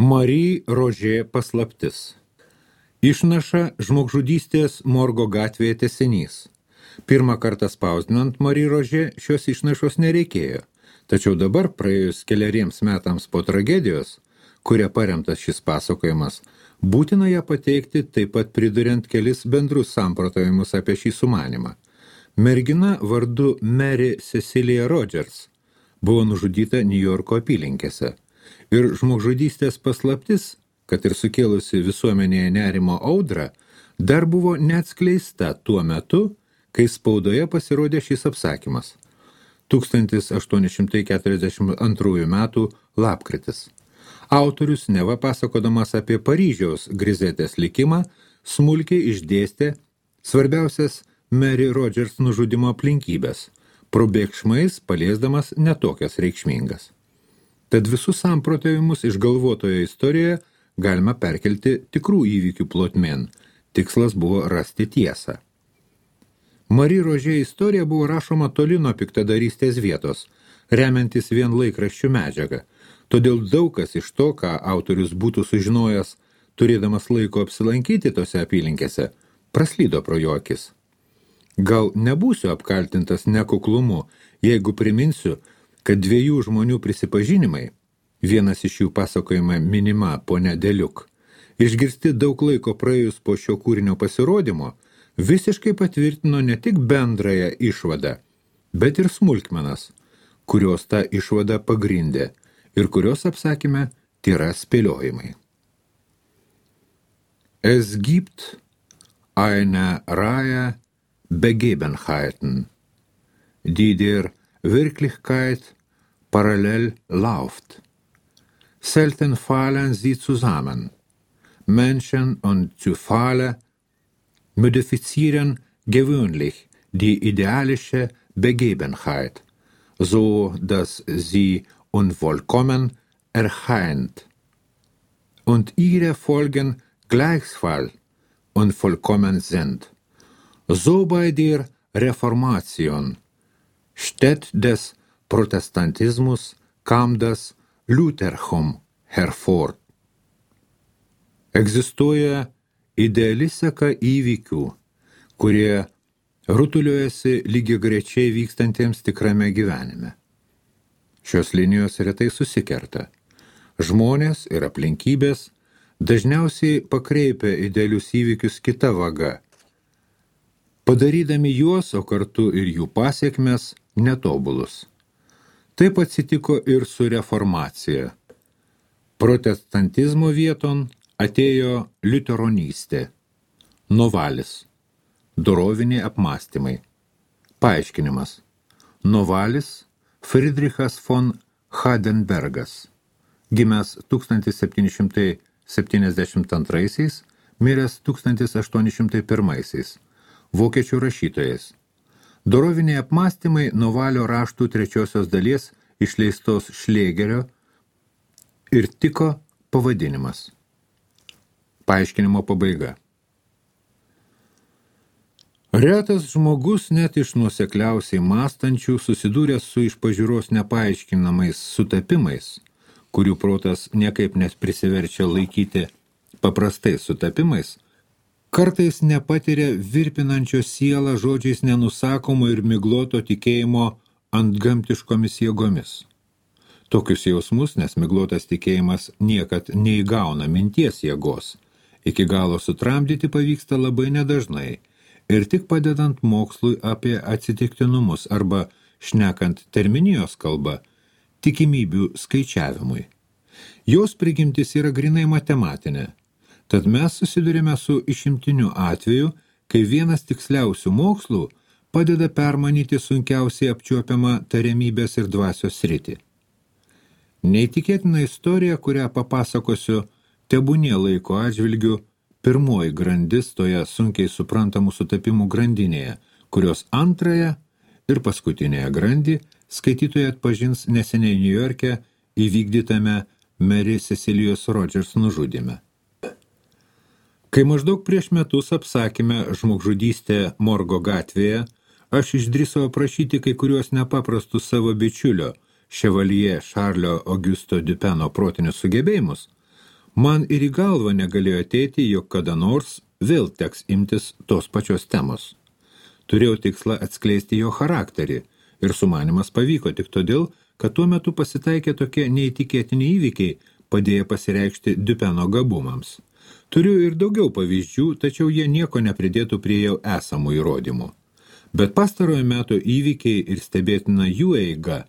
Marie Roger paslaptis. Išnaša žmogžudystės Morgo gatvėje tęsinys. Pirmą kartą spausdinant Marie Roger šios išnašos nereikėjo, tačiau dabar praėjus keleriems metams po tragedijos, kuria paremtas šis pasakojimas, būtina ją pateikti, taip pat priduriant kelis bendrus samprotavimus apie šį sumanymą. Mergina vardu Mary Cecilia Rogers buvo nužudyta Niujorko apylinkėse. Ir žmogžudystės paslaptis, kad ir sukėlusi visuomenėje nerimo audrą, dar buvo neatskleista tuo metu, kai spaudoje pasirodė šis apsakymas. 1842 metų lapkritis. Autorius, neva pasakodamas apie Paryžiaus Grizetės likimą, smulkiai išdėstė svarbiausias Mary Rogers nužudimo aplinkybės, probėgšmais paliesdamas netokias reikšmingas. Tad visus samprotavimus išgalvotoje istorijoje galima perkelti tikrų įvykių plotmėn. Tikslas buvo rasti tiesą. Marie Roger istorija buvo rašoma toli nuo piktadarystės vietos, remiantis vien laikraščių medžiagą. Todėl daug kas iš to, ką autorius būtų sužinojęs, turėdamas laiko apsilankyti tose apylinkėse, praslydo pro jo akis. Gal nebūsiu apkaltintas nekuklumu, jeigu priminsiu, kad dviejų žmonių prisipažinimai, vienas iš jų pasakojama minima ponia Deliuk, išgirsti daug laiko praėjus po šio kūrinio pasirodymo, visiškai patvirtino ne tik bendrąją išvadą, bet ir smulkmenas, kurios tą išvadą pagrindė ir kurios apsakyme tėra spėliojimai. Es gibt eine Reihe Begebenheiten, die der Wirklichkeit parallel läuft. Selten fallen sie zusammen. Menschen und Zufälle modifizieren gewöhnlich die idealische Begebenheit, so dass sie unvollkommen erscheint. Und ihre Folgen gleichfalls unvollkommen sind. So bei der Reformation steht des Protestantismus kam das Luthertum hervor. Egzistuoja ideali seka įvykių, kurie rutuliuojasi lygiagrečiai vykstantiems tikrame gyvenime. Šios linijos retai susikerta. Žmonės ir aplinkybės dažniausiai pakreipia idealius įvykius kita vaga, padarydami juos, o kartu ir jų pasiekmes, netobulus. Taip atsitiko ir su reformacija. Protestantizmo vieton atėjo liuteronystė, novalis, doroviniai apmąstymai. Paaiškinimas. Novalis Friedrichas von Hardenbergas, gimęs 1772, miręs 1801, vokiečių rašytojas. Doroviniai apmąstymai novalio raštų trečiosios dalies išleistos Šlėgerio ir tiko pavadinimas. Paaiškinimo pabaiga. Retas žmogus net iš nuosekliausiai mąstančių susidūręs su iš pažiūros nepaaiškinamais sutapimais, kurių protas niekaip net prisiverčia laikyti paprastais sutapimais, kartais nepatiria virpinančio sielą žodžiais nenusakomo ir migloto tikėjimo antgamtiškomis jėgomis. Tokius jausmus, nes miglotas tikėjimas niekad neįgauna minties jėgos, iki galo sutramdyti pavyksta labai nedažnai ir tik padedant mokslui apie atsitiktinumus arba, šnekant terminijos kalba, tikimybių skaičiavimui. Jos prigimtis yra grynai matematinė. Tad mes susidurime su išimtiniu atveju, kai vienas tiksliausių mokslų padeda permanyti sunkiausiai apčiuopiamą tariamybės ir dvasios sritį. Neįtikėtina istorija, kurią papasakosiu, tebūnie laiko atžvilgiu pirmoji grandis toje sunkiai suprantamų sutapimų grandinėje, kurios antrąją ir paskutinėje grandį skaitytojai atpažins neseniai Niujorke įvykdytame Mary Cecilijos Rogers nužudyme. Kai maždaug prieš metus apsakyme žmogžudystė Morgo gatvėje, aš išdrįsau aprašyti kai kuriuos nepaprastus savo bičiulio, Chevalier Šarlio Augusto Dupeno protinius sugebėjimus, Man ir į galvą negalėjo ateiti, jog kada nors vėl teks imtis tos pačios temos. Turėjau tikslą atskleisti jo charakterį ir sumanimas pavyko tik todėl, kad tuo metu pasitaikė tokie neįtikėtini įvykiai, padėję pasireikšti Dupeno gabumams. Turiu ir daugiau pavyzdžių, tačiau jie nieko nepridėtų prie jau esamų įrodymų. Bet pastarojo meto įvykiai ir stebėtina jų eiga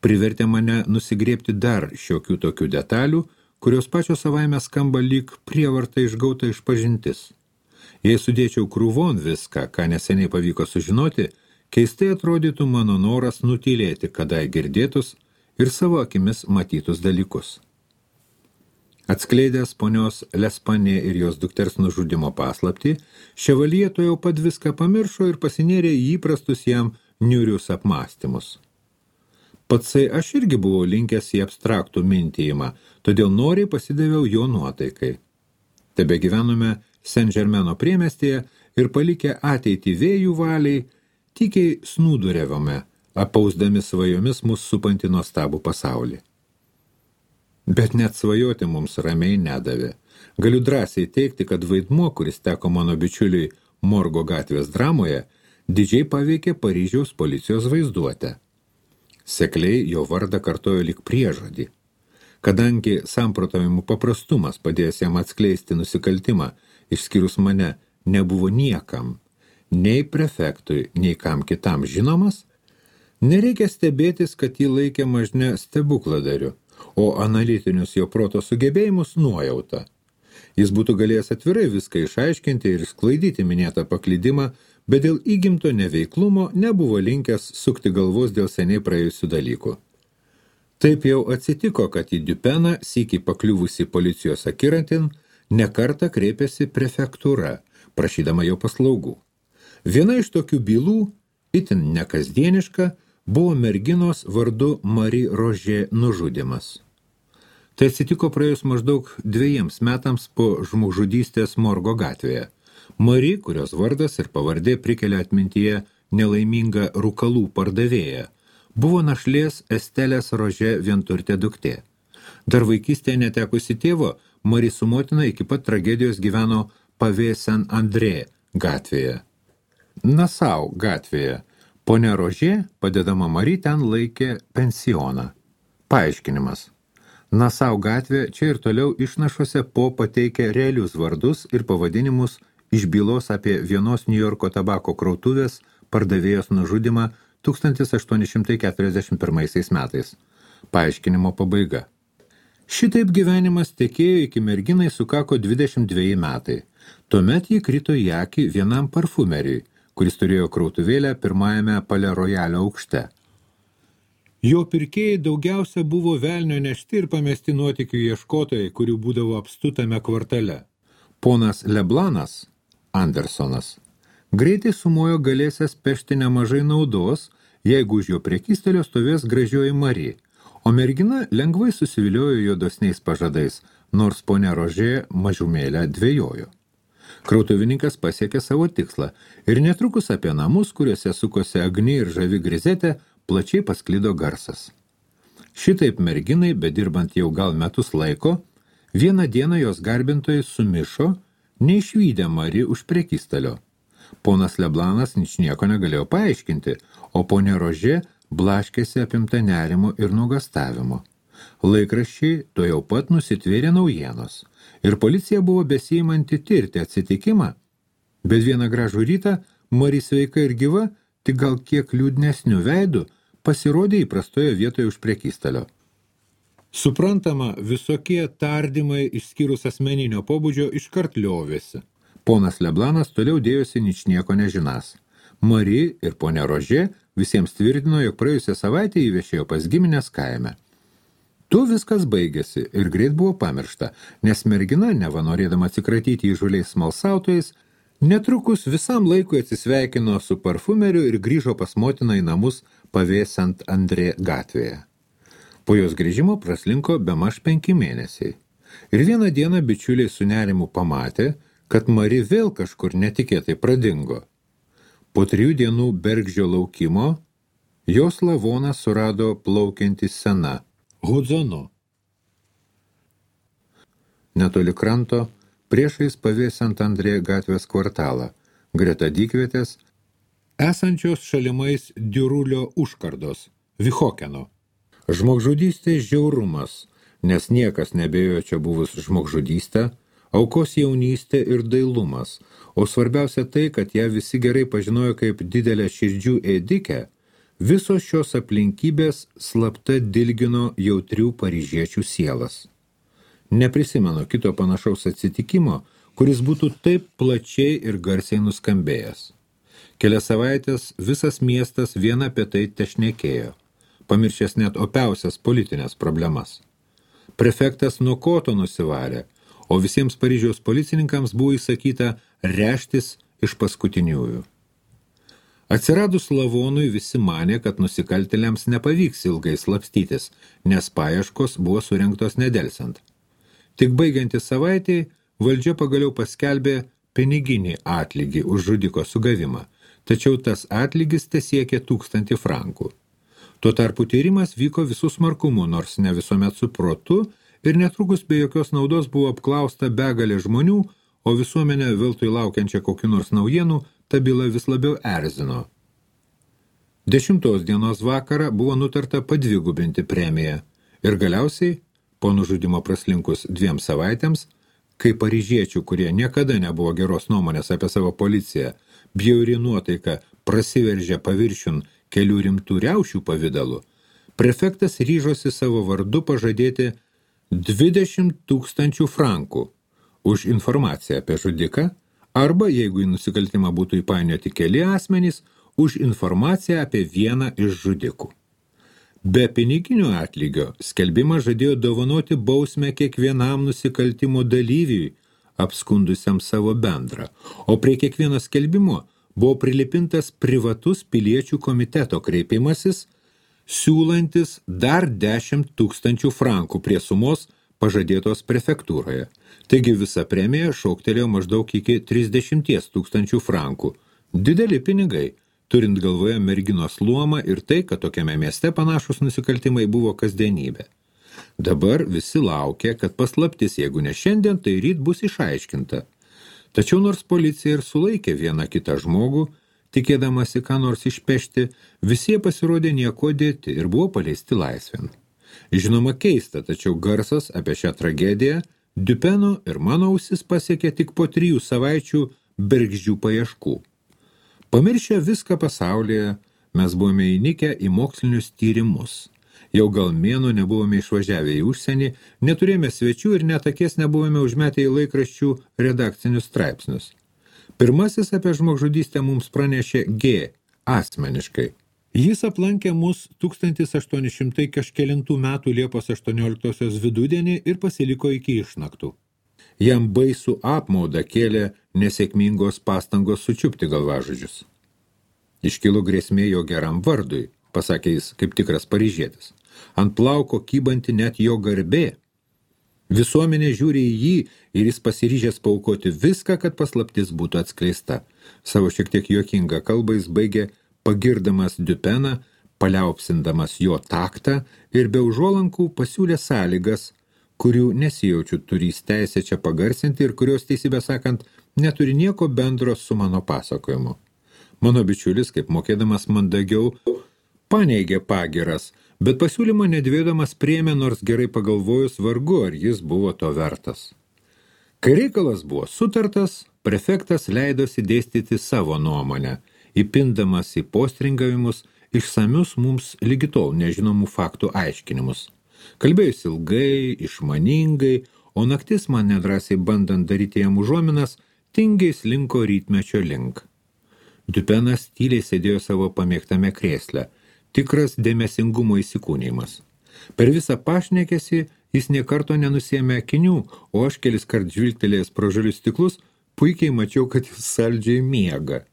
privertė mane nusigrėbti dar šiokių tokių detalių, kurios pačios savaime skamba lyg prievarta išgauta išpažintis. Jei sudėčiau krūvon viską, ką neseniai pavyko sužinoti, keistai atrodytų mano noras nutylėti kadai girdėtus ir savo akimis matytus dalykus. Atskleidęs ponios Lespanė ir jos dukters nužudimo paslaptį, Ševalyje to jau pat viską pamiršo ir pasinėrė į įprastus jam niūrius apmąstymus. Patsai aš irgi buvau linkęs į abstraktų mintijimą, todėl noriai pasidaviau jo nuotaikai. Tebe gyvenome Saint-Germaino priemiestyje ir palikę ateitį vėjų valiai, tykiai snūduriavome, apausdami svajomis mus supantį nuostabų pasaulį. Bet net svajoti mums ramiai nedavė. Galiu drąsiai teikti, kad vaidmuo, kuris teko mano bičiuliui Morgo gatvės dramoje, didžiai paveikė Paryžiaus policijos vaizduotę. Sekliai jo vardą kartojo lyg priežodį. Kadangi samprotavimų paprastumas padėjęs jam atskleisti nusikaltimą, išskyrus mane, nebuvo niekam, nei prefektui, nei kam kitam žinomas, nereikia stebėtis, kad jį laikė mažne stebukladariu, o analitinius jo proto sugebėjimus nuojauta. Jis būtų galėjęs atvirai viską išaiškinti ir sklaidyti minėtą paklydimą, bet dėl įgimto neveiklumo nebuvo linkęs sukti galvos dėl seniai praėjusių dalykų. Taip jau atsitiko, kad į Dupeną, sykį pakliuvusi policijos akiratin, nekartą kreipėsi prefektūra, prašydama jo paslaugų. Viena iš tokių bylų, itin nekasdieniška, buvo merginos vardu Marie Roger nužudymas. Tai atsitiko praėjus maždaug 2 metams po žmogžudystės Morgo gatvėje. Marie, kurios vardas ir pavardė prikelia atmintyje nelaimingą rūkalų pardavėją, buvo našlės Estelės Roger vienturtė duktė. Dar vaikystėje netekusi tėvo, Marie su motina iki pat tragedijos gyveno Pavė Saint-André gatvėje. Nasau gatvėje. Ponia Roger, padedama Marie, ten laikė pensioną. Paaiškinimas. Nasau gatvė čia ir toliau išnašuose po pateikia realius vardus ir pavadinimus iš bylos apie vienos New Yorko tabako krautuvės pardavėjos nužudymą 1841 metais. Paaiškinimo pabaiga. Šitaip gyvenimas tekėjo iki merginai sukako 22 metai. Tuomet ji krito į akį vienam parfumeriui, kuris turėjo krautuvėlę pirmajame Palais Royalio aukšte. Jo pirkėjai daugiausia buvo velnio nešti ir pamesti nuotykių ieškotojai, kurių būdavo apstu tame kvartale. Ponas Leblanas, Andersonas, greitai sumojo galėsęs pešti nemažai naudos, jeigu už jo prekystelio stovės gražioji Marie, o mergina lengvai susiviliojo jo dosniais pažadais, nors ponia Roger mažumėlę dvejojo. Krautuvininkas pasiekė savo tikslą ir netrukus apie namus, kuriuose sukosi Agni ir žavi Grizetė, plačiai pasklido garsas. Šitaip merginai, bedirbant jau gal metus laiko, vieną dieną jos garbintojai sumišo, neišvydę Marie už prekystalio. Ponas Leblanas ničnieko negalėjo paaiškinti, o ponia Roger blaškėsi apimta nerimo ir nuogastavimo. Laikraščiai to jau pat nusitvėrė naujienos ir policija buvo besiimanti tirti atsitikimą, bet vieną gražų rytą Marie sveika ir gyva, tik gal kiek liūdnesnių veidų, pasirodė įprastoje vietoje už prekystalio. Suprantama, visokie tardymai išskyrus asmeninio pobūdžio iškart liovėsi. Ponas Leblanas toliau dėjosi ničnieko nežinas. Marie ir ponia Roger visiems tvirtino, jog praėjusią savaitę įviešėjo pas giminės kaime. Tu viskas baigėsi ir greit buvo pamiršta, nes mergina, neva norėdama atsikratyti įžuliais smalsautojais, netrukus visam laikui atsisveikino su parfumeriu ir grįžo pas motiną į namus Pavė Saint-André gatvėje. Po jos grįžimo praslinko bemaž 5 mėnesiai. Ir vieną dieną bičiuliai su nerimu pamatė, kad Marie vėl kažkur netikėtai pradingo. Po 3 dienų bergždžio laukimo jos lavoną surado plaukianti sena Hudzonu. netoli kranto, priešais pavėsant Andrė gatvės kvartalą, greta dykvietės, esančios šalimais Diurulio užkardos, Vichokeno. Žmogžudystės žiaurumas, nes niekas nebejojo čia buvus žmogžudystę, aukos jaunystė ir dailumas, o svarbiausia tai, kad ją visi gerai pažinojo kaip didelę širdžių ėdikę, visos šios aplinkybės slapta dilgino jautrių paryžiečių sielas. Neprisimenu kito panašaus atsitikimo, kuris būtų taip plačiai ir garsiai nuskambėjęs. Kelias savaitės visas miestas vien apie tai tešnekėjo, pamiršęs net opiausias politinės problemas. Prefektas nuo koto nusivarė, o visiems Paryžiaus policininkams buvo įsakyta reštis iš paskutiniųjų. Atsiradus lavonui visi manė, kad nusikaltėliams nepavyks ilgai slapstytis, nes paieškos buvo surengtos nedelsiant. Tik baigiantis savaitei, valdžia pagaliau paskelbė piniginį atlygį už žudiko sugavimą, tačiau tas atlygis tesiekė 1000 frankų. Tuo tarpu tyrimas vyko visų smarkumu, nors ne visuomet su protu, ir netrukus be jokios naudos buvo apklausta begalė žmonių, o visuomenė veltui laukiančia kokių nors naujienų, ta byla vis labiau erzino. 10 dienos vakarą buvo nutarta padvigubinti premiją ir galiausiai, po nužudimo praslinkus 2 savaitėms, kai paryžiečių, kurie niekada nebuvo geros nuomonės apie savo policiją, bjauri nuotaika prasiveržė paviršiun kelių rimtų riaušių pavidalu, prefektas ryžosi savo vardu pažadėti 20 000 frankų už informaciją apie žudiką arba, jeigu į nusikaltimą būtų įpainioti keli asmenys, už informaciją apie vieną iš žudikų. Be piniginio atlygio skelbimas žadėjo dovanoti bausmę kiekvienam nusikaltimo dalyviui, apskundusiam savo bendrą, o prie kiekvieno skelbimo buvo prilipintas privatus piliečių komiteto kreipimasis, siūlantis dar 10 000 frankų prie sumos pažadėtos prefektūroje. Taigi visa premija šauktelėjo maždaug iki 30 000 frankų. Dideli pinigai, turint galvoje merginos luomą ir tai, kad tokiame mieste panašus nusikaltimai buvo kasdienybė. Dabar visi laukia, kad paslaptis, jeigu ne šiandien, tai ryt bus išaiškinta. Tačiau nors policija ir sulaikė vieną kitą žmogų, tikėdamasi ką nors išpešti, visi pasirodė nieko dėti ir buvo paleisti laisvėn. Žinoma keista, tačiau garsas apie šią tragediją Dupeno ir mano ausis pasiekė tik po 3 savaičių bergždžių paieškų. Pamiršę viską pasaulyje, mes buvome įnikę į mokslinius tyrimus. Jau gal mėnuo nebuvome išvažiavę į užsienį, neturėjome svečių ir net akės nebuvome užmetę į laikraščių redakcinius straipsnius. Pirmasis apie žmogžudystę mums pranešė G. asmeniškai. Jis aplankė mus 1800 kažkelintų metų Liepos 18 vidudienį ir pasiliko iki išnaktų. Jam baisų apmaudą kėlė nesėkmingos pastangos sučiupti galvažudžius. Iškilo grėsmė jo geram vardui, pasakė jis kaip tikras paryžietis. Ant plauko kybanti net jo garbė. Visuomenė žiūri į jį ir jis pasiryžęs paaukoti viską, kad paslaptis būtų atskleista. Savo šiek tiek juokingą kalbą jis baigė pagirdamas Dupeną, paliaupsindamas jo taktą ir be užuolankų pasiūlė sąlygas, kurių nesijaučiu turys teisę čia pagarsinti ir kurios, teisybę sakant, neturi nieko bendro su mano pasakojimu. Mano bičiulis, kaip mokėdamas mandagiau, paneigė pagiras, bet pasiūlymą nedvėdamas priėmė, nors gerai pagalvojus vargu, ar jis buvo to vertas. Kai reikalas buvo sutartas, prefektas leidosi dėstyti savo nuomonę, įpindamas į postringavimus išsamius mums lygi tol nežinomų faktų aiškinimus. Kalbėjus ilgai, išmaningai, o naktis man nedrąsiai bandant daryti jam užuominas, tingiai slinko rytmečio link. Dupenas tyliai sėdėjo savo pamėgtame krėsle, tikras dėmesingumo įsikūnimas. Per visą pašnekesį jis nė karto nenusėmė akinių, o aš keliskart žvilgtelėjęs pro žalius stiklus, puikiai mačiau, kad jis saldžiai miega.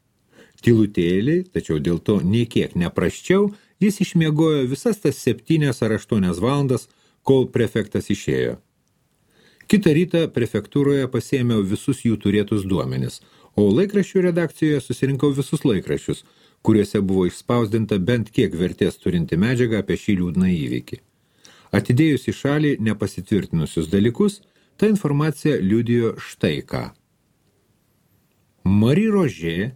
Tylutėliai, tačiau dėl to nei kiek neprasčiau, jis išmiegojo visas tas 7 ar 8 valandas, kol prefektas išėjo. Kitą rytą prefektūroje pasiėmiau visus jų turėtus duomenis, o laikraščių redakcijoje susirinkau visus laikraščius, kuriuose buvo išspausdinta bent kiek vertės turinti medžiaga apie šį liūdną įvykį. Atidėjus į šalį nepasitvirtinusius dalykus, Ta informacija liudijo štai ką. Marie Roger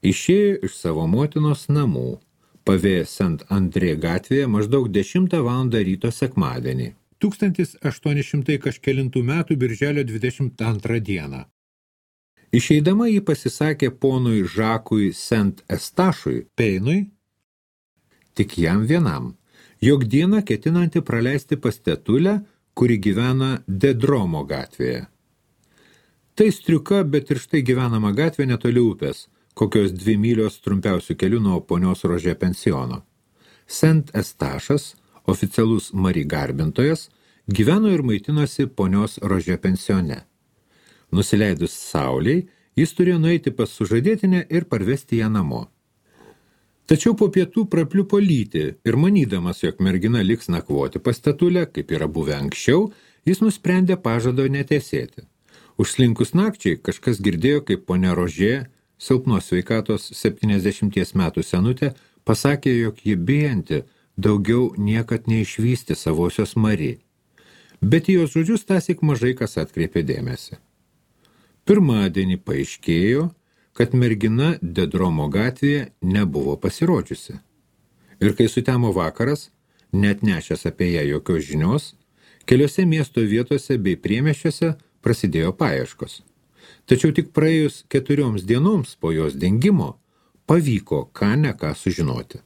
išėjo iš savo motinos namų, pavėję Saint-André gatvėje maždaug 10 valandą ryto sekmadienį, 1800 kažkelintų metų birželio 22 dieną. Išeidama jį pasisakė ponui Žakui Saint-Estašui Peinui, tik jam vienam, jog dieną ketinanti praleisti pas tetulę, kuri gyvena Dedromo gatvėje. Tai striuka, bet ir štai gyvenama gatvė netoli upės, kokios 2 mylios trumpiausių kelių nuo ponios Rože pensiono. Saint-Estašas, oficialus Marie garbintojas, gyveno ir maitinosi ponios Rože pensione. Nusileidus saulei, jis turėjo nueiti pas sužadėtinę ir parvesti ją namo. Tačiau po pietų prapliupo lyti ir manydamas, jog mergina liks nakvoti pas tetulę, kaip yra buvę anksčiau, jis nusprendė pažado netesėti. Užslinkus nakčiai kažkas girdėjo, kaip ponia Rožė, silpnos sveikatos 70 metų senutė, pasakė, jog ji bijanti daugiau niekad neišvysti savosios Marie. Bet į jos žodžius tąsyk mažai kas atkreipė dėmesį. Pirmadienį paaiškėjo, kad mergina Dedromo gatvėje nebuvo pasirodžiusi. Ir kai sutemo vakaras, net nešęs apie ją jokios žinios, keliose miesto vietose bei priemiesčiuose prasidėjo paieškos. Tačiau tik praėjus 4 dienoms po jos dingimo pavyko ką ne ką sužinoti.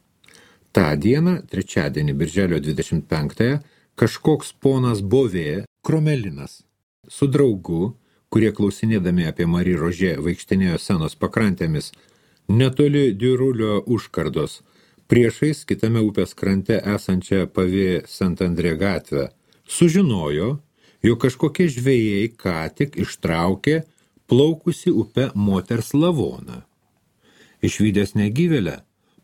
Ta dieną, trečiadienį birželio 25-ąją, kažkoks ponas Bovė, Kromelinas, su draugu, kurie klausinėdami apie Marie Rožė vaikštinėjo Senos pakrantėmis, netoli Diurulio užkardos, priešais kitame upės krante esančią pavė Saint-André gatvę, sužinojo, jog kažkokie žvejai ką tik ištraukė plaukusi upe moters lavoną. Išvydęs negyvėlę,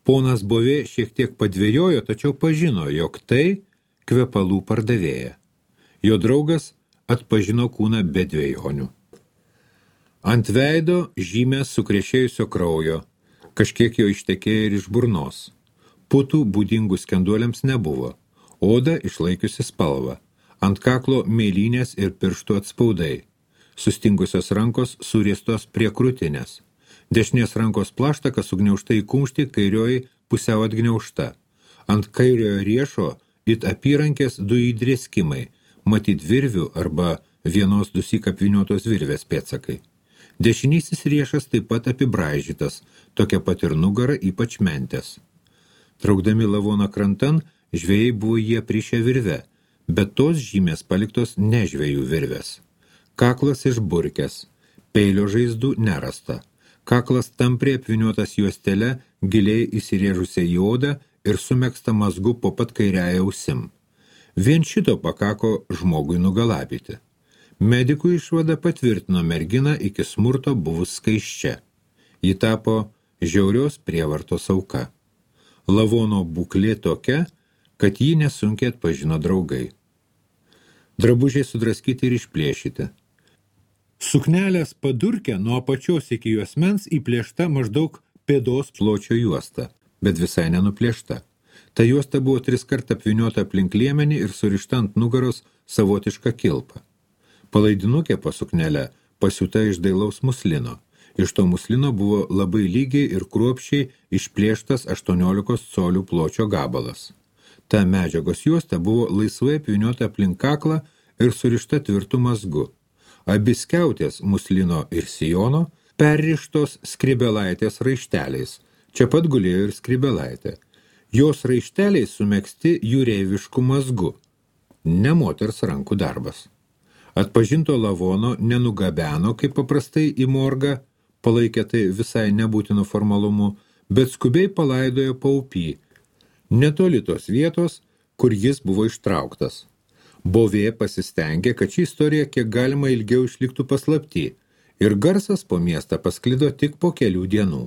ponas Bovė šiek tiek padvėjojo, tačiau pažino, jog tai kvepalų pardavėja. Jo draugas atpažino kūną be dvejonių. Ant veido žymės sukrešėjusio kraujo, kažkiek jo ištekėjo ir iš burnos. Putų būdingų skenduoliams nebuvo, oda išlaikiusi spalvą, ant kaklo mėlynės ir pirštų atspaudai, sustingusios rankos suriestos prie krūtinės, dešinės rankos plaštaka sugniaužta į kumštį, kairioji pusiau atgniaužta, ant kairiojo riešo it apyrankės 2 įdrėskimai, matyt virvių arba vienos 2 apvyniotos virvės pėdsakai. Dešinysis riešas taip pat apibraižytas, tokia pat ir nugara, ypač mentės. Traukdami lavoną krantan, žvejai buvo jie prišę virve, bet tos žymės paliktos ne žvejų virvės. Kaklas išburkęs, peilio žaizdų nerasta. Kaklas tampriai apvyniotas juostele, giliai įsirėžusia į odą ir sumegsta mazgu po pat kairiąja ausim. Vien šito pakako žmogui nugalabyti. Medikų išvada patvirtino merginą iki smurto buvus skaisčia. Ji tapo žiaurios prievartos auka. Lavono būklė tokia, kad jį nesunkiai atpažino draugai. Drabužiai sudraskyti ir išplėšyti. Suknelės padurkė nuo apačios iki juosmens įplėšta maždaug pėdos pločio juosta, bet visai nenuplėšta. Ta juosta buvo 3 kartų apvyniota aplink liemenį ir surišta ant nugaros savotiška kilpa. Palaidinukė po suknelę pasiūta iš dailaus muslino. Iš to muslino buvo labai lygiai ir kruopščiai išplėštas 18 colių pločio gabalas. Ta medžiagos juosta buvo laisvai apvyniota aplink kaklą ir surišta tvirtu mazgu. Abi skiautės muslino ir sijono perrištos skribelaitės raišteliais. Čia pat gulėjo ir skribelaitė. Jos raišteliai sumegzti jūreivišku mazgu. Ne moters rankų darbas. Atpažinto lavono nenugabeno, kaip paprastai į morgą, palaikė tai visai nebūtinu formalumu, bet skubiai palaidojo paupį, netoli tos vietos, kur jis buvo ištrauktas. Bovė pasistengė, kad ši istorija kiek galima ilgiau išliktų paslapty, ir garsas po miestą pasklido tik po kelių dienų.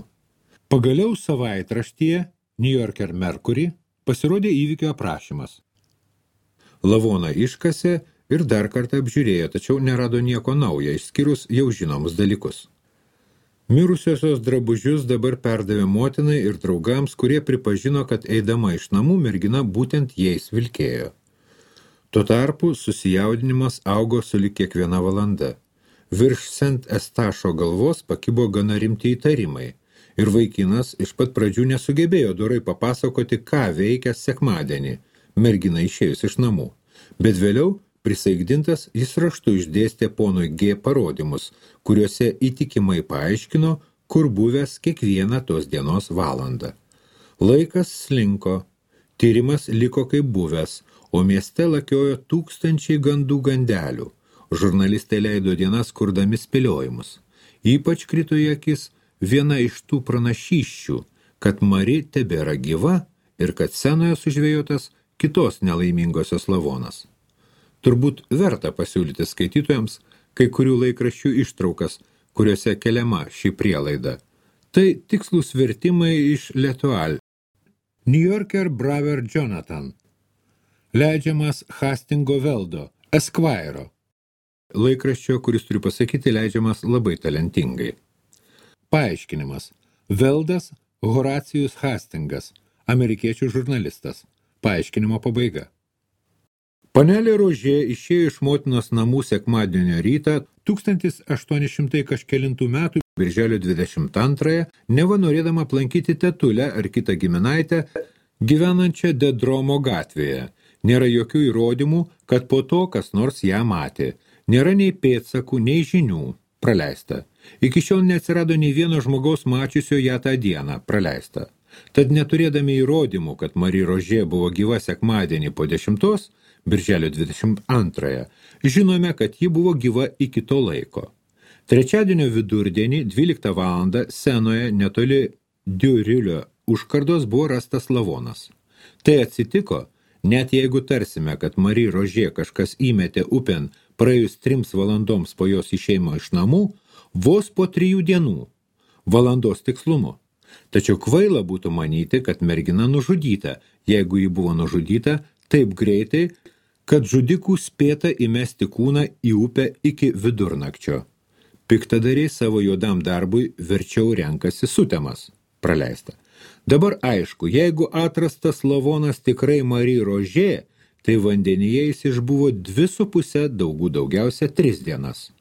Pagaliau savaitraštyje New Yorker Mercury pasirodė įvykio aprašymas. Lavoną iškasė ir dar kartą apžiūrėjo, tačiau nerado nieko naujo, išskyrus jau žinomus dalykus. Mirusiosios drabužius dabar perdavė motinai ir draugams, kurie pripažino, kad eidama iš namų mergina būtent jais vilkėjo. Tuo tarpu susijaudinimas augo sulig kiekviena valanda. Virš Sent Estašo galvos pakibo gana rimti įtarimai ir vaikinas iš pat pradžių nesugebėjo dorai papasakoti, ką veikia sekmadienį, mergina išėjus iš namų. Bet vėliau, prisaikdintas, jis raštu išdėstė ponui G parodymus, kuriuose įtikimai paaiškino, kur buvęs kiekvieną tos dienos valandą. Laikas slinko, tyrimas liko kaip buvęs, o mieste lakiojo tūkstančiai gandų gandelių. Žurnalistai leido dienas kurdami spėliojimus. Ypač krito į akis viena iš tų pranašysčių, kad Mari tebėra gyva ir kad scenoje sužvėjotas kitos nelaimingosios lavonas. Turbūt verta pasiūlyti skaitytojams kai kurių laikraščių ištraukas, kuriuose keliama ši prielaida. Tai tikslūs vertimai iš L'Etoile. New Yorker Braver Jonathan, leidžiamas Hastingo Veldo, Esquire. Laikraščio, kuris turiu pasakyti, leidžiamas labai talentingai. Paaiškinimas. Veldas Horacijus Hastingas, amerikiečių žurnalistas. Paaiškinimo pabaiga. Panelė Rožė išėjo iš motinos namų sekmadienio rytą 1800 kažkelintų metų birželio 22, neva norėdama aplankyti tetulę ar kitą giminaitę, gyvenančią Dedromo gatvėje. Nėra jokių įrodymų, kad po to kas nors ją matė. Nėra nei pėdsakų, nei žinių. Praleista. Iki šiol neatsirado nei vieno žmogaus mačiusio ją tą dieną. Praleista. Tad neturėdami įrodymų, kad Mari Rožė buvo gyva sekmadienį po 10, birželio 22, žinome, kad ji buvo gyva iki to laiko. Trečiadienio vidurdienį 12 valandą Senoje netoli Diurilio užkardos buvo rastas lavonas. Tai atsitiko, net jeigu tarsime, kad Mari Rožė kažkas įmetė upėn praėjus 3 valandoms po jos išėjimo iš namų, vos po 3 dienų, valandos tikslumu. Tačiau kvaila būtų manyti, kad mergina nužudyta, jeigu ji buvo nužudyta taip greitai, kad žudikų spėta įmesti kūną į upę iki vidurnakčio. Piktadariai savo juodam darbui verčiau renkasi sutemas. Praleista. Dabar aišku, jeigu atrastas lavonas tikrai Mari Rožė, tai vandenyje jis išbuvo 2,5, daugiausia 3 dienas.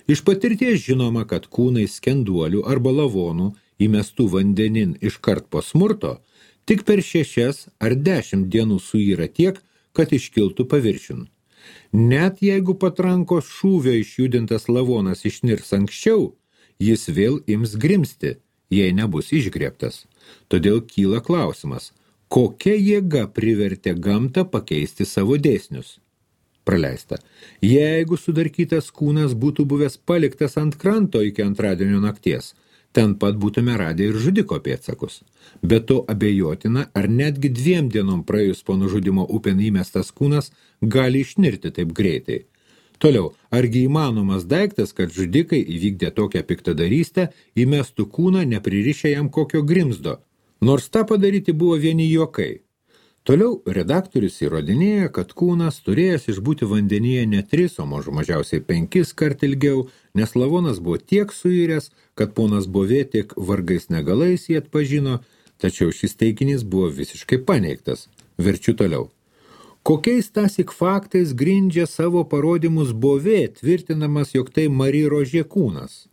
Iš patirties žinoma, kad kūnai skenduolių arba lavonų įmestų vandenin iškart po smurto, tik per 6 ar 10 dienų suyra tiek, kad iškiltų paviršiun. Net jeigu patrankos šūvio išjudintas lavonas išnirs anksčiau, jis vėl ims grimsti, jei nebus išgriebtas. Todėl kyla klausimas, kokia jėga privertė gamtą pakeisti savo dėsnius? Praleista. Jeigu sudarkytas kūnas būtų buvęs paliktas ant kranto iki antradienio nakties, ten pat būtume radę ir žudiko pėdsakus. Bet to abejotina, ar netgi 2 dienom praėjus po nužudimo upėn įmestas kūnas gali išnirti taip greitai. Toliau, argi įmanomas daiktas, kad žudikai įvykdė tokią piktadarystę, įmestų kūną nepririšę jam kokio grimzdo, nors tą padaryti buvo vieni juokai. Toliau redaktorius įrodinėja, kad kūnas turėjęs išbūti vandenyje ne 3, o mažiausiai 5 kart ilgiau, nes lavonas buvo tiek suiręs, kad ponas Bovė tik vargais negalais jį atpažino, tačiau šis teiginys buvo visiškai paneigtas. Verčiu toliau. Kokiais tąsyk faktais grindžia savo parodymus Bovė, tvirtinamas, jog tai Mari Rožė kūnas?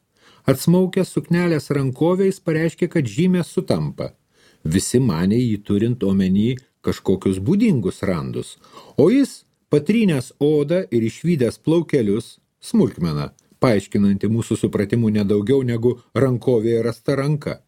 Atsmaukęs suknelės rankoviais pareiškė, kad žymės sutampa. Visi manė jį turint omeny kažkokius būdingus randus, o jis, patrynęs odą ir išvydęs plaukelius, smulkmena, paaiškinanti mūsų supratimu nedaugiau negu rankovėje rasta ranka.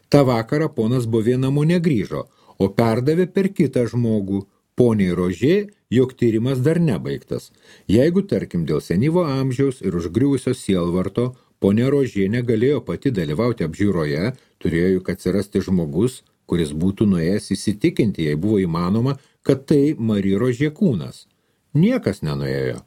Ta vakarą ponas Bovė namo negrįžo, o perdavė per kitą žmogų, poniai Rožė, jog tyrimas dar nebaigtas. Jeigu, tarkim, dėl senyvo amžiaus ir užgriuvusio sielvarto, ponia Rožė negalėjo pati dalyvauti apžiūroje, turėjo juk atsirasti žmogus, kuris būtų nuėjęs įsitikinti, jei buvo įmanoma, kad tai Mari Rožė kūnas. Niekas nenuėjo.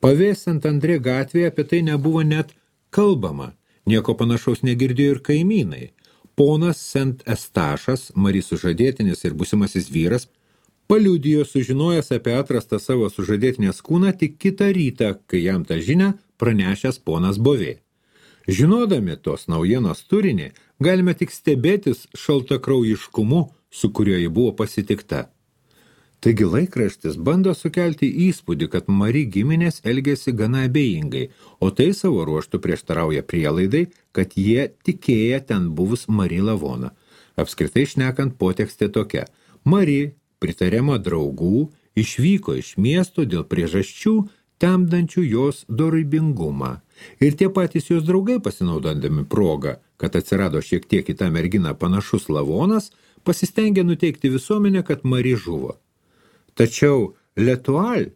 Pavėsant Andrė gatvėje apie tai nebuvo net kalbama. Nieko panašaus negirdėjo ir kaimynai. Ponas Sent Estašas, Mari sužadėtinis ir būsimasis vyras, paliudijo sužinojęs apie atrastą savo sužadėtinės kūną tik kitą rytą, kai jam tą žinią pranešęs ponas Bovė. Žinodami tos naujienos turinį, galime tik stebėtis šaltakraujiškumu, su kuriuo ji buvo pasitikta. Taigi laikraštis bando sukelti įspūdį, kad Mari giminės elgėsi gana abejingai, o tai savo ruoštų prieštarauja prielaidai, kad jie tikėję ten buvus Mari lavoną. Apskritai šnekant, potekstė tokia. Mari, pritariama draugų, išvyko iš miesto dėl priežasčių, temdančių jos dorybingumą. Ir tie patys jos draugai, pasinaudodami progą, kad atsirado šiek tiek į tą merginą panašus lavonas, pasistengė nuteikti visuomenę, kad Mari žuvo. Tačiau Letual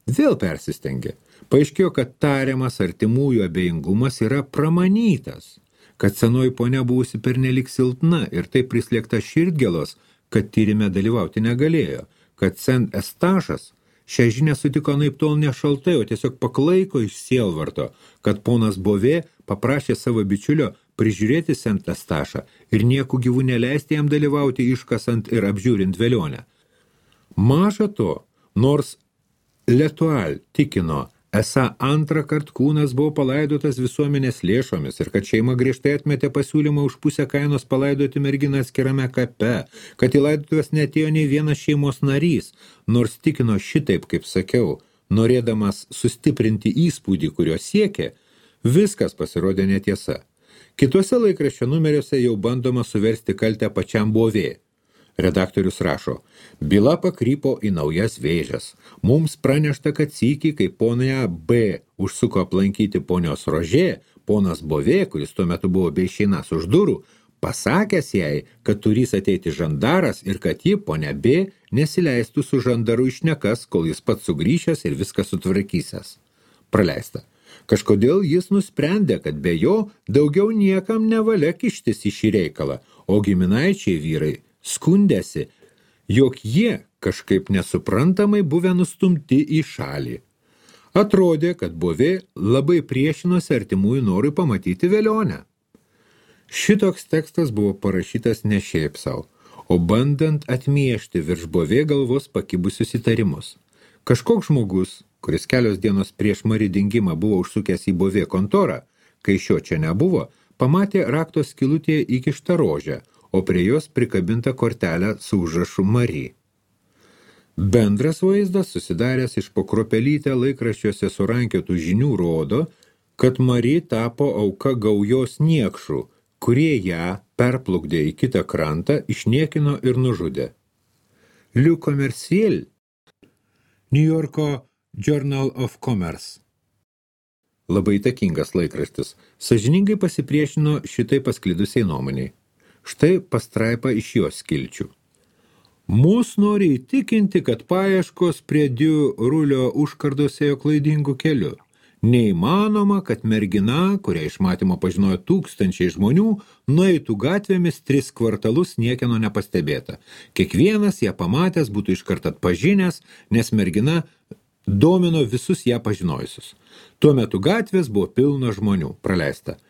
vėl persistengė. Paaiškėjo, kad tariamas artimųjų abejingumas yra pramanytas, kad senoji ponia buvusi pernelik silpna ir taip prislėgta širdgėlos, kad tyrime dalyvauti negalėjo, kad Sent Estašas šią žinią sutiko naiptol ne šaltai, o tiesiog paklaiko iš sielvarto, kad ponas Bovė paprašė savo bičiulio prižiūrėti Sent Estašą ir nieku gyvų neleisti jam dalyvauti iškasant ir apžiūrint velionę. Maža to, nors Letual tikino, esą antrą kartą kūnas buvo palaidotas visuomenės lėšomis ir kad šeima griežtai atmetė pasiūlymą už pusę kainos palaidoti merginą atskirame kape, kad į laidotuvės neatėjo nei vienas šeimos narys, nors tikino šitaip, kaip sakiau, norėdamas sustiprinti įspūdį, kurio siekė, viskas pasirodė netiesa. Kituose laikraščio numeriuose jau bandoma suversti kaltę pačiam Bovė. Redaktorius rašo, byla pakrypo į naujas vėžes. Mums pranešta, kad sykį, kai ponia B užsuko aplankyti ponios Rožė, ponas Bovė, kuris tuo metu buvo be išeinas už durų, pasakęs jai, kad turės ateiti žandaras ir kad ji, ponia B, nesileistų su žandaru išnekas, kol jis pats sugrįžęs ir viską sutvarkysęs. Praleista. Kažkodėl jis nusprendė, kad be jo daugiau niekam nevalia kištis į šį reikalą, o giminaičiai vyrai skundėsi, jog jie kažkaip nesuprantamai buvę nustumti į šalį. Atrodė, kad Bovė labai priešinosi artimųjų norui pamatyti velionę. Šitoks tekstas buvo parašytas ne šiaip sau, o bandant atmiešti virš Bovė galvos pakibusius įtarimus. Kažkoks žmogus, kuris kelios dienos prieš Mari dingimą buvo užsukęs į Bovė kontorą, kai šio čia nebuvo, pamatė rakto skylutėje įkištą rožę, o prie jos prikabinta kortelę su užrašu Mari. Bendras vaizdas, susidaręs iš po kruopelytę laikraščiuose surankiotų žinių, rodo, kad Mari tapo auka gaujos niekšų, kurie ją perplukdė į kitą krantą, išniekino ir nužudė. Le Commerciel, New Yorko Journal of Commerce. Labai įtakingas laikraštis, sąžiningai pasipriešino šitai pasklidusiai nuomoniai. Štai pastraipa iš jos skilčių. Mus nori įtikinti, kad paieškos prie Diu Rulio užkardos ėjo klaidingu keliu. Neįmanoma, kad mergina, kurią iš matymo pažinojo tūkstančiai žmonių, nueitų gatvėmis 3 kvartalus niekieno nepastebėta. Kiekvienas ją pamatęs būtų iškart atpažinęs, nes mergina domino visus ją pažinojusius. Tuo metu gatvės buvo pilna žmonių, praleista.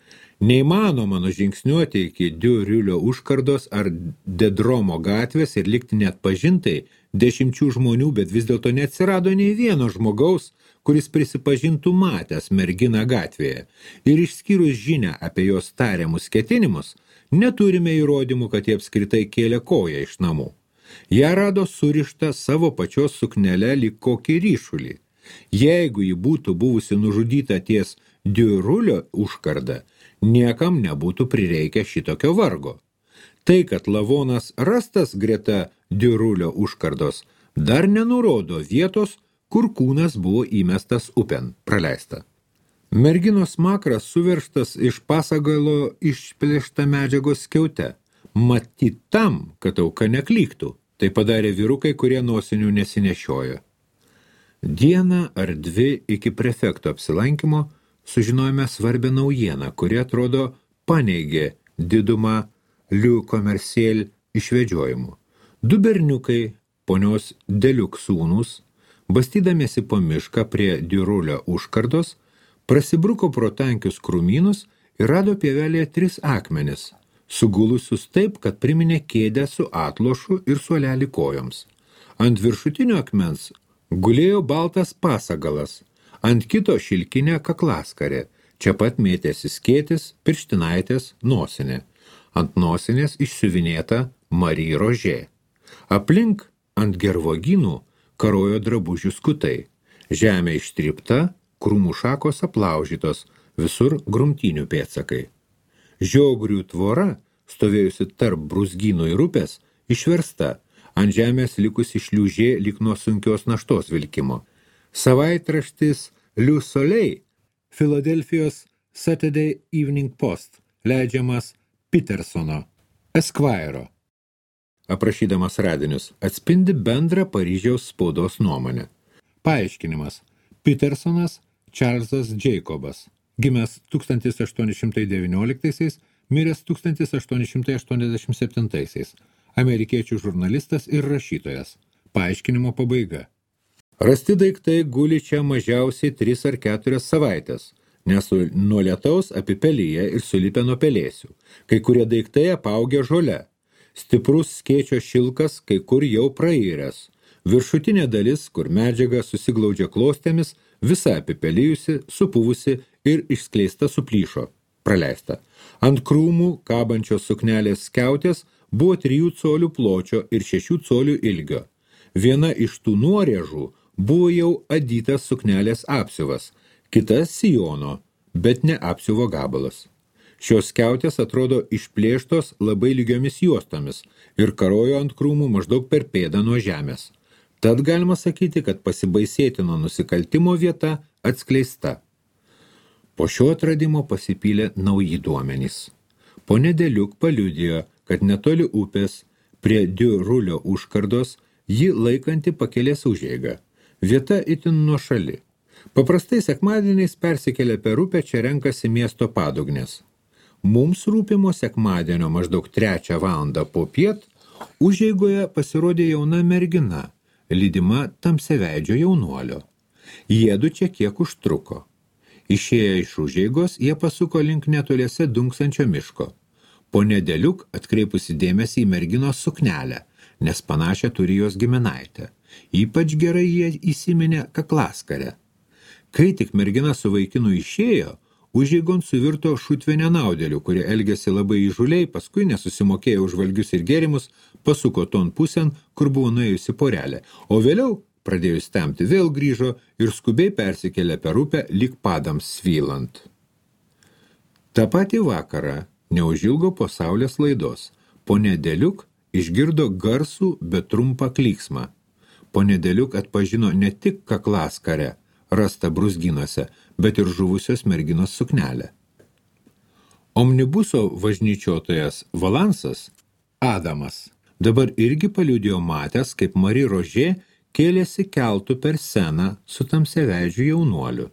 Neįmanoma nužingsniuoti iki Diu Rulio užkardos ar Dedromo gatvės ir likti neatpažintai 10 žmonių, bet vis dėlto neatsirado nei vieno žmogaus, kuris prisipažintų matęs merginą gatvėje. Ir išskyrus žinią apie jos tariamus ketinimus, neturime įrodymų, kad jie apskritai kėlė koją iš namų. Ją rado surištą savo pačios suknelę lyg kokį ryšulį. Jeigu ji būtų buvusi nužudyta ties Diu Rulio užkarda, niekam nebūtų prireikę šitokio vargo. Tai, kad lavonas rastas greta Diu Rulio užkardos, dar nenurodo vietos, kur kūnas buvo įmestas upen, praleista. Merginos makras suveržtas iš pasagalo išplėšta medžiagos skiaute. Matyt tam, kad auka neklyktų. Tai padarė vyrukai, kurie nosinių nesinešiojo. Dieną ar 2 iki prefekto apsilankymo sužinojome svarbią naujieną, kuri atrodo paneigė didumą Le Commerciel išvedžiojimų. 2 berniukai, ponios Deliuk sūnūs, bastydamiesi po mišką prie Diu Rulio užkardos, prasibruko pro tankius krūmynus ir rado pievelėje 3 akmenis, sugulusius taip, kad priminė kėdę su atlošu ir suolelį kojoms. Ant viršutinio akmens gulėjo baltas pasagalas, ant kito šilkinė kaklaskarė, čia pat mėtėsi skėtis, pirštinaitės, nosinė. Ant nosinės išsiuvinėta Mari Rožė. Aplink ant gervuogynų karojo drabužių skutai. Žemė ištrypta, krūmų šakos aplaužytos, visur grumtynių pėdsakai. Žiogrių tvora, stovėjusi tarp brūzgynų ir upės, išversta, ant žemės likusi šliūžė lyg nuo sunkios naštos vilkimo. Savaitraštis Le Soleil, Filadelfijos Saturday Evening Post, leidžiamas Petersono, Esquire, aprašydamas radinius, atspindi bendrą Paryžiaus spaudos nuomonę. Paaiškinimas. Petersonas Čarlzas Jacobas, gimęs 1819, miręs 1887, amerikiečių žurnalistas ir rašytojas. Paaiškinimo pabaiga. Rasti daiktai guli čia mažiausiai 3 ar 4 savaitės, nes nuo lietaus apipelyje ir sulipę nuo pelėsių. Kai kurie daiktai apaugę žole. Stiprus skėčio šilkas kai kur jau prairęs. Viršutinė dalis, kur medžiaga susiglaudžia klostėmis, visa apipelijusi, supuvusi ir išskleista suplyšo, praleista. Ant krūmų kabančios suknelės skiautės buvo 3 colių pločio ir 6 colių ilgio. Viena iš tų nuorėžų buvo jau adytas suknelės apsiuvas, kita sijono, bet ne apsiuvo gabalas. Šios skiautės atrodo išplėštos labai lygiomis juostomis ir karojo ant krūmų maždaug per pėdą nuo žemės. Tad galima sakyti, kad pasibaisėtino nusikaltimo vieta atskleista. Po šio atradimo pasipylė nauji duomenys. Ponė Deliuk paliudijo, kad netoli upės, prie Diurulio užkardos, ji laikanti pakelės užeigą. Vieta itin nuošali. Paprastai sekmadieniais persikelia per upę, čia renkasi miesto padugnės. Mums rūpimo sekmadienio maždaug 3 valandą popiet užeigoje pasirodė jauna mergina, lydima tamsiaveidžio jaunuolio. Jiedu čia kiek užtruko. Išėję iš užeigos, jie pasuko link netoliese dunksančio miško. Ponė Deliuk atkreipusi dėmesį į merginos suknelę, nes panašią turi jos giminaitę. Ypač gerai jie įsiminė kaklaskarę. Kai tik mergina su vaikinu išėjo, užeigon suvirto šutvė nenaudėlių, kurie elgėsi labai įžuliai, paskui nesusimokėjo už valgius ir gėrimus, pasuko ton pusėn, kur buvo nuėjusi porelė, o vėliau, pradėjus temti, vėl grįžo ir skubiai persikėlė per upę lyg padams svylant. Ta patį vakarą, neužilgo po saulės laidos, ponė Deliuk išgirdo garsų, bet trumpą klyksmą. Ponė Deliuk atpažino ne tik kaklaskarę, rasta brūzgynuose, bet ir žuvusios merginos suknelę. Omnibuso važnyčiotojas Valansas, Adamas, dabar irgi paliudijo matęs, kaip Marie Roger kėlėsi keltu per Seną su tamsiaveidžiu jaunuoliu.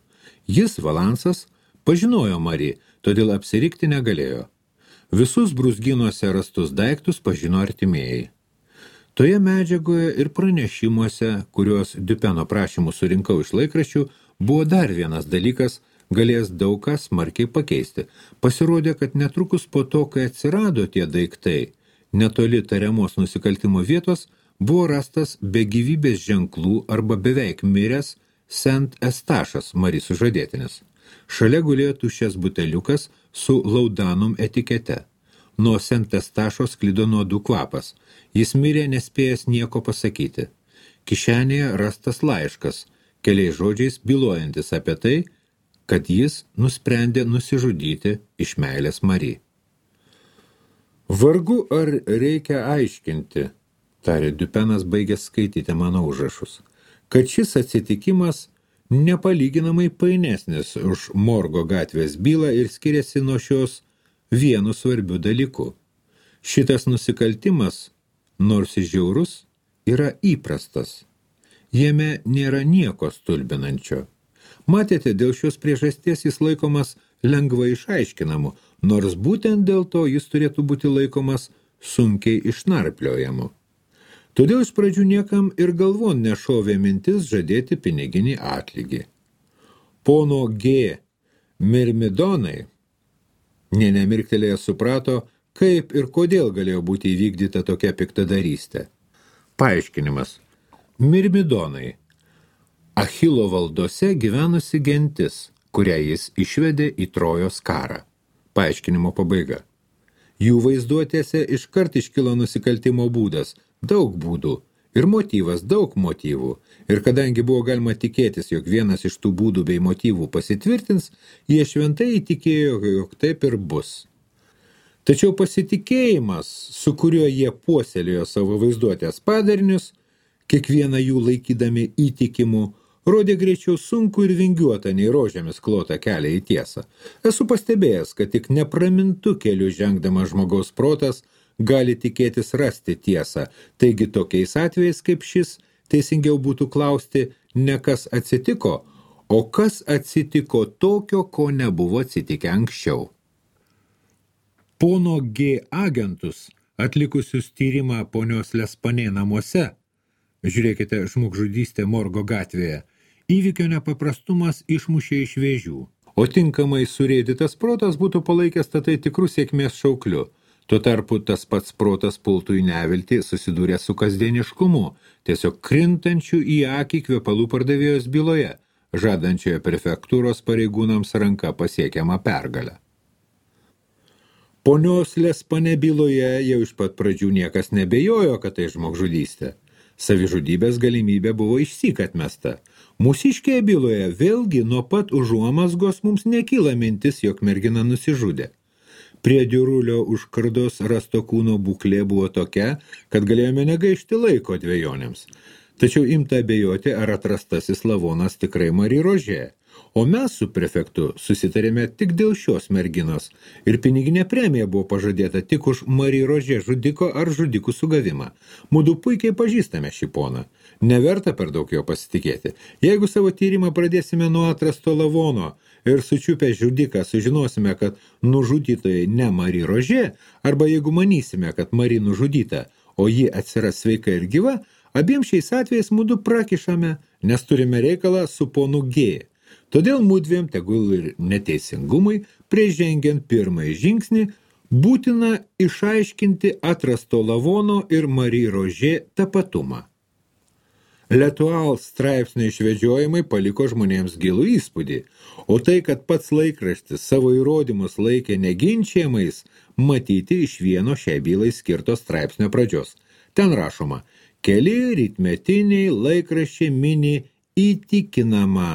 Jis, Valansas, pažinojo Marie, todėl apsirikti negalėjo. Visus brūzgynuose rastus daiktus pažino artimieji. Toje medžiagoje ir pranešimuose, kuriuos Dupeno prašymų surinkau iš laikraščių, buvo dar vienas dalykas, galės daug ką smarkiai pakeisti. Pasirodė, kad netrukus po to, kai atsirado tie daiktai, netoli tariamos nusikaltimo vietos, buvo rastas be gyvybės ženklų arba beveik miręs Saint Estašas, Marie sužadėtinis. Šalia gulėjo tuščias buteliukas su laudanum etikete. Nuo Saint Estašo sklido nuodų kvapas. Jis mirė nespėjęs nieko pasakyti. Kišenėje rastas laiškas, keliais žodžiais bylojantis apie tai, kad jis nusprendė nusižudyti iš meilės Marie. Vargu ar reikia aiškinti, tarė Dupenas baigęs skaityti mano užrašus, kad šis atsitikimas nepalyginamai painesnis už Morgo gatvės bylą ir skiriasi nuo šios vienu svarbiu dalyku. Šitas nusikaltimas, nors ir žiaurus, yra įprastas. Jame nėra nieko stulbinančio. Matėte, dėl šios priežasties jis laikomas lengvai išaiškinamu, nors būtent dėl to jis turėtų būti laikomas sunkiai išnarpliojamu. Todėl iš pradžių niekam ir galvon nešovė mintis žadėti piniginį atlygį. Pono G. Mirmidonai nė nemirktelėjęs suprato, kaip ir kodėl galėjo būti įvykdyta tokia piktadarystė. Paaiškinimas. Mirmidonai. Achilo valdose gyvenusi gentis, kurią jis išvedė į Trojos karą. Paaiškinimo pabaiga. Jų vaizduotėse iškart iškilo nusikaltimo būdas, daug būdų, Ir motyvas, daug motyvų. Ir kadangi buvo galima tikėtis, jog vienas iš tų būdų bei motyvų pasitvirtins, jie šventai įtikėjo, jog taip ir bus. Tačiau pasitikėjimas, su kuriuo jie puoselėjo savo vaizduotės padarinius, kiekvieną jų laikydami įtikimu, rodė greičiau sunku ir vingiuotą nei rožėmis klotą kelią į tiesą. Esu pastebėjęs, kad tik nepramintu keliu žengdamas žmogaus protas gali tikėtis rasti tiesą. Taigi tokiais atvejais kaip šis, teisingiau būtų klausti ne kas atsitiko, o kas atsitiko tokio, ko nebuvo atsitikę anksčiau. Pono G. agentus, atlikusius tyrimą ponios Lespanė namuose, žiūrėkite žmogžudystė Morgo gatvėje, įvykio nepaprastumas išmušė iš vėžių, o tinkamai surėdytas protas būtų palaikęs tai tikrų sėkmės šaukliu. Tuo tarpu tas pats protas pultų į neviltį susidūrė su kasdieniškumu, tiesiog krintančių į akį kvepalų pardavėjos byloje, žadančioje prefektūros pareigūnams ranka pasiekiamą pergalę. Ponios Lespanė byloje jau iš pat pradžių niekas nebejojo, kad tai žmogžudystė. Savižudybės galimybė buvo išsyk atmesta. Mūsiškėje byloje vėlgi nuo pat užuomazgos mums nekyla mintis, jog mergina nusižudė. Prie diurulio už kardos rasto kūno būklė buvo tokia, kad galėjome negaišti laiko dvejonėms. Tačiau imta abejoti, ar atrastasis lavonas tikrai Mari Rožė. O mes su prefektu susitarėme tik dėl šios merginos ir piniginė premija buvo pažadėta tik už Mari Rožė žudiko ar žudikų sugavimą. Mudu puikiai pažįstame šį poną. Neverta per daug jo pasitikėti. Jeigu savo tyrimą pradėsime nuo atrasto lavono ir sučiupę žudiką sužinosime, kad nužudytojai ne Mari Rožė, arba jeigu manysime, kad Mari nužudyta, o ji atsiras sveika ir gyva, abiem šiais atvejais mudu prakišame, nes turime reikalą su ponu G. Todėl mudviem, tegul ir neteisingumui, prieš žengiant pirmąjį žingsnį, būtina išaiškinti atrasto lavono ir Mari Rožė tapatumą. L'Etoile straipsnio išvedžiojimai paliko žmonėms gilų įspūdį, o tai, kad pats laikraštis savo įrodymus laikė neginčiamais, matyti iš vieno šiai bylai skirto straipsnio pradžios. Ten rašoma, keli rytmetiniai laikraščiai mini įtikinamą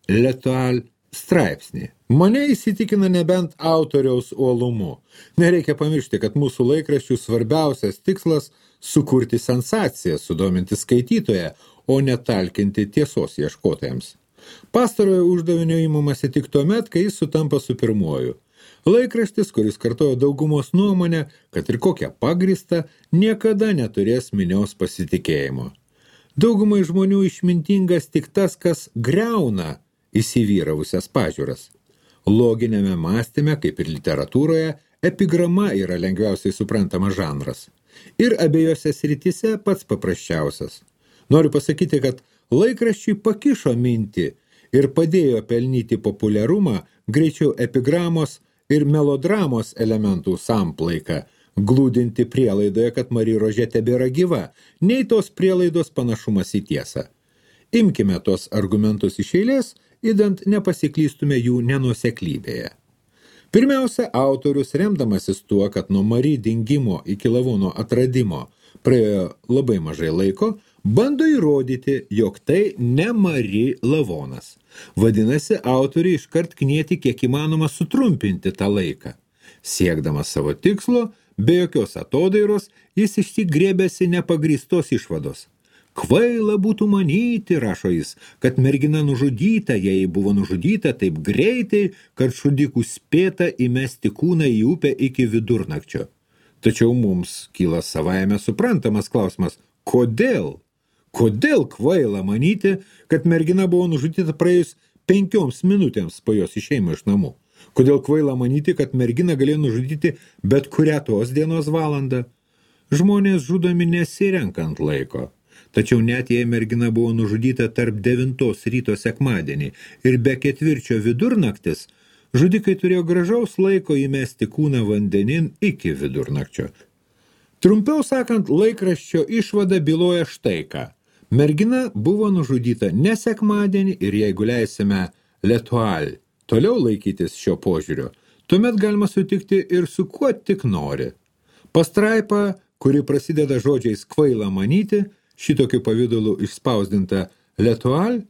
L'Etoile straipsnį. Mane įsitikina nebent autoriaus uolumu. Nereikia pamiršti, kad mūsų laikraščių svarbiausias tikslas sukurti sensaciją, sudominti skaitytoją, o netalkinti tiesos ieškotojams. Pastarojo uždavinio imamasi tik tuomet, kai jis sutampa su pirmuoju. Laikraštis, kuris kartojo daugumos nuomonę, kad ir kokia pagrįsta, niekada neturės minios pasitikėjimo. Daugumai žmonių išmintingas tik tas, kas griauna įsivyravusias pažiūras. Loginėme mąstyme, kaip ir literatūroje, epigrama yra lengviausiai suprantamas žanras. Ir abiejose srityse pats paprasčiausias. Noriu pasakyti, kad laikraščiai pakišo mintį ir padėjo pelnyti populiarumą greičiau epigramos ir melodramos elementų samplaiką, glūdinti prielaidoje, kad Mari Rožė tebėra gyva, nei tos prielaidos panašumas į tiesą. Imkime tos argumentus iš eilės, idant nepasiklystume jų nenuoseklybėje. Pirmiausia, autorius, remdamasis tuo, kad nuo Mari dingimo iki lavono atradimo praėjo labai mažai laiko, bando įrodyti, jog tai ne Mari lavonas. Vadinasi, autoriai iškart knieti kiek įmanoma sutrumpinti tą laiką. Siekdamas savo tikslo, be jokios atodairos, jis išsigrėbėsi nepagrįstos išvados. Kvaila būtų manyti, rašo jis, kad mergina nužudyta, jei buvo nužudyta taip greitai, kad žudikų spėta įmesti kūną į upę iki vidurnakčio. Tačiau mums kyla savaime suprantamas klausimas, kodėl? Kodėl kvaila manyti, kad mergina buvo nužudyta praėjus 5 minutėms po jos išėjimo iš namų? Kodėl kvaila manyti, kad mergina galėjo nužudyti bet kurią tos dienos valandą? Žmonės žudomi nesirenkant laiko. Tačiau net jei mergina buvo nužudyta tarp 9 ryto sekmadienį ir be 4 vidurnaktis, žudikai turėjo gražaus laiko įmesti kūną vandenin iki vidurnakčio. Trumpiau sakant, laikraščio išvada byloja štai ką. Mergina buvo nužudyta ne sekmadienį ir jeigu leisime L'Etoile toliau laikytis šio požiūrio, tuomet galima sutikti ir su kuo tik nori. Pastraipa, kuri prasideda žodžiais kvaila manyti, šitokiu pavidalu išspausdinta L'Etoile,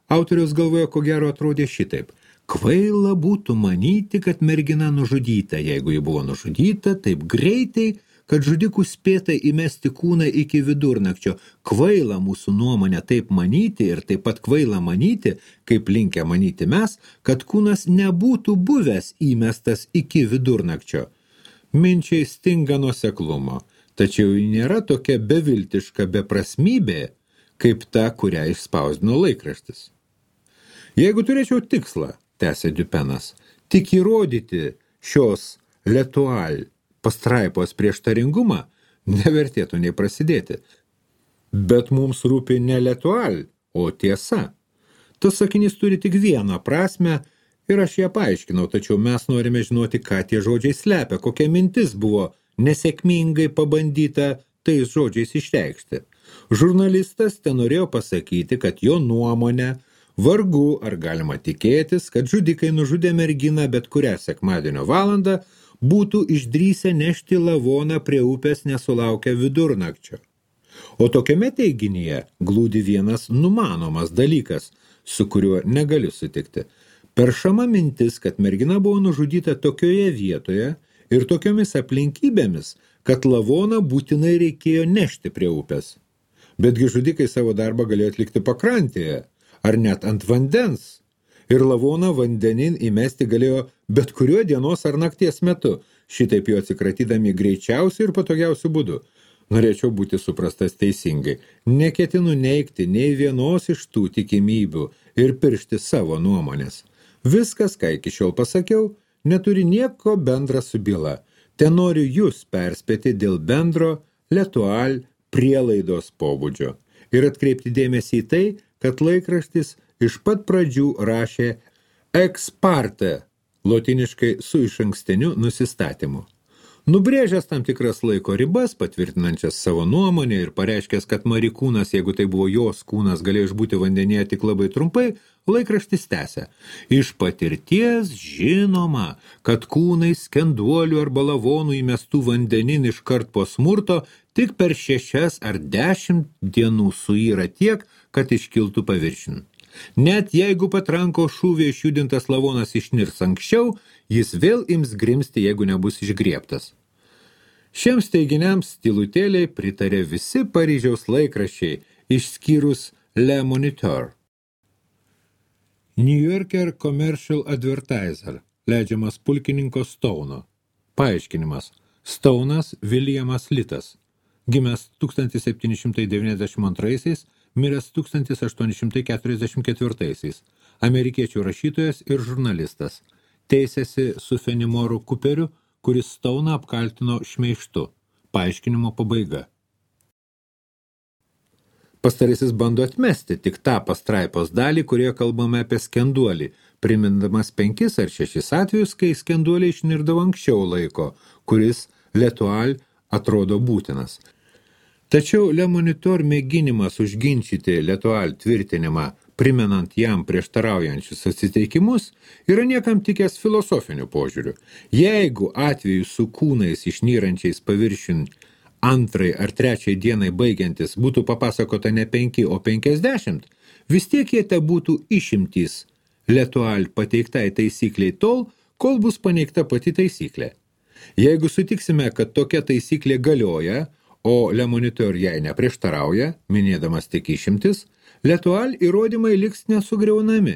autoriaus galvoje ko gero atrodė šitaip. Kvaila būtų manyti, kad mergina nužudyta, jeigu ji buvo nužudyta taip greitai, kad žudikų spėta įmesti kūną iki vidurnakčio. Kvaila mūsų nuomonė taip manyti ir taip pat kvaila manyti, kaip linkę manyti mes, kad kūnas nebūtų buvęs įmestas iki vidurnakčio. Minčiai stinga nuoseklumo, tačiau ji nėra tokia beviltiška beprasmybė, kaip ta, kurią išspausdino laikraštis. Jeigu turėčiau tikslą, tęsė Dupenas, tik įrodyti šios L'Etoile pastraipos prieštaringumą, nevertėtų nei prasidėti. Bet mums rūpi ne L'Etoile, o tiesa. Tas sakinys turi tik vieną prasmę ir aš ją paaiškinau, tačiau mes norime žinoti, ką tie žodžiai slepia, kokia mintis buvo nesėkmingai pabandyta tais žodžiais išreikšti. Žurnalistas ten norėjo pasakyti, kad jo nuomonė vargu ar galima tikėtis, kad žudikai nužudė merginą bet kurią sekmadienio valandą būtų išdrįsę nešti lavoną prie upės nesulaukę vidurnakčio. O tokiame teiginyje glūdi vienas numanomas dalykas, su kuriuo negaliu sutikti. Peršama mintis, kad mergina buvo nužudyta tokioje vietoje ir tokiomis aplinkybėmis, kad lavoną būtinai reikėjo nešti prie upės. Betgi žudikai savo darbą galėjo atlikti pakrantėje, ar net ant vandens. Ir lavoną vandenin įmesti galėjo bet kuriuo dienos ar nakties metu, šitaip jo atsikratydami greičiausiu ir patogiausiu būdu. Norėčiau būti suprastas teisingai. Neketinu neigti nei vienos iš tų tikimybių ir piršti savo nuomonės. Viskas, ką iki šiol pasakiau, neturi nieko bendra su byla. Ten noriu jūs perspėti dėl bendro L'Etoile prielaidos pobūdžio ir atkreipti dėmesį į tai, kad laikraštis iš pat pradžių rašė ex parte, lotiniškai su išankstiniu nusistatymu. Nubrėžęs tam tikras laiko ribas, patvirtinančias savo nuomonę ir pareiškęs, kad Mari kūnas, jeigu tai buvo jos kūnas, galėjo išbūti vandenyje tik labai trumpai, laikraštis tęsia. Iš patirties žinoma, kad kūnai skenduolių arba lavonų įmestų vandenin iškart po smurto tik per 6 ar 10 dienų suyra tiek, kad iškiltų paviršin. Net jeigu patranko šūvė išjudintas lavonas išnirs anksčiau, jis vėl ims grimsti, jeigu nebus išgriebtas. Šiems teiginiams tylutėliai pritarė visi Paryžiaus laikraščiai, išskyrus Le Moniteur. New Yorker Commercial Advertiser, leidžiamas pulkininko Stauno. Paaiškinimas. Staunas Williamas Litas, gimęs 1792, miręs 1844, amerikiečių rašytojas ir žurnalistas. Teisėsi su Fenimoru Cooperiu, kuris Stauną apkaltino šmeižtu. Paaiškinimo pabaiga. Pastarasis bando atmesti tik tą pastraipos dalį, kurioje kalbame apie skenduolį, primindamas 5 ar 6 atvejus, kai skenduoliai išnirdavo anksčiau laiko, kuris L'Etoile atrodo būtinas. Tačiau Le Moniteur mėginimas užginčyti L'Etoile tvirtinimą, primenant jam prieštaraujančius atsiteikimus, yra niekam tikęs filosofiniu požiūriu. Jeigu atveju su kūnais išnyrančiais paviršiun 2 ar 3 dienai baigiantis būtų papasakota ne 5, o 50, vis tiek jie te būtų išimtys L'Etoile pateiktai taisykliai tol, kol bus paneigta pati taisyklė. Jeigu sutiksime, kad tokia taisyklė galioja, o Le Moniteur jai neprieštarauja, minėdamas tik išimtis, L'Etoile įrodymai liks nesugriaunami,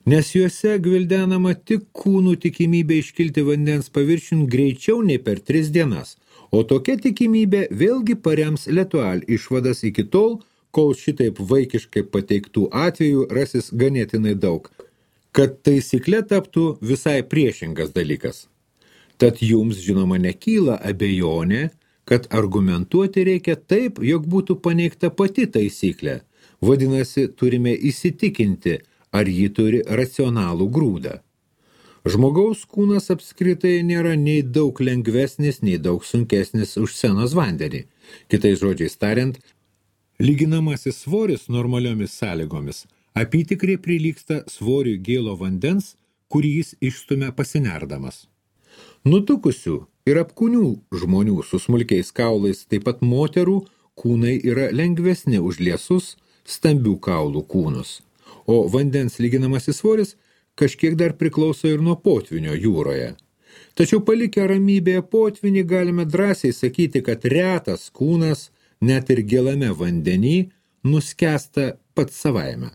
nes juose gvildenama tik kūnų tikimybė iškilti vandens paviršiun greičiau nei per 3 dienas, o tokia tikimybė vėlgi parems L'Etoile išvadas iki tol, kol šitaip vaikiškai pateiktų atvejų rasis ganėtinai daug, kad taisyklė taptų visai priešingas dalykas. Tad jums, žinoma, nekyla abejonė, kad argumentuoti reikia taip, jog būtų paneigta pati taisyklė. Vadinasi, turime įsitikinti, ar ji turi racionalų grūdą. Žmogaus kūnas apskritai nėra nei daug lengvesnis, nei daug sunkesnis už senos vandenį. Kitais žodžiais tariant, lyginamasis svoris normaliomis sąlygomis apytikriai prilygsta svoriui gėlo vandens, kurį jis išstumia pasinerdamas. Nutukusių ir apkūnių žmonių su smulkiais kaulais, taip pat moterų, kūnai yra lengvesni už liesus, stambių kaulų kūnus, o vandens lyginamasis svoris kažkiek dar priklauso ir nuo potvinio jūroje. Tačiau palikę ramybėje potvinį galime drąsiai sakyti, kad retas kūnas, net ir gilame vandenį, nuskęsta pats savaime.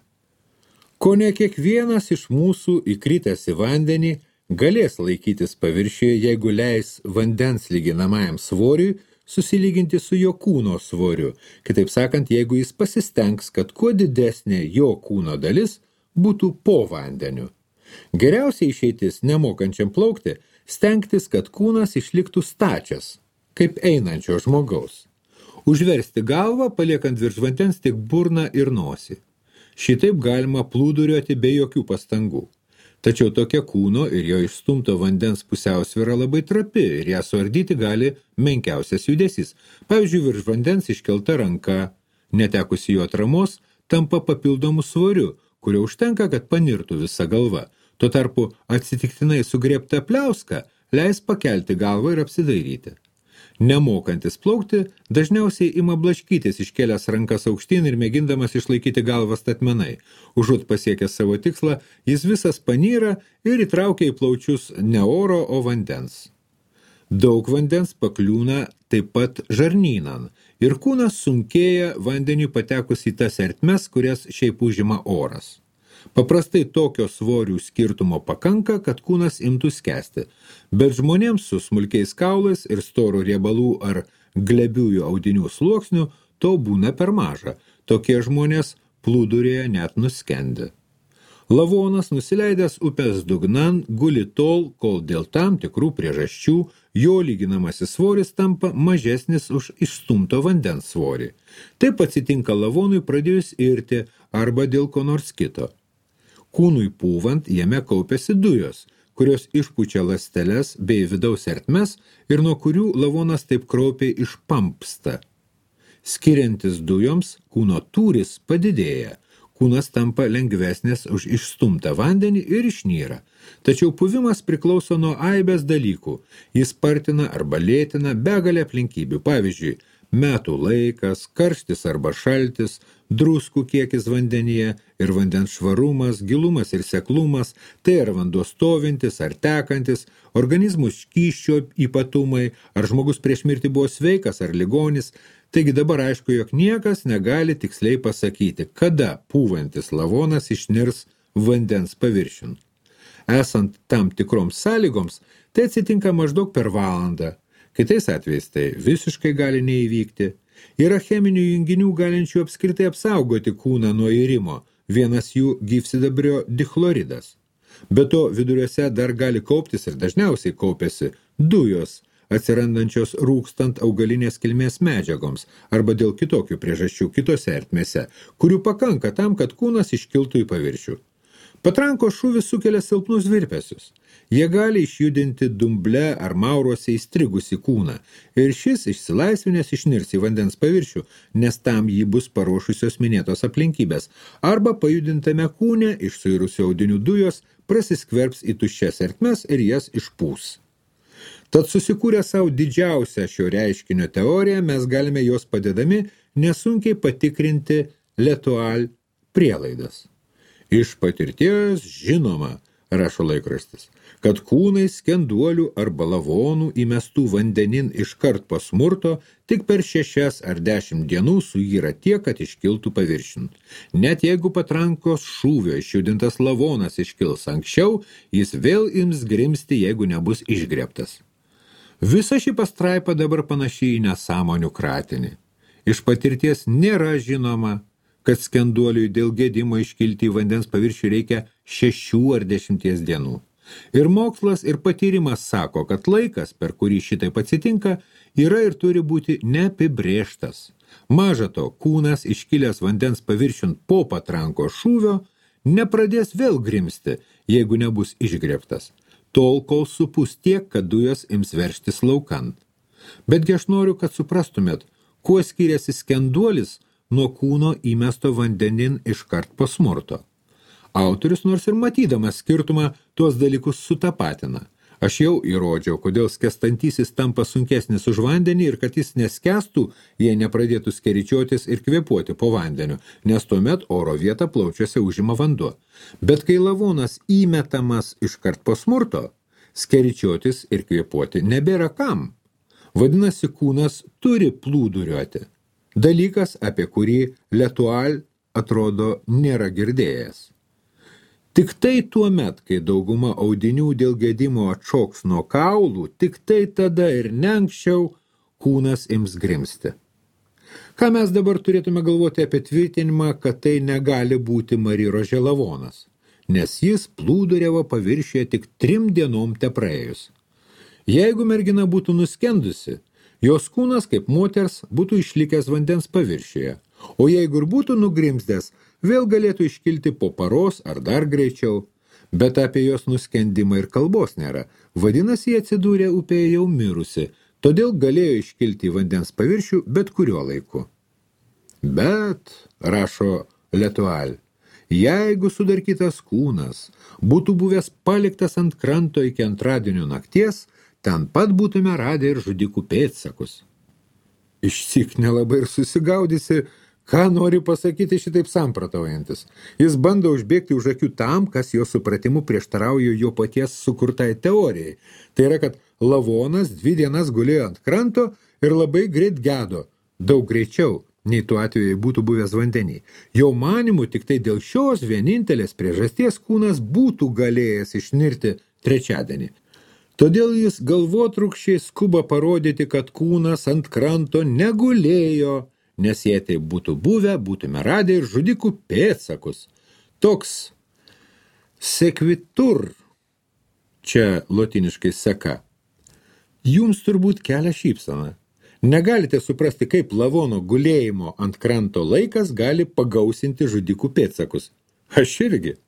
Kone kiekvienas iš mūsų įkritęs į vandenį galės laikytis paviršiuje, jeigu leis vandens lyginamajam svoriui susilyginti su jo kūno svoriu. Kitaip sakant, jeigu jis pasistengs, kad kuo didesnė jo kūno dalis būtų po vandeniu. Geriausia išeitis nemokančiam plaukti stengtis, kad kūnas išliktų stačias, kaip einančio žmogaus. Užversti galvą, paliekant virš vandens tik burną ir nosį. Šitaip galima plūduriuoti be jokių pastangų. Tačiau tokia kūno ir jo išstumto vandens pusiausvyra labai trapi ir ją suardyti gali menkiausias judesys. Pavyzdžiui, virš vandens iškelta ranka, netekusi jo atramos, tampa papildomų svoriu, kurio užtenka, kad panirtų visa galva. Tuo tarpu atsitiktinai sugriebta pliauska leis pakelti galvą ir apsidairyti. Nemokantis plaukti, dažniausiai ima blaškytis iškėlęs rankas aukštyn ir mėgindamas išlaikyti galvą statmenai. Užuot pasiekęs savo tikslą, jis visas panyra ir įtraukia į plaučius ne oro, o vandens. Daug vandens pakliūna taip pat žarnynan ir kūnas sunkėja vandeniui patekus į tas ertmes, kurias šiaip užima oras. Paprastai tokio svorių skirtumo pakanka, kad kūnas imtų skęsti, bet žmonėms su smulkiais kaulais ir storų riebalų ar glebiųjų audinių sluoksnių to būna per maža. Tokie žmonės plūdurėje net nuskendi. Lavonas, nusileidęs upės dugnan, guli tol, kol dėl tam tikrų priežasčių jo lyginamasis svoris tampa mažesnis už išstumto vandens svorį. Taip atsitinka lavonui pradėjus irti arba dėl ko nors kito. Kūnui pūvant jame kaupiasi dujos, kurios išpučia ląsteles bei vidaus ertmes ir nuo kurių lavonas taip kraupiai išpampsta. Skiriantis dujoms, kūno tūris padidėja, kūnas tampa lengvesnis už išstumtą vandenį ir išnyra. Tačiau puvimas priklauso nuo aibės dalykų. Jis spartina arba lėtina begalę aplinkybių, pavyzdžiui, metų laikas, karštis arba šaltis, druskų kiekis vandenyje ir vandens švarumas, gilumas ir seklumas, tai ar vanduo stovintis ar tekantis, organizmų skysčio ypatumai, ar žmogus prieš mirtį buvo sveikas ar ligonis. Taigi dabar aišku, jog niekas negali tiksliai pasakyti, kada pūvantis lavonas išnirs vandens paviršiun. Esant tam tikroms sąlygoms, tai atsitinka maždaug per valandą. Kitais atvejais tai visiškai gali neįvykti. Yra cheminių junginių galinčių apskritai apsaugoti kūną nuo irimo, vienas jų gyvsidabrio dichloridas. Be to viduriuose dar gali kauptis ir dažniausiai kaupiasi dujos, atsirandančios rūkstant augalinės kilmės medžiagoms arba dėl kitokių priežasčių kitose ertmėse, kurių pakanka tam, kad kūnas iškiltų į paviršių. Patrankos šūvis sukelia silpnus virpesius. Jie gali išjudinti dumble ar mauruose įstrigusi kūną ir šis išsilaisvinęs išnirs į vandens paviršių, nes tam jį bus paruošusios minėtos aplinkybės, arba pajudintame kūne iš suirusių audinių dujos prasiskverbs į tuščias ertmes ir jas išpūs. Tad susikūrę savo didžiausią šio reiškinio teoriją, mes galime jos padedami nesunkiai patikrinti L'Étoile prielaidas. Iš patirties žinoma, rašo laikraštis, kad kūnai skenduolių arba lavonų įmestų vandenin iškart po smurto tik per 6 ar 10 dienų suyra tiek, kad iškiltų paviršiun. Net jeigu patrankos šūvio išjudintas lavonas iškils anksčiau, jis vėl ims grimsti, jeigu nebus išgrebtas. Visa ši pastraipa dabar panaši į nesąmonių kratinį. Iš patirties nėra žinoma, kad skenduoliui dėl gedimo iškilti į vandens paviršių reikia 6 ar 10 dienų. Ir mokslas ir patyrimas sako, kad laikas, per kurį šitaip atsitinka, yra ir turi būti neapibrėžtas. Maža to, kūnas iškilęs vandens paviršiun po patranko šūvio nepradės vėl grimsti, jeigu nebus išgrebtas, tol kol supus tiek, kad dujos ims veržtis laukant. Betgi aš noriu, kad suprastumėt, kuo skiriasi skenduolis nuo kūno įmesto vandenin iškart po smurto. Autorius nors ir matydamas skirtumą tuos dalykus sutapatina. Aš jau įrodžiau, kodėl skęstantysis tampa sunkesnis už vandenį ir kad jis neskęstų, jei nepradėtų skeričiotis ir kvėpuoti po vandeniu, nes tuomet oro vietą plaučiuose užima vanduo. Bet kai lavonas įmetamas iškart po smurto, skeričiotis ir kvėpuoti nebėra kam. Vadinasi, kūnas turi plūduriuoti. Dalykas, apie kurį Letual atrodo nėra girdėjęs. Tik tai tuo met, kai dauguma audinių dėl gedimo atšoks nuo kaulų, tik tai tada ir ne anksčiau kūnas ims grimsti. Ką mes dabar turėtume galvoti apie tvirtinimą, kad tai negali būti Mari Rože lavonas, nes jis plūduriavo paviršiuje tik 3 dienom tepraėjus. Jeigu mergina būtų nuskendusi, jos kūnas kaip moters būtų išlikęs vandens paviršiuje, o jeigu ir būtų nugrimzdęs, vėl galėtų iškilti po paros ar dar greičiau, bet apie jos nuskendimą ir kalbos nėra. Vadinasi, jie atsidūrė upėje jau mirusi, todėl galėjo iškilti į vandens paviršių bet kuriuo laiku. Bet, rašo Letual, jeigu sudarkytas kūnas būtų buvęs paliktas ant kranto iki antradienio nakties, ten pat būtume radę ir žudikų pėdsakus. Išsyk nelabai ir susigaudysi, ką nori pasakyti šitaip samprotaujantis. Jis bando užbėgti už akių tam, kas jo supratimu prieštarauja jo paties sukurtai teorijai. Tai yra, kad lavonas 2 dienas gulėjo ant kranto ir labai greit gedo, daug greičiau, nei tuo atveju būtų buvęs vandenį. Jo manimu, tik tai dėl šios vienintelės priežasties kūnas būtų galėjęs išnirti trečiadienį. Todėl jis galvotrūkščiai skuba parodyti, kad kūnas ant kranto negulėjo, nes jei tai būtų buvę, būtume radę ir žudikų pėdsakus. Toks sequitur, čia lotiniškai seka, jums turbūt kelia šypseną. Negalite suprasti, kaip lavono gulėjimo ant kranto laikas gali pagausinti žudikų pėdsakus. Aš irgi.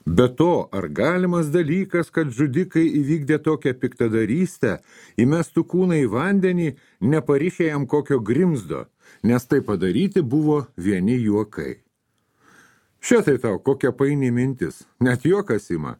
Be to, ar galimas dalykas, kad žudikai įvykdė tokią piktadarystę, įmestų kūną į vandenį, neparišė jam kokio grimzdo, nes tai padaryti buvo vieni juokai. Šitai tau kokia paini mintis, net juokas ima.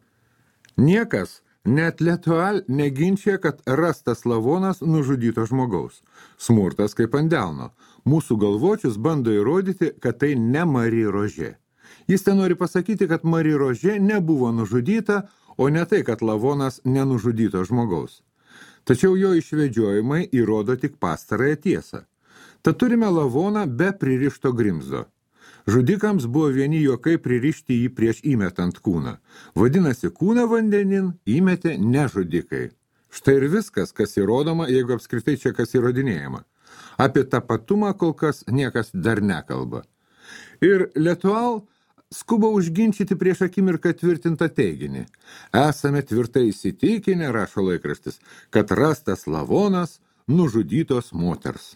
Niekas, net Letual neginčia, kad rastas lavonas nužudyto žmogaus. Smurtas kaip ant delno. Mūsų galvočius bando įrodyti, kad tai ne Mari Rože. Jis ten nori pasakyti, kad Mari Rože nebuvo nužudyta, o ne tai, kad lavonas nenužudyto žmogaus. Tačiau jo išvedžiojimai įrodo tik pastarąją tiesą. Tad turime lavoną be pririšto grimzdo. Žudikams buvo vieni juokai pririšti jį prieš įmetant kūną. Vadinasi, kūną vandenin įmetė ne žudikai. Štai ir viskas, kas įrodoma, jeigu apskritai čia kas įrodinėjama. Apie tapatumą kol kas niekas dar nekalba. Ir Letual skuba užginčyti prieš akimirką tvirtintą teiginį. Esame tvirtai įsitikinę, rašo laikraštis, kad rastas lavonas nužudytos moters.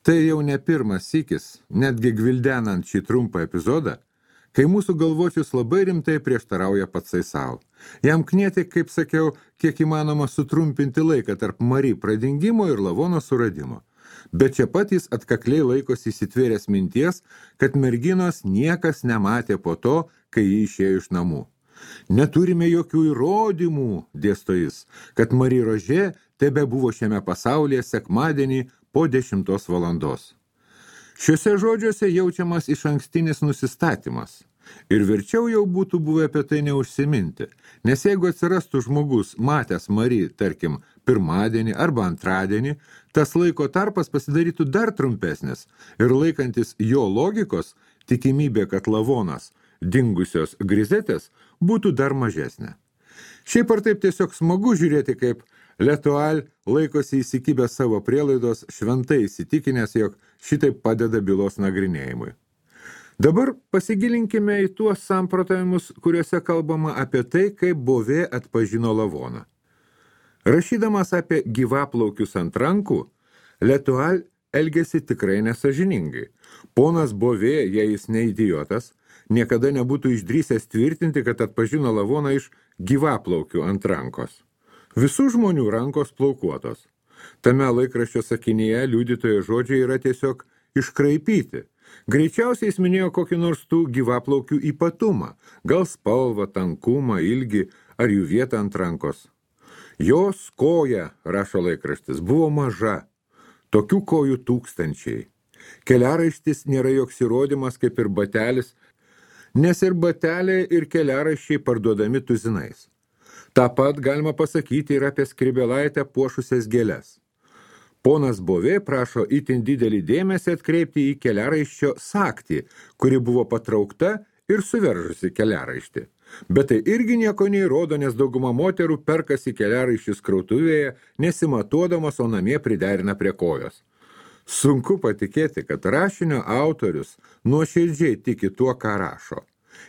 Tai jau ne pirmas sykis, netgi gvildenant šį trumpą epizodą, kai mūsų galvočius labai rimtai prieštarauja patsai savo. Jam knieti, kaip sakiau, kiek įmanoma sutrumpinti laiką tarp Mari pradingimo ir lavono suradimo. Bet čia pat jis atkakliai laikosi įsitvėręs minties, kad merginos niekas nematė po to, kai jį išėjo iš namų. Neturime jokių įrodymų, dėsto jis, kad Mari Rože tebe buvo šiame pasaulyje sekmadienį po 10 valandos. Šiuose žodžiuose jaučiamas išankstinis nusistatymas. Ir verčiau jau būtų buvę apie tai neužsiminti, nes jeigu atsirastų žmogus matęs Mari, tarkim, pirmadienį arba antradienį, tas laiko tarpas pasidarytų dar trumpesnis ir laikantis jo logikos, tikimybė, kad lavonas, dingusios grizetės, būtų dar mažesnė. Šiaip ar taip tiesiog smagu žiūrėti, kaip Letual laikosi įsikibę savo prielaidos, šventai įsitikinęs, jog šitaip padeda bylos nagrinėjimui. Dabar pasigilinkime į tuos samprotavimus, kuriuose kalbama apie tai, kaip Bovė atpažino lavoną. Rašydamas apie gyvaplaukius ant rankų, Letual elgėsi tikrai nesažiningai. Ponas Bovė, jei jis ne idiotas, niekada nebūtų išdrįsęs tvirtinti, kad atpažino lavoną iš gyvaplaukių ant rankos. Visų žmonių rankos plaukuotos. Tame laikraščio sakinyje liudytojo žodžiai yra tiesiog iškraipyti. Greičiausiai jis minėjo kokį nors tų gyvaplaukių ypatumą, gal spalvą, tankumą, ilgį ar jų vietą ant rankos. Jos koja, rašo laikraštis, buvo maža, tokių kojų tūkstančiai. Keliaraištis nėra joks įrodymas kaip ir batelis, nes ir bateliai ir keliaraiščiai parduodami tuzinais. Ta pat galima pasakyti ir apie Skrybėlaitę puošusias gėles. Ponas Bovė prašo itin didelį dėmesį atkreipti į keliaraiščio sagtį, kuri buvo patraukta ir suveržusi keliaraištį. Bet tai irgi nieko neįrodo, nes dauguma moterų perkasi keliaraiščius krautuvėje, nesimatuodamas, o namie priderina prie kojos. Sunku patikėti, kad rašinio autorius nuoširdžiai tiki tuo, ką rašo.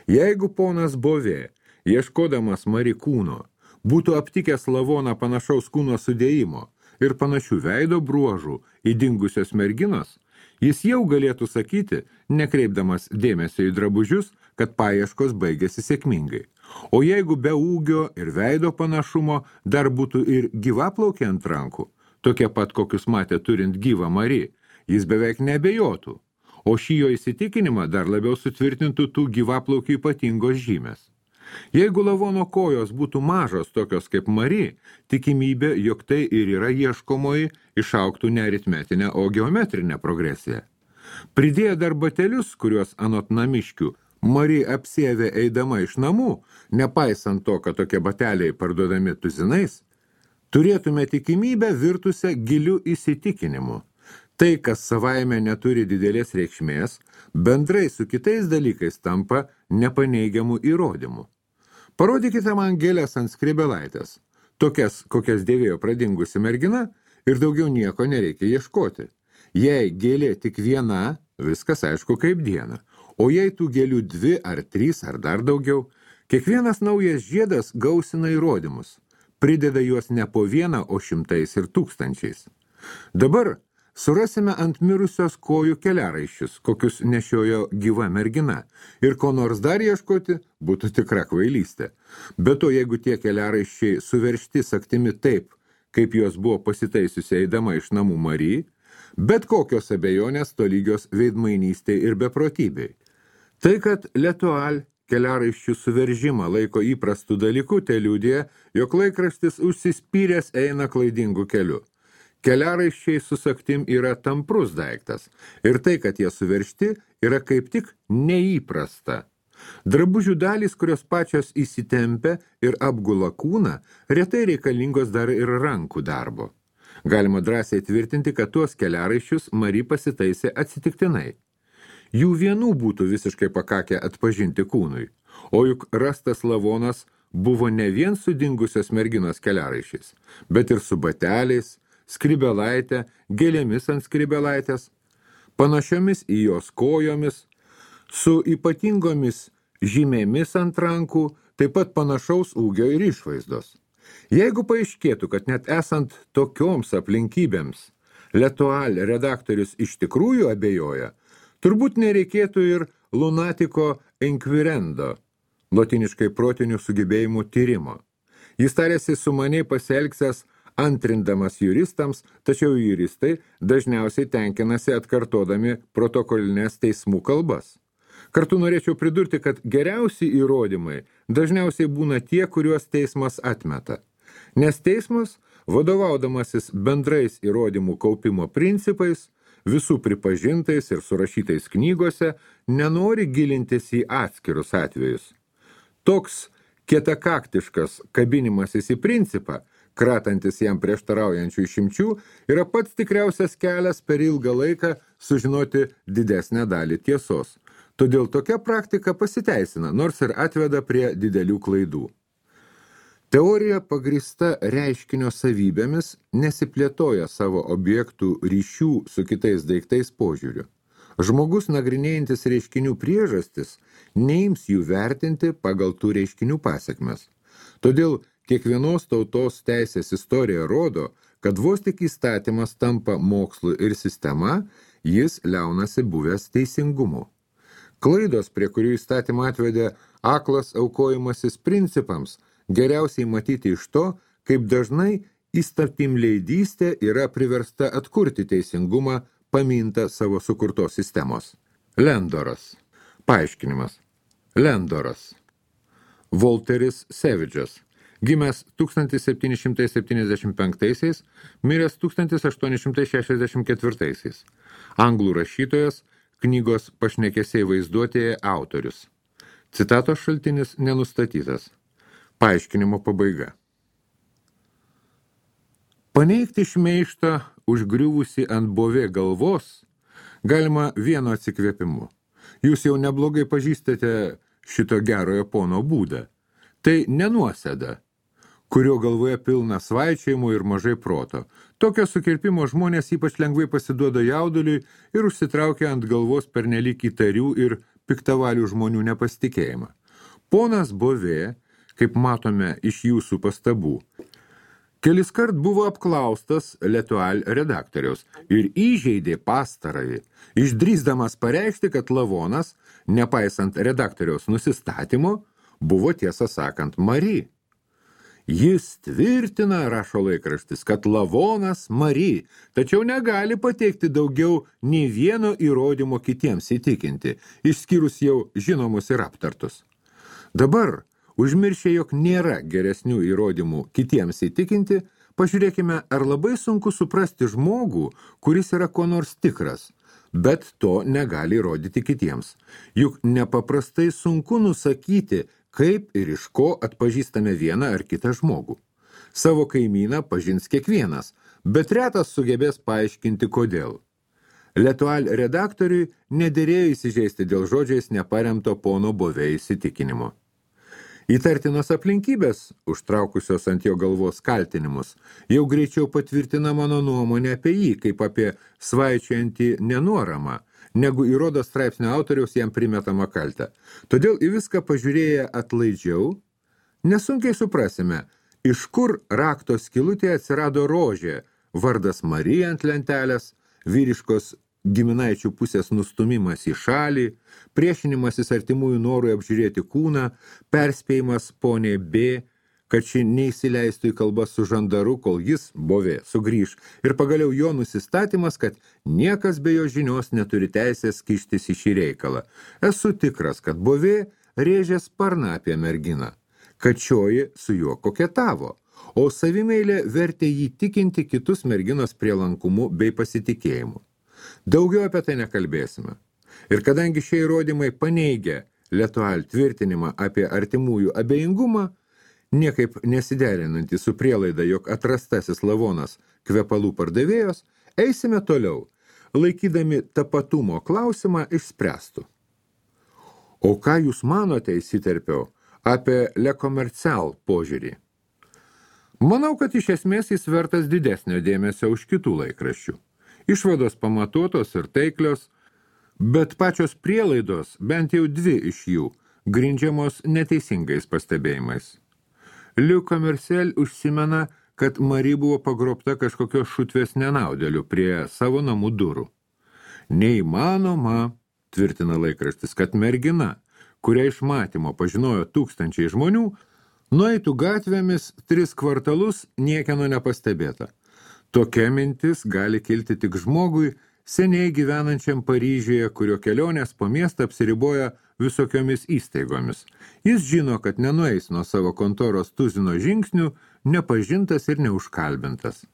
Jeigu ponas Bovė, ieškodamas Mari kūno, būtų aptikęs lavoną panašaus kūno sudėjimo ir panašių veido bruožų į dingusios merginos, jis jau galėtų sakyti, nekreipdamas dėmesio į drabužius, kad paieškos baigėsi sėkmingai. O jeigu be ūgio ir veido panašumo dar būtų ir gyvaplaukė ant rankų, tokie pat kokius matė turint gyvą Mari, jis beveik neabejotų, o šį jo įsitikinimą dar labiau sutvirtintų tų gyvaplaukių ypatingos žymės. Jeigu lavono kojos būtų mažos tokios kaip Mari, tikimybė, jog tai ir yra ieškomoji, išaugtų ne aritmetinę, o geometrinę progresiją. Pridėję dar batelius, kuriuos anot namiškių Mari apsiavė eidama iš namų, nepaisant to, kad tokie bateliai parduodami tuzinais, turėtume tikimybę virtusią giliu įsitikinimu. Tai, kas savaime neturi didelės reikšmės, bendrai su kitais dalykais tampa nepaneigiamų įrodymų. Parodykite man gėles ant Skrybėlaitės, tokias, kokias dėvėjo pradingusi mergina, ir daugiau nieko nereikia ieškoti. Jei gėlė tik viena, viskas aišku kaip diena, o jei tų gėlių 2 ar 3 ar dar daugiau, kiekvienas naujas žiedas gausina įrodymus, prideda juos ne po 1, o 100 ir 1000. Dabar surasime ant mirusios kojų keliaraiščius, kokius nešiojo gyva mergina, ir ko nors dar ieškoti būtų tikra kvailystė. Bet to, jeigu tie keliaraiščiai suveršti sagtimi taip, kaip jos buvo pasitaisiusi eidama iš namų Mari, bet kokios abejonės tolygios veidmainystei ir beprotybei. Tai, kad L'Etoile keliaraiščių suveržimą laiko įprastų dalykų, tai liudija, jog laikraštis užsispyręs eina klaidingu keliu. Keliaraiščiai su sagtim yra tamprus daiktas, ir tai, kad jie suveržti, yra kaip tik neįprasta. Drabužių dalys, kurios pačios įsitempia ir apgula kūną, retai reikalingos dar ir rankų darbo. Galima drąsiai tvirtinti, kad tuos keliaraiščius Mari pasitaisė atsitiktinai. Jų vienų būtų visiškai pakakę atpažinti kūnui, o juk rastas lavonas buvo ne vien su dingusios merginos keliaraiščiais, bet ir su bateliais, Skrybėlaitė, gėlėmis ant Skrybėlaitės, panašiomis į jos kojomis, su ypatingomis žymėmis ant rankų, taip pat panašaus ūgio ir išvaizdos. Jeigu paaiškėtų, kad net esant tokioms aplinkybėms L'Etoile redaktorius iš tikrųjų abejoja, turbūt nereikėtų ir lunatiko inquirendo, lotiniškai protinių sugebėjimų tyrimo. Jis tarėsi sumaniai pasielgsęs antrindamas juristams, tačiau juristai dažniausiai tenkinasi atkartodami protokolinės teismų kalbas. Kartu norėčiau pridurti, kad geriausi įrodymai dažniausiai būna tie, kuriuos teismas atmeta. Nes teismas, vadovaudamasis bendrais įrodymų kaupimo principais, visų pripažintais ir surašytais knygose, nenori gilintis į atskirus atvejus. Toks kietakaktiškas kabinimasis į principą, kratantis jam prieštaraujančių išimčių, yra pats tikriausias kelias per ilgą laiką sužinoti didesnę dalį tiesos. Todėl tokia praktika pasiteisina, nors ir atveda prie didelių klaidų. Teorija pagrįsta reiškinio savybėmis nesiplėtoja savo objektų ryšių su kitais daiktais požiūriu. Žmogus nagrinėjantis reiškinių priežastis neims jų vertinti pagal tų reiškinių pasekmes. Todėl kiekvienos tautos teisės istorija rodo, kad vos tik įstatymas tampa mokslu ir sistema, jis liaunasi buvęs teisingumu. Klaidos, prie kurių įstatymą atvedė aklas aukojimasis principams, geriausiai matyti iš to, kaip dažnai įstatymleidystė yra priversta atkurti teisingumą, paminta savo sukurtos sistemos. Lendoras. Paaiškinimas. Lendoras. Volteris Savage'as. Gimęs 1775, miręs 1864. Anglų rašytojas, knygos Pašnekesiai vaizduotėje autorius. Citatos šaltinis nenustatytas. Paaiškinimo pabaiga. Paneigti šmeištą užgriuvusi ant Bovė galvos galima vienu atsikvėpimu. Jūs jau neblogai pažįstate šito gerojo pono būdą. Tai nenuosėda, kurio galvoje pilna svaičiojimų ir mažai proto. Tokio sukirpimo žmonės ypač lengvai pasiduoda jauduliui ir užsitraukia ant galvos pernelyg įtarių ir piktavalių žmonių nepasitikėjimą. Ponas Bovė, kaip matome iš jūsų pastabų, keliskart buvo apklaustas L'Etoile redaktoriaus ir įžeidė pastarąjį, išdrįsdamas pareikšti, kad lavonas, nepaisant redaktoriaus nusistatymo, buvo tiesą sakant Mari. Jis tvirtina, rašo laikraštis, kad lavonas Mari, tačiau negali pateikti daugiau nei vieno įrodymo kitiems įtikinti, išskyrus jau žinomus ir aptartus. Dabar, užmiršę, jog nėra geresnių įrodymų kitiems įtikinti, pažiūrėkime, ar labai sunku suprasti žmogų, kuris yra ko nors tikras, bet to negali įrodyti kitiems. Juk nepaprastai sunku nusakyti, kaip ir iš ko atpažįstame vieną ar kitą žmogų. Savo kaimyną pažins kiekvienas, bet retas sugebės paaiškinti, kodėl. L'Etoile redaktoriui nederėjo įsižeisti dėl žodžiais neparemto pono Bovė įsitikinimo. Įtartinos aplinkybės, užtraukusios ant jo galvos kaltinimus, jau greičiau patvirtina mano nuomonę apie jį, kaip apie svaičiojantį nenuoramą, negu įrodo straipsnio autoriaus jam primetamą kaltę. Todėl į viską pažiūrėję atlaidžiau, nesunkiai suprasime, iš kur rakto skylutėje atsirado rožė, vardas Marija ant lentelės, vyriškos giminaičių pusės nustumimas į šalį, priešinimasis artimųjų norui apžiūrėti kūną, perspėjimas poniai B, kad ši neįsileistų į kalbas su žandaru, kol jis, Bovė, sugrįž, ir pagaliau jo nusistatymas, kad niekas be jo žinios neturi teisės kištis į šį reikalą. Esu tikras, kad Bovė rėžė sparną apie merginą, kad šioji su juo koketavo, o savimeilė vertė jį tikinti kitus merginos prielankumu bei pasitikėjimu. Daugiau apie tai nekalbėsime. Ir kadangi šie įrodymai paneigia L'Etoile tvirtinimą apie artimųjų abejingumą, niekaip nesiderinantį su prielaida, jog atrastasis lavonas kvepalų pardavėjos, eisime toliau, laikydami tapatumo klausimą išspręstų. O ką jūs manote, įsiterpiau, apie Le Commercial požiūrį? Manau, kad iš esmės jis vertas didesnio dėmesio už kitų laikraščių. Išvados pamatuotos ir taiklios, bet pačios prielaidos, bent jau dvi iš jų, grindžiamos neteisingais pastebėjimais. Le Commercial užsimena, kad Mari buvo pagrobta kažkokios šutvės nenaudėlių prie savo namų durų. Neįmanoma, tvirtina laikraštis, kad mergina, kurią iš matymo pažinojo tūkstančiai žmonių, nueitų gatvėmis 3 kvartalus niekieno nepastebėta. Tokia mintis gali kilti tik žmogui, seniai gyvenančiam Paryžiuje, kurio kelionės po miestą apsiriboja visokiomis įstaigomis. Jis žino, kad nenueis nuo savo kontoros tuzino žingsnių, nepažintas ir neužkalbintas.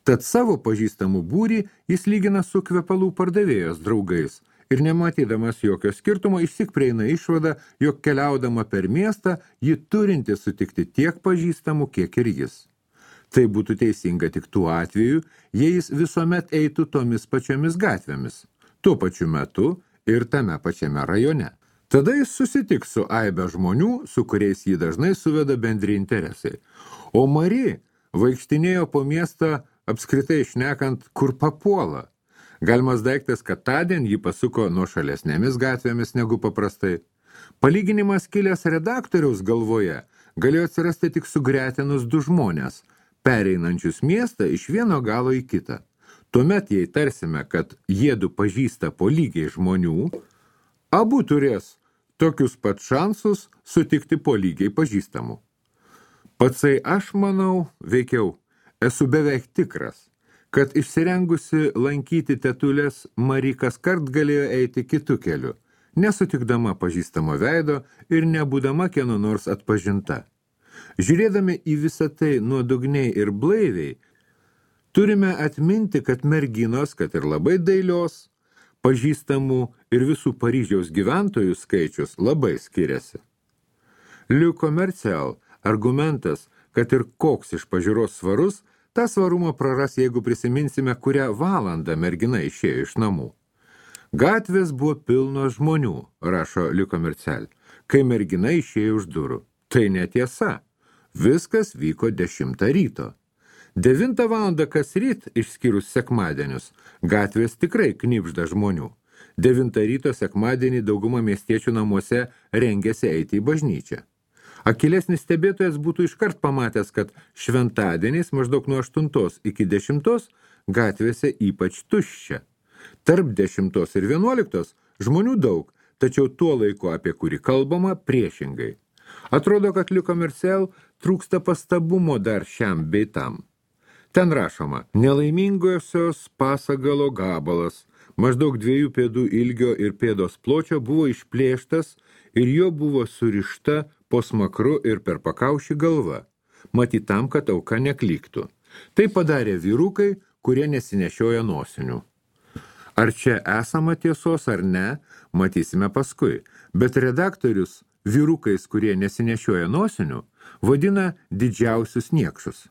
Tad savo pažįstamų būrį jis lygina su kvepalų pardavėjos draugais ir nematydamas jokio skirtumo išsyk prieina išvada, jog keliaudama per miestą ji turinti sutikti tiek pažįstamų, kiek ir jis. Tai būtų teisinga tik tuo atveju, jei jis visuomet eitų tomis pačiomis gatvėmis, tuo pačiu metu ir tame pačiame rajone. Tada jis susitiks su aibe žmonių, su kuriais jį dažnai suveda bendri interesai. O Mari vaikštinėjo po miestą apskritai šnekant, kur papuola. Galimas daiktas, kad tądien jį pasuko nuo šalesnėmis gatvėmis negu paprastai. Palyginimas kilęs redaktoriaus galvoje galėjo atsirasti tik sugretinus 2 žmonės, pereinančius miestą iš vieno galo į kitą. Tuomet, jei tarsime, kad jiedu pažįsta po lygiai žmonių, abu turės tokius pat šansus sutikti po lygiai pažįstamų. Patsai aš manau, veikiau, esu beveik tikras, kad išsirengusi lankyti tetulės Mari kaskart galėjo eiti kitu keliu, nesutikdama pažįstamo veido ir nebūdama kieno nors atpažinta. Žiūrėdami į visą tai nuodugniai ir blaiviai, turime atminti, kad merginos, kad ir labai dailios, pažįstamų ir visų Paryžiaus gyventojų skaičius labai skiriasi. Le Commercial argumentas, kad ir koks iš pažiūros svarus, tą svarumą praras, jeigu prisiminsime, kurią valandą mergina išėjo iš namų. Gatvės buvo pilnos žmonių, rašo Le Commercial, kai mergina išėjo už durų. Tai netiesa. Viskas vyko 10 ryto. 9 valandą kas ryt, išskyrus sekmadienius, gatvės tikrai knibžda žmonių. 9 ryto sekmadienį dauguma miestiečių namuose rengėsi eiti į bažnyčią. Akylesnis stebėtojas būtų iškart pamatęs, kad šventadieniais maždaug nuo 8 iki 10 gatvėse ypač tuščia. Tarp 10 ir 11 žmonių daug, tačiau tuo laiku, apie kurį kalbama, priešingai. Atrodo, kad Le Commercial trūksta pastabumo dar šiam bei tam. Ten rašoma, nelaimingosios pasagalo gabalas, maždaug 2 pėdų ilgio ir pėdos pločio buvo išplėštas ir jo buvo surišta po smakru ir per pakaušį galva, matyt tam, kad auka neklyktų. Tai padarė vyrukai, kurie nesinešioja nosinių. Ar čia esama tiesos ar ne, matysime paskui, bet redaktorius vyrukais, kurie nesinešioja nosinių, vadina didžiausius niekšus.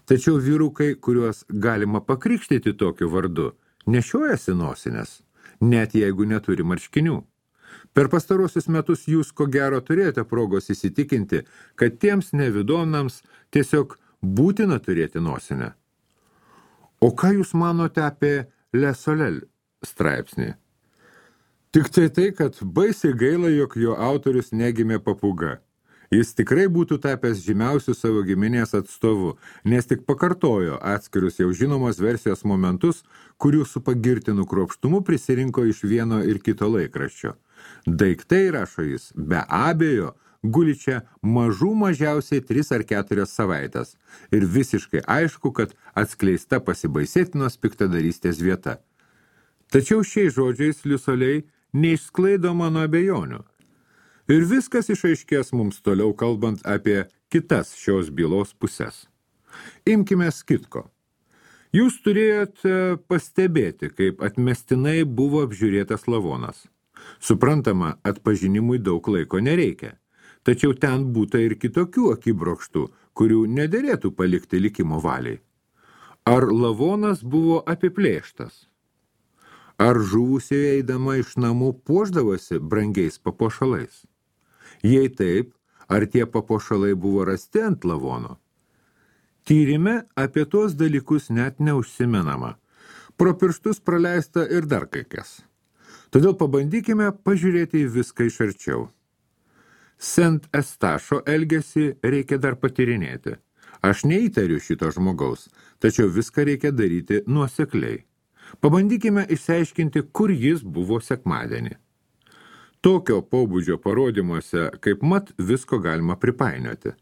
Tačiau vyrukai, kuriuos galima pakrikštyti tokiu vardu, nešiojasi nosinės, net jeigu neturi marškinių. Per pastarosius metus jūs ko gero turėjote progos įsitikinti, kad tiems nevidonams tiesiog būtina turėti nosinę. O ką jūs manote apie Le Soleil straipsnį? Tik tai, kad baisiai gaila, jog jo autorius negimė papūga. Jis tikrai būtų tapęs žymiausių savo giminės atstovu, nes tik pakartojo atskirius jau žinomos versijos momentus, kurių su pagirtinu kruopštumu prisirinko iš vieno ir kito laikraščio. Daiktai, rašo jis, be abejo, guli čia mažiausiai 3 ar 4 savaitės ir visiškai aišku, kad atskleista pasibaisėtinos piktadarystės vieta. Tačiau šiais žodžiais Le Soleil neišsklaido mano abejonių. Ir viskas išaiškės mums toliau kalbant apie kitas šios bylos pusės. Imkime skitko. Jūs turėjote pastebėti, kaip atmestinai buvo apžiūrėtas lavonas. Suprantama, atpažinimui daug laiko nereikia. Tačiau ten būta ir kitokių akibrokštų, kurių nederėtų palikti likimo valiai. Ar lavonas buvo apiplėštas? Ar žuvusieji eidama iš namų puošdavosi brangiais papuošalais? Jei taip, ar tie papuošalai buvo rasti ant lavono? Tyrime apie tuos dalykus net neužsimenama. Pro pirštus praleista ir dar kai kas. Todėl pabandykime pažiūrėti į viską iš arčiau. Saint Eustacho elgesį reikia dar patyrinėti. Aš neįtariu šito žmogaus, tačiau viską reikia daryti nuosekliai. Pabandykime išsiaiškinti, kur jis buvo sekmadienį. Tokio pobūdžio parodymuose, kaip mat, visko galima pripainioti.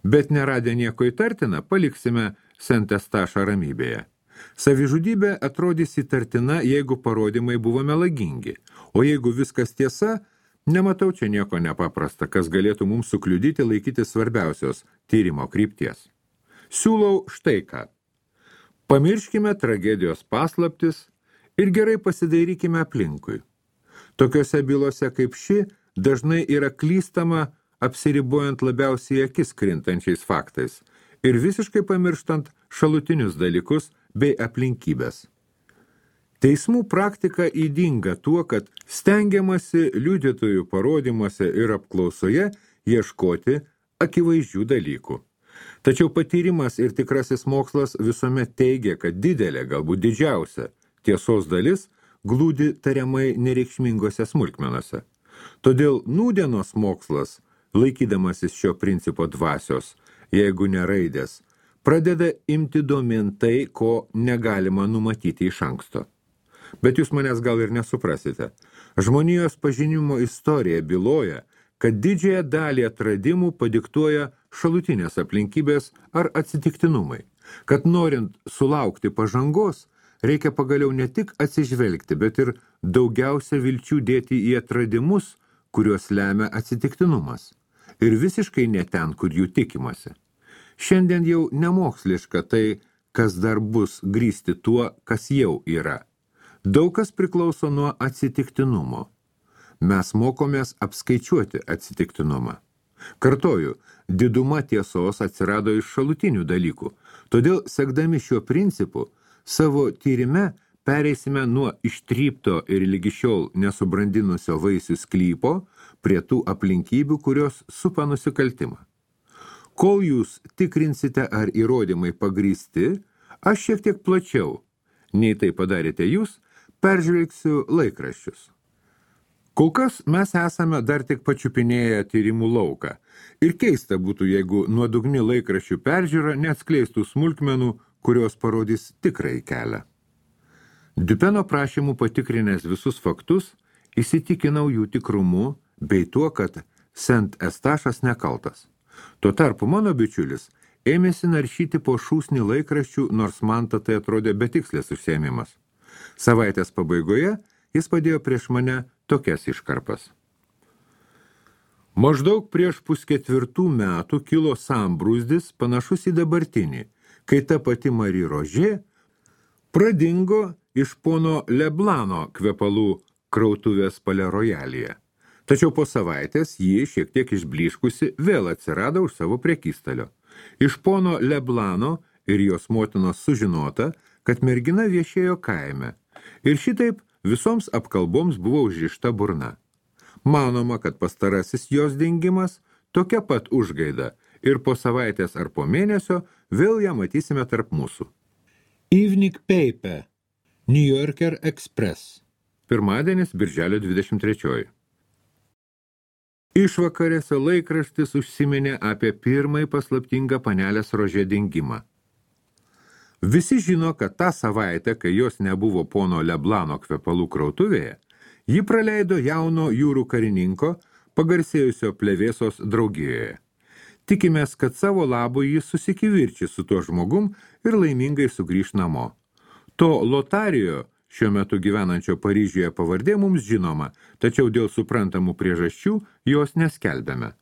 Bet neradę nieko įtartina, paliksime Saint Eustacho ramybėje. Savižudybė atrodys įtartina, jeigu parodymai buvo melagingi, o jeigu viskas tiesa, nematau čia nieko nepaprasta, kas galėtų mums sukliudyti laikyti svarbiausios tyrimo krypties. Siūlau štai ką. Pamirškime tragedijos paslaptis ir gerai pasidairykime aplinkui. Tokiose bylose kaip ši dažnai yra klystama apsiribojant labiausiai akis krintančiais faktais ir visiškai pamirštant šalutinius dalykus bei aplinkybės. Teismų praktika ydinga tuo, kad stengiamasi liudytojų parodymuose ir apklausoje ieškoti akivaizdžių dalykų. Tačiau patyrimas ir tikrasis mokslas visuomet teigia, kad didelė, galbūt didžiausia tiesos dalis glūdi tariamai nereikšmingose smulkmenose. Todėl nūdienos mokslas, laikydamasis šio principo dvasios, jeigu ne raidės, pradeda imti domėn tai, ko negalima numatyti iš anksto. Bet jūs manęs gal ir nesuprasite. Žmonijos pažinimo istorija byloja, kad didžiąją dalį atradimų padiktuoja šalutinės aplinkybės ar atsitiktinumai, kad norint sulaukti pažangos, reikia pagaliau ne tik atsižvelgti, bet ir daugiausia vilčių dėti į atradimus, kuriuos lemia atsitiktinumas. ir visiškai ne ten, kur jų tikimasi. Šiandien jau nemoksliška tai, kas dar bus, grįsti tuo, kas jau yra. Daug kas priklauso nuo atsitiktinumo. Mes mokomės apskaičiuoti atsitiktinumą. Kartoju, diduma tiesos atsirado iš šalutinių dalykų, todėl sekdami šiuo principu, savo tyrime pereisime nuo ištrypto ir lygi šiol nesubrandinusio vaisių sklypo prie tų aplinkybių, kurios supa nusikaltimą. Kol jūs tikrinsite, ar įrodymai pagrįsti, aš šiek tiek plačiau, nei tai padarėte jūs, peržvelgsiu laikraščius. Kol kas mes esame dar tik pačiupinėję tyrimų lauką ir keista būtų, jeigu nuodugni laikraščių peržiūra neatskleistų smulkmenų, kurios parodys tikrąjį kelią. Dupeno prašymų patikrinęs visus faktus, įsitikinau jų tikrumu bei tuo, kad Sent Estašas nekaltas. Tuo tarpu mano bičiulis ėmėsi naršyti po šūsnį laikraščių, nors man tai atrodė betikslis užsiėmimas. Savaitės pabaigoje jis padėjo prieš mane tokias iškarpas. Maždaug prieš 3,5 metų kilo sambrūzdis panašus į dabartinį, kai ta pati Marie Roger pradingo iš pono Leblano kvepalų krautuvės Palais Royalyje. Tačiau po savaitės ji, šiek tiek išblyškusi, vėl atsirado už savo prekystalio. Iš pono Leblano ir jos motinos sužinota, kad mergina viešėjo kaime. Ir šitaip visoms apkalboms buvo užrišta burna. Manoma, kad pastarasis jos dingimas tokia pat užgaida ir po savaitės ar po mėnesio vėl ją matysime tarp mūsų. Evening Paper, New Yorker Express. Pirmadienis, birželio 23. Išvakarėse laikraštis užsiminė apie pirmąjį paslaptingą panelės Rožė dingimą. Visi žino, kad tą savaitę, kai jos nebuvo pono Leblano kvepalų krautuvėje, ji praleido jauno jūrų karininko, pagarsėjusio plevėsos draugijoje. Tikimės, kad savo labui jis susikivirčys su tuo žmogum ir laimingai sugrįš namo. To Lotarijo, šiuo metu gyvenančio Paryžiuje pavardė mums žinoma, tačiau dėl suprantamų priežasčių jos neskelbėme.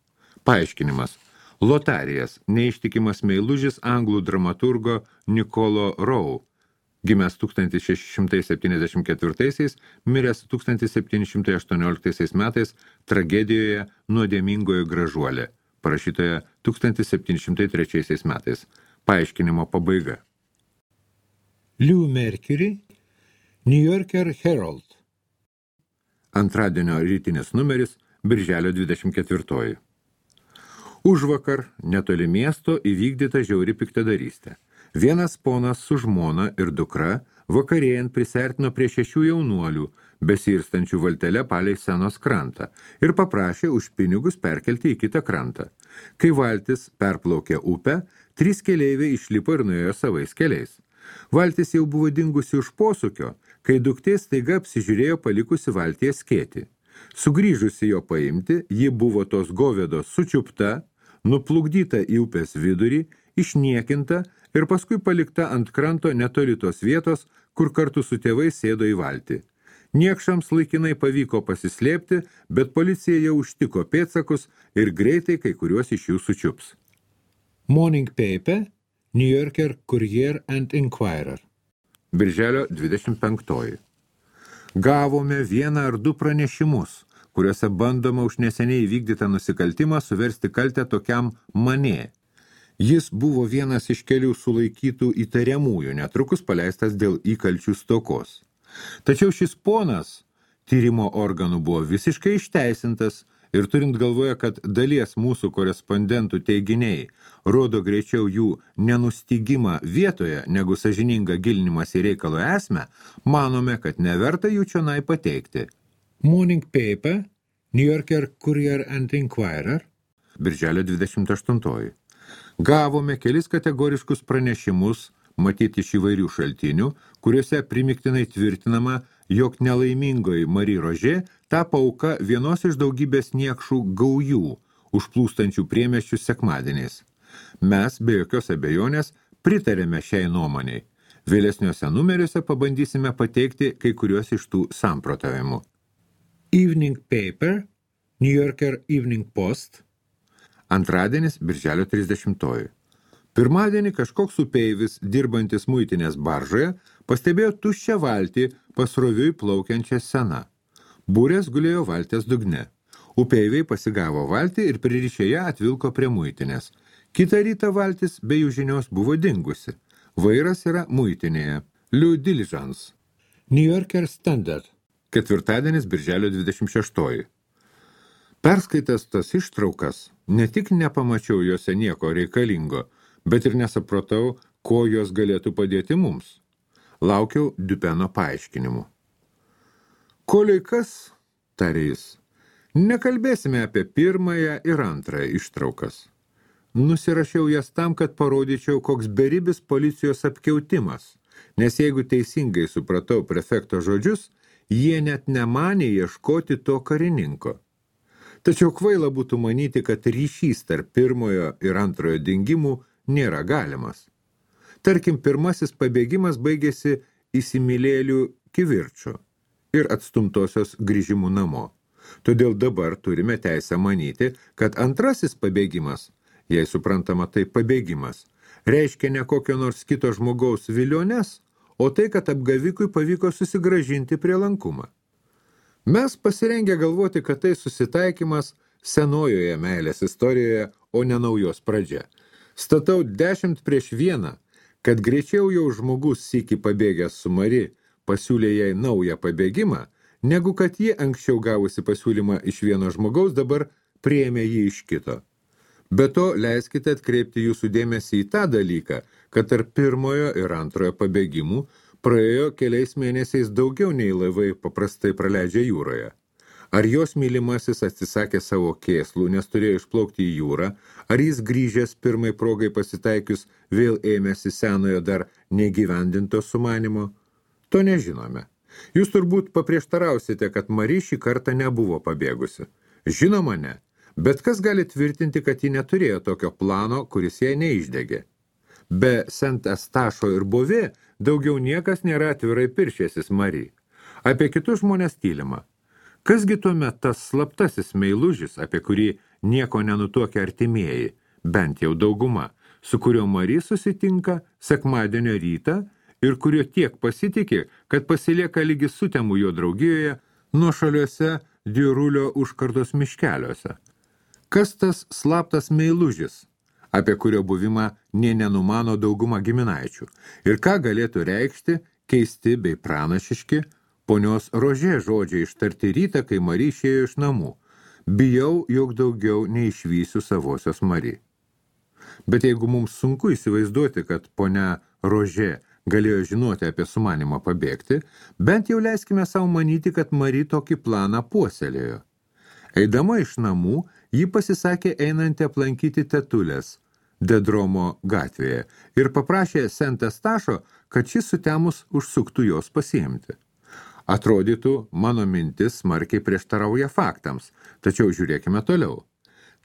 Paaiškinimas. Lotarijas, neištikimas meilužis anglų dramaturgo Nicolo Rowe, gimęs 1674, miręs 1718 metais tragedijoje Nuodėmingoji gražuolė, parašytoje 1703 metais. Paaiškinimo pabaiga. Lou Mercury, New Yorker Herald. Antradienio rytinis numeris, birželio 24. Užvakar netoli miesto įvykdyta žiauri piktadarystė. Vienas ponas su žmona ir dukra vakarėjant prisertino prie 6 jaunuolių, besirstančių valtele palei Senos krantą, ir paprašė už pinigus perkelti į kitą krantą. Kai valtis perplaukė upę, 3 keleiviai išlipo ir nuėjo savais keliais. Valtis jau buvo dingusi už posūkio, kai duktė staiga apsižiūrėjo palikusi valtyje skėtį. Sugrįžusi jo paimti, ji buvo tos govedos sučiupta, nuplukdyta į upės vidurį, išniekinta ir paskui palikta ant kranto netoli tos vietos, kur kartu su tėvais sėdo į valtį. Niekšams laikinai pavyko pasislėpti, bet policija jau užtiko pėdsakus ir greitai kai kuriuos iš jų sučiups. Morning Paper, New Yorker Courier and Inquirer. Birželio 25. Gavome 1 ar 2 pranešimus, kuriuose bandoma už neseniai įvykdytą nusikaltimą suversti kaltę tokiam Manė. Jis buvo vienas iš kelių sulaikytų įtariamųjų, netrukus paleistas dėl įkalčių stokos. Tačiau šis ponas tyrimo organų buvo visiškai išteisintas ir turint galvoje, kad dalies mūsų korespondentų teiginiai rodo greičiau jų nenustygimą vietoje, negu sąžiningą gilinimas į reikalo esmę, manome, kad neverta jų čionai pateikti. Morning Paper, New Yorker Courier and Inquirer, birželio 28. Gavome kelis kategoriškus pranešimus, matyti iš įvairių šaltinių, kuriuose primiktinai tvirtinama, jog nelaimingoji Marie Roger tapo auka vienos iš daugybės niekšų gaujų, užplūstančių priemiesčius sekmadieniais. Mes, be jokios abejonės, pritarėme šiai nuomoniai. Vėlesniuose numeriuose pabandysime pateikti kai kuriuos iš tų samprotavimų. Evening Paper, New Yorker Evening Post, Antradienis, birželio 30. Pirmadienį kažkoks upeivis, dirbantis muitinės baržoje, pastebėjo tuščią valtį pasroviui plaukiančią seną. Būrės gulėjo valties dugne. Upeiviai pasigavo valtį ir pririšę ją atvilko prie muitinės. Kitą rytą valtis be jų žinios buvo dingusi. Vairas yra muitinėje. Liu Diligence. New Yorker Standard. Ketvirtadienis, birželio 26. Perskaitęs tas ištraukas, ne tik nepamačiau juose nieko reikalingo, bet ir nesapratau, ko jos galėtų padėti mums. Laukiau Dupeno paaiškinimų. Koliai kas, tarė jis, nekalbėsime apie pirmąją ir antrąją ištraukas. Nusirašiau jas tam, kad parodyčiau, koks beribis policijos apkiautimas, nes jeigu teisingai supratau prefekto žodžius, jie net nemanė ieškoti to karininko. Tačiau kvaila būtų manyti, kad ryšys tarp pirmojo ir antrojo dingimų nėra galimas. Tarkim, pirmasis pabėgimas baigėsi įsimylėlių kivirču ir atstumtosios grįžimų namo. Todėl dabar turime teisę manyti, kad antrasis pabėgimas, jei suprantama tai pabėgimas, reiškia ne kokio nors kito žmogaus viliones, o tai, kad apgavikui pavyko susigrąžinti prielankumą. Mes pasirengę galvoti, kad tai susitaikymas senojoje meilės istorijoje, o ne naujos pradžia. Statau 10-1, kad greičiau jau žmogus sykį pabėgęs su Mari pasiūlė jai naują pabėgimą, negu kad ji anksčiau gavusi pasiūlymą iš vieno žmogaus dabar priėmė jį iš kito. Be to, leiskite atkreipti jūsų dėmesį į tą dalyką, kad tarp pirmojo ir antrojo pabėgimų praėjo keliais mėnesiais daugiau nei laivai paprastai praleidžia jūroje. Ar jos mylimasis atsisakė savo kėslų, nes turėjo išplaukti į jūrą, ar jis grįžęs pirmai progai pasitaikius vėl ėmėsi senojo dar negyvendinto sumanimo? To nežinome. Jūs turbūt paprieštarausite, kad Mari šį kartą nebuvo pabėgusi. Žinoma ne, bet kas gali tvirtinti, kad ji neturėjo tokio plano, kuris jai neišdegė. Be Saint-Eustacho ir Beauvais daugiau niekas nėra atvirai piršęsis Mari. Apie kitus žmonės tylima. Kasgi tuomet tas slaptasis meilužis, apie kurį nieko nenutuokia artimieji, bent jau dauguma, su kurio Mari susitinka sekmadienio rytą ir kurio tiek pasitiki, kad pasilieka lygi sutemų jo draugijoje nuošaliuose Diurulio užkardos miškeliuose. Kas tas slaptas meilužis, apie kurio buvimą nė nenumano dauguma giminaičių, ir ką galėtų reikšti keisti bei pranašiški ponios Rožė žodžiai ištarti rytą, kai Mari išėjo iš namų. Bijau, jog daugiau neišvysiu savosios Mari. Bet jeigu mums sunku įsivaizduoti, kad ponia Rožė galėjo žinoti apie sumanimą pabėgti, bent jau leiskime savo manyti, kad Mari tokį planą puoselėjo. Eidama iš namų, ji pasisakė einanti aplankyti tetulės Dedromo gatvėje ir paprašė Saint-Eustacho, kad šis sutemus užsuktų jos pasiimti. Atrodytų, mano mintis smarkiai prieštarauja faktams, tačiau žiūrėkime toliau.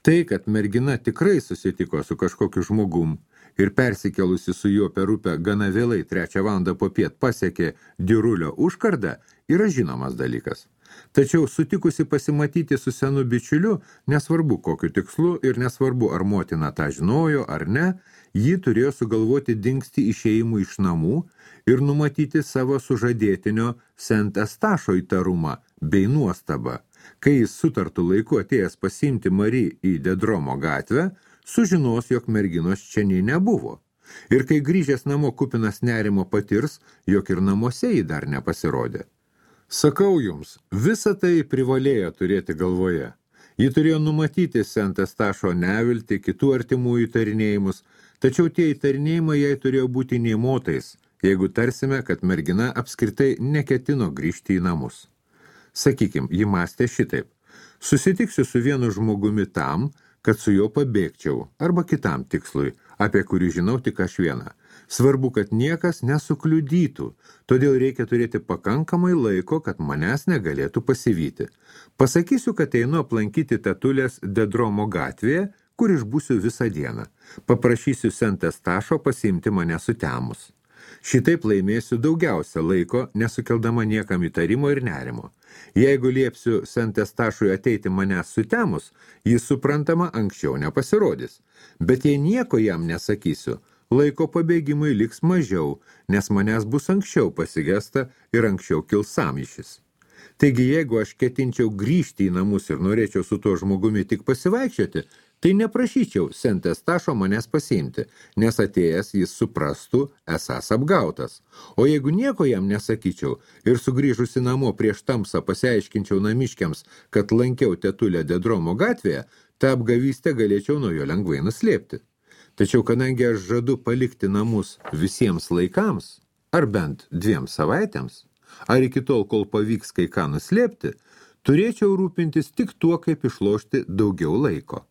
Tai, kad mergina tikrai susitiko su kažkokiu žmogum ir persikelusi su juo per upę gana vėlai 3 valandą popiet pasiekė Diurulio užkardą, yra žinomas dalykas. Tačiau sutikusi pasimatyti su senu bičiuliu, nesvarbu kokiu tikslu ir nesvarbu ar motina tą žinojo ar ne, ji turėjo sugalvoti dingsti išėjimų iš namų ir numatyti savo sužadėtinio Saint-Eustacho įtarumą bei nuostabą, kai jis sutartų laiku atėjęs pasiimti Mari į Dedromo gatvę, sužinos, jog merginos čia nei nebuvo. Ir kai grįžęs namo kupinas nerimo patirs, jog ir namuose jį dar nepasirodė. Sakau jums, visa tai privalėjo turėti galvoje. Ji turėjo numatyti Saint-Eustacho neviltį, kitų artimųjų įtarinėjimus, tačiau tie įtarinėjimai jai turėjo būti nėmotais, jeigu tarsime, kad mergina apskritai neketino grįžti į namus. Sakykim, ji mąstė šitaip. Susitiksiu su vienu žmogumi tam, kad su juo pabėgčiau, arba kitam tikslui, apie kurį žinau tik aš vieną. Svarbu, kad niekas nesukliudytų, todėl reikia turėti pakankamai laiko, kad manęs negalėtų pasivyti. Pasakysiu, kad einu aplankyti tetulės Dedromo gatvėje, kur išbūsiu visą dieną. Paprašysiu Saint-Eustacho pasiimti mane sutemus. Šitaip laimėsiu daugiausia laiko, nesukeldama niekam įtarimo ir nerimo. Jeigu liepsiu Sentestašui ateiti manęs sutemus, jis suprantama anksčiau nepasirodys. Bet jei nieko jam nesakysiu, laiko pabėgimui liks mažiau, nes manęs bus anksčiau pasigesta ir anksčiau kils sąmyšis. Taigi, jeigu aš ketinčiau grįžti į namus ir norėčiau su tuo žmogumi tik pasivaikščioti, tai neprašyčiau Sentestašo manęs pasiimti, nes atėjęs jis suprastų esąs apgautas. O jeigu nieko jam nesakyčiau ir sugrįžusi namo prieš tamsą pasiaiškinčiau namiškiams, kad lankiau tetulę Dedromo gatvėje, tą apgavystę galėčiau nuo jo lengvai nuslėpti. Tačiau kadangi aš žadu palikti namus visiems laikams, ar bent 2 savaitėms, ar iki tol, kol pavyks kai ką nuslėpti, turėčiau rūpintis tik tuo, kaip išlošti daugiau laiko.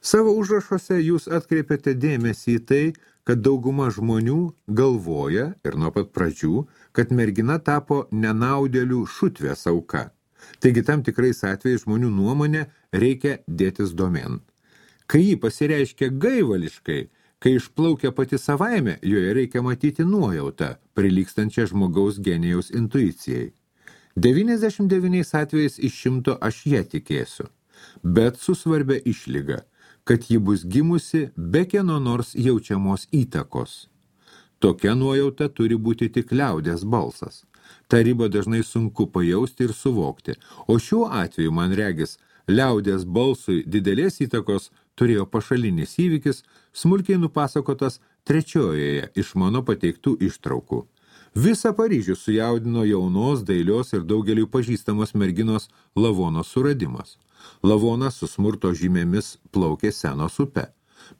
Savo užrašuose jūs atkreipiate dėmesį į tai, kad dauguma žmonių galvoja ir nuo pat pradžių, kad mergina tapo nenaudėlių šutvės auka. Taigi tam tikrais atvejais žmonių nuomonė reikia dėtis domen. Kai jį pasireiškia gaivališkai, kai išplaukia pati savaime, joje reikia matyti nuojautą, prilygstančią žmogaus genijaus intuicijai. 99 atvejais iš 100 aš ją tikėsiu, bet su svarbia išlyga, kad ji bus gimusi be kieno nors jaučiamos įtakos. Tokia nuojauta turi būti tik liaudės balsas. Ta ribą dažnai sunku pajausti ir suvokti, o šiuo atveju, man regis, liaudės balsui didelės įtakos turėjo pašalinis įvykis, smulkiai nupasakotas 3 iš mano pateiktų ištraukų. Visą Paryžių sujaudino jaunos, dailios ir daugeliui pažįstamos merginos Lavonos suradimas. Lavona su smurto žymėmis plaukė Senos upe.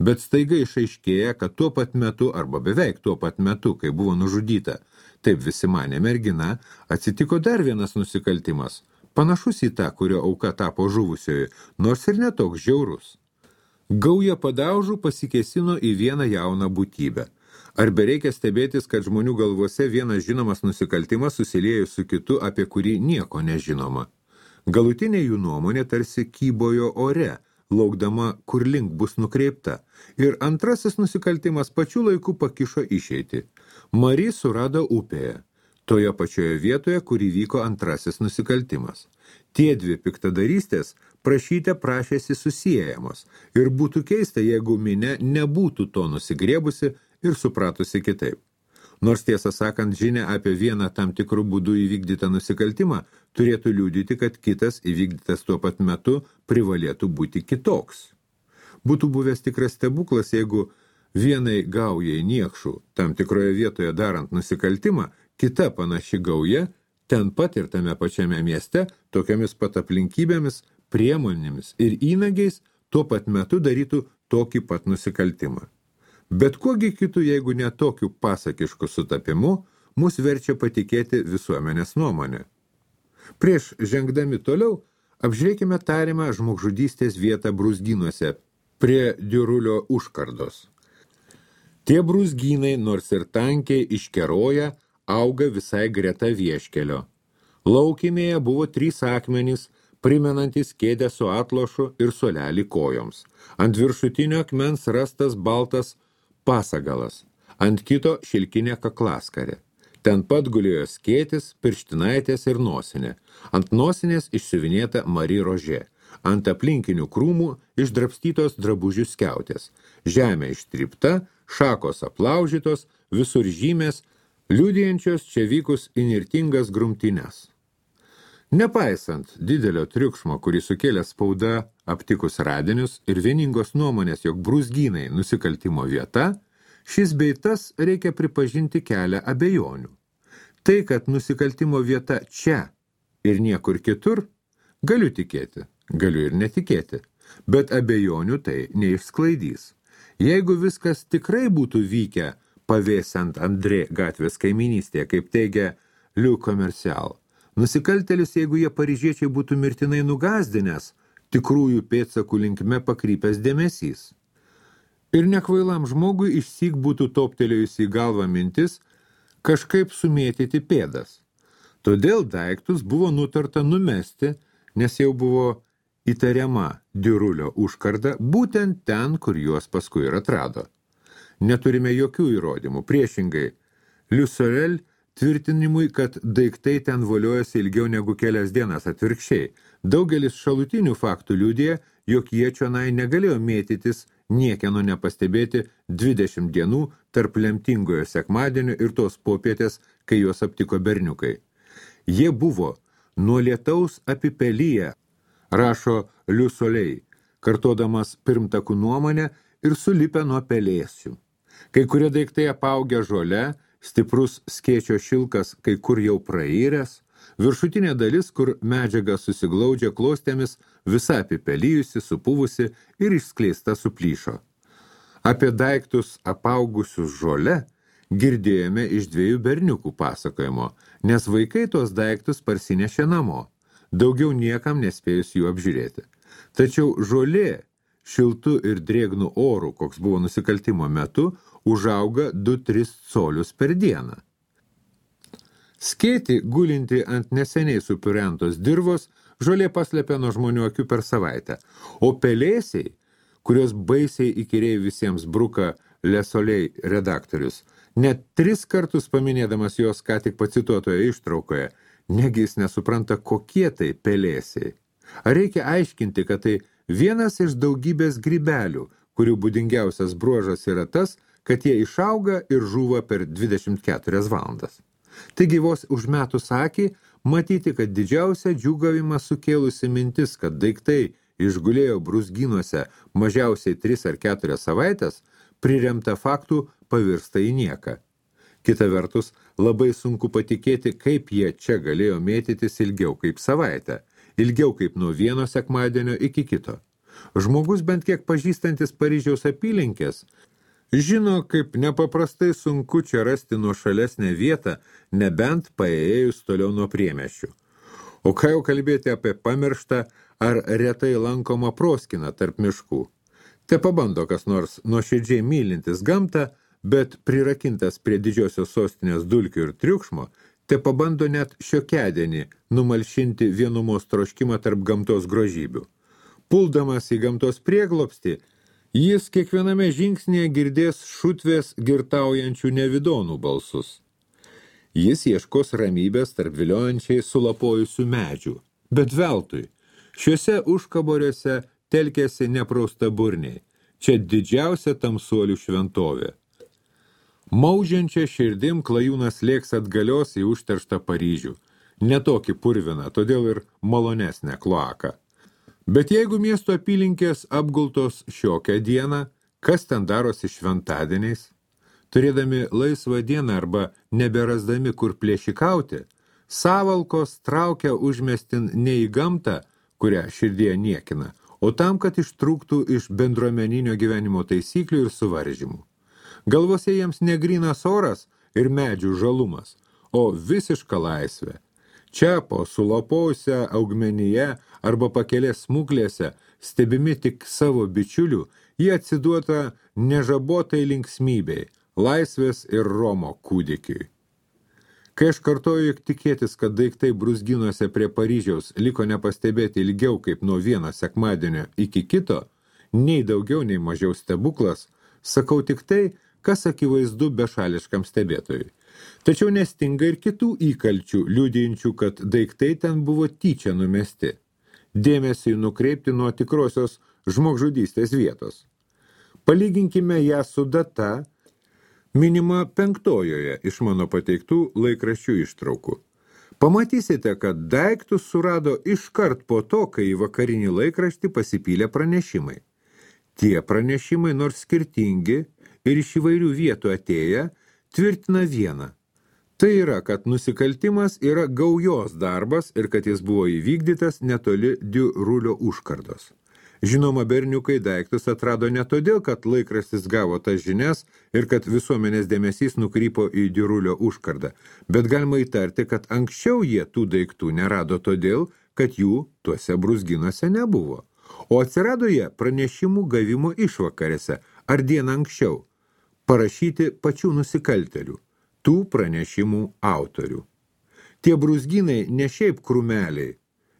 Bet staiga išaiškėja, kad tuo pat metu, arba beveik tuo pat metu, kai buvo nužudyta, taip visi manė mergina, atsitiko dar vienas nusikaltimas, panašus į tą, kurio auka tapo žuvusioji, nors ir netoks žiaurus. Gauja padaužų pasikėsino į vieną jauną būtybę. Ar bereikia stebėtis, kad žmonių galvose vienas žinomas nusikaltimas susiliejo su kitu, apie kurį nieko nežinoma. Galutinė jų nuomonė tarsi kybojo ore, laukdama, kur link bus nukreipta, ir antrasis nusikaltimas pačiu laiku pakišo išeitį. Mari surado upėje, toje pačioje vietoje, kur įvyko antrasis nusikaltimas. Tie 2 piktadarystės prašyte prašėsi susiejamos, ir būtų keista, jeigu minia nebūtų to nusigriebusi ir supratusi kitaip. Nors tiesą sakant, žinia apie vieną tam tikrų būdų įvykdytą nusikaltimą turėtų liudyti, kad kitas įvykdytas tuo pat metu privalėtų būti kitoks. Būtų buvęs tikras stebuklas, jeigu vienai gaujai niekšų tam tikroje vietoje darant nusikaltimą, kita panaši gauja ten pat ir tame pačiame mieste, tokiamis pat aplinkybėmis, priemonėmis ir įnagiais tuo pat metu darytų tokį pat nusikaltimą. Bet kuogi kitų, jeigu ne tokiu pasakišku sutapimu, mus verčia patikėti visuomenės nuomonę. Prieš žengdami toliau, apžiūrėkime tariamą žmogžudystės vietą brūzgynuose prie Diurulio užkardos. Tie brūzgynai, nors ir tankiai iškeroja, auga visai greta vieškelio. Laukymėje buvo 3 akmenys, primenantis kėdę su atlošu ir suolelį kojoms. Ant viršutinio akmens rastas baltas pasagalas, ant kito šilkinė kaklaskarė. Ten pat gulėjo skėtis, pirštinaitės ir nosinė. Ant nosinės išsiuvinėta Mari rožė. Ant aplinkinių krūmų išdrabstytos drabužių skiautės. Žemė ištrypta, šakos aplaužytos, visur žymės, liudijančios čia vykus įnirtingas grumtynes. Nepaisant didelio triukšmo, kurį sukėlė spauda aptikus radinius ir vieningos nuomonės, jog brūzgynai nusikaltimo vieta, šis bei tas reikia pripažinti kelią abejonių. Tai, kad nusikaltimo vieta čia ir niekur kitur, galiu tikėti, galiu ir netikėti, bet abejonių tai neišsklaidys. Jeigu viskas tikrai būtų vykę pavėsiant Andrė gatvės kaiminystėje, kaip teigia Le Commercial, nusikaltėlis, jeigu jie paryžiečiai būtų mirtinai nugazdinęs, tikrųjų pėdsakų linkme pakrypęs dėmesys. Ir nekvailam žmogui išsyk būtų toptelėjusi į galvą mintis kažkaip sumėtyti pėdas. Todėl daiktus buvo nutarta numesti, nes jau buvo įtariama Diurulio užkarda būtent ten, kur juos paskui ir atrado. Neturime jokių įrodymų. Priešingai, Liusorel tvirtinimui, kad daiktai ten voliojasi ilgiau negu kelias dienas atvirkščiai. Daugelis šalutinių faktų liudija, jog jie čionai negalėjo mėtytis niekieno nepastebėti 20 dienų tarp lemtingojo sekmadienio ir tos popietės, kai juos aptiko berniukai. Jie buvo nuo lietaus apipelyje, rašo Liusolei, kartodamas pirmtakų nuomonę ir sulipę nuo pelėsių. Kai kurie daiktai apaugę žole, stiprus skėčio šilkas kai kur jau prairęs, viršutinė dalis, kur medžiaga susiglaudžia klostėmis, visa apipelyjusi, supuvusi ir išskleista suplyšo. Apie daiktus apaugusius žole girdėjome iš 2 berniukų pasakojimo, nes vaikai tos daiktus parsinešė namo, daugiau niekam nespėjus jų apžiūrėti. Tačiau žolė šiltu ir drėgnu oru, koks buvo nusikaltimo metu, užauga 2-3 colius per dieną. Skėtį, gulinti ant neseniai supirentos dirvos, žolė paslėpė nuo žmonių akių per savaitę, o pelėsiai, kurios baisiai įkyriai visiems bruka Liusolei redaktorius, net 3 kartus paminėdamas jos ką tik pacituotoje ištraukoje, negi jis nesupranta, kokie tai pelėsiai. Ar reikia aiškinti, kad tai vienas iš daugybės grybelių, kurių būdingiausias bruožas yra tas, kad jie išauga ir žūva per 24 valandas. Taigi vos užmetus akį, matyti, kad didžiausia džiūgavimą sukėlusi mintis, kad daiktai išgulėjo brūzgynuose mažiausiai 3 ar 4 savaitės, priremta faktų pavirsta į nieką. Kita vertus, labai sunku patikėti, kaip jie čia galėjo mėtytis ilgiau kaip savaitę, ilgiau kaip nuo vieno sekmadienio iki kito. Žmogus bent kiek pažįstantis Paryžiaus apylinkės, žino, kaip nepaprastai sunku čia rasti nuošalesnę vietą, nebent paėjus toliau nuo priemiesčių. O ką jau kalbėti apie pamirštą ar retai lankomą proskiną tarp miškų. Te pabando kas nors nuoširdžiai mylintis gamtą, bet prirakintas prie didžiosios sostinės dulkių ir triukšmo, te pabando net šiokiadienį numalšinti vienumos troškimą tarp gamtos grožybių. Puldamas į gamtos prieglobstį, jis kiekviename žingsnėje girdės šutvės girtaujančių nevidonų balsus. Jis ieškos ramybės tarp viliojančiai sulapojusių medžių. Bet veltui, šiuose užkaboriuose telkėsi nepraustaburniai. Čia didžiausia tamsuolių šventovė. Maužiančia širdim klajūnas lėks atgalios į užterštą Paryžių. Ne tokį purviną, todėl ir malonesnę kloaką. Bet jeigu miesto apylinkės apgultos šiokią dieną, kas ten darosi šventadieniais? Turėdami laisvą dieną arba neberasdami kur plėšikauti, savalkos traukia užmestin ne į gamtą, kurią širdie niekina, o tam, kad ištrūktų iš bendruomeninio gyvenimo taisyklių ir suvaržymų. Galvose jiems negrynas oras ir medžių žalumas, o visiška laisvė. Čia po sulapojusią augmenyje arba pakelės smuklėse, stebimi tik savo bičiulių, jie atsiduota nežabotai linksmybei, laisvės ir Romo kūdikiui. Kai aš kartoju, jog tikėtis, kad daiktai brūzgynuose prie Paryžiaus liko nepastebėti ilgiau kaip nuo vieno sekmadienio iki kito, nei daugiau, nei mažiau stebuklas, sakau tik tai, kas akivaizdu bešališkam stebėtojui. Tačiau nestinga ir kitų įkalčių, liudijančių, kad daiktai ten buvo tyčia numesti. Dėmesį nukreipti nuo tikrosios žmogžudystės vietos. Palyginkime ją su data, minima 5 iš mano pateiktų laikraščių ištraukų. Pamatysite, kad daiktus surado iškart po to, kai į vakarinį laikraštį pasipylė pranešimai. Tie pranešimai, nors skirtingi ir iš įvairių vietų atėję, tvirtina vieną. Tai yra, kad nusikaltimas yra gaujos darbas ir kad jis buvo įvykdytas netoli Diurulio užkardos. Žinoma, berniukai daiktus atrado ne todėl, kad laikraštis gavo tas žinias ir kad visuomenės dėmesys nukrypo į Diurulio užkardą, bet galima įtarti, kad anksčiau jie tų daiktų nerado todėl, kad jų tuose brūzgynuose nebuvo. O atsirado jie pranešimų gavimo išvakarėse ar dieną anksčiau, parašyti pačių nusikaltelių, tų pranešimų autorių. Tie brūzgynai ne šiaip krūmeliai,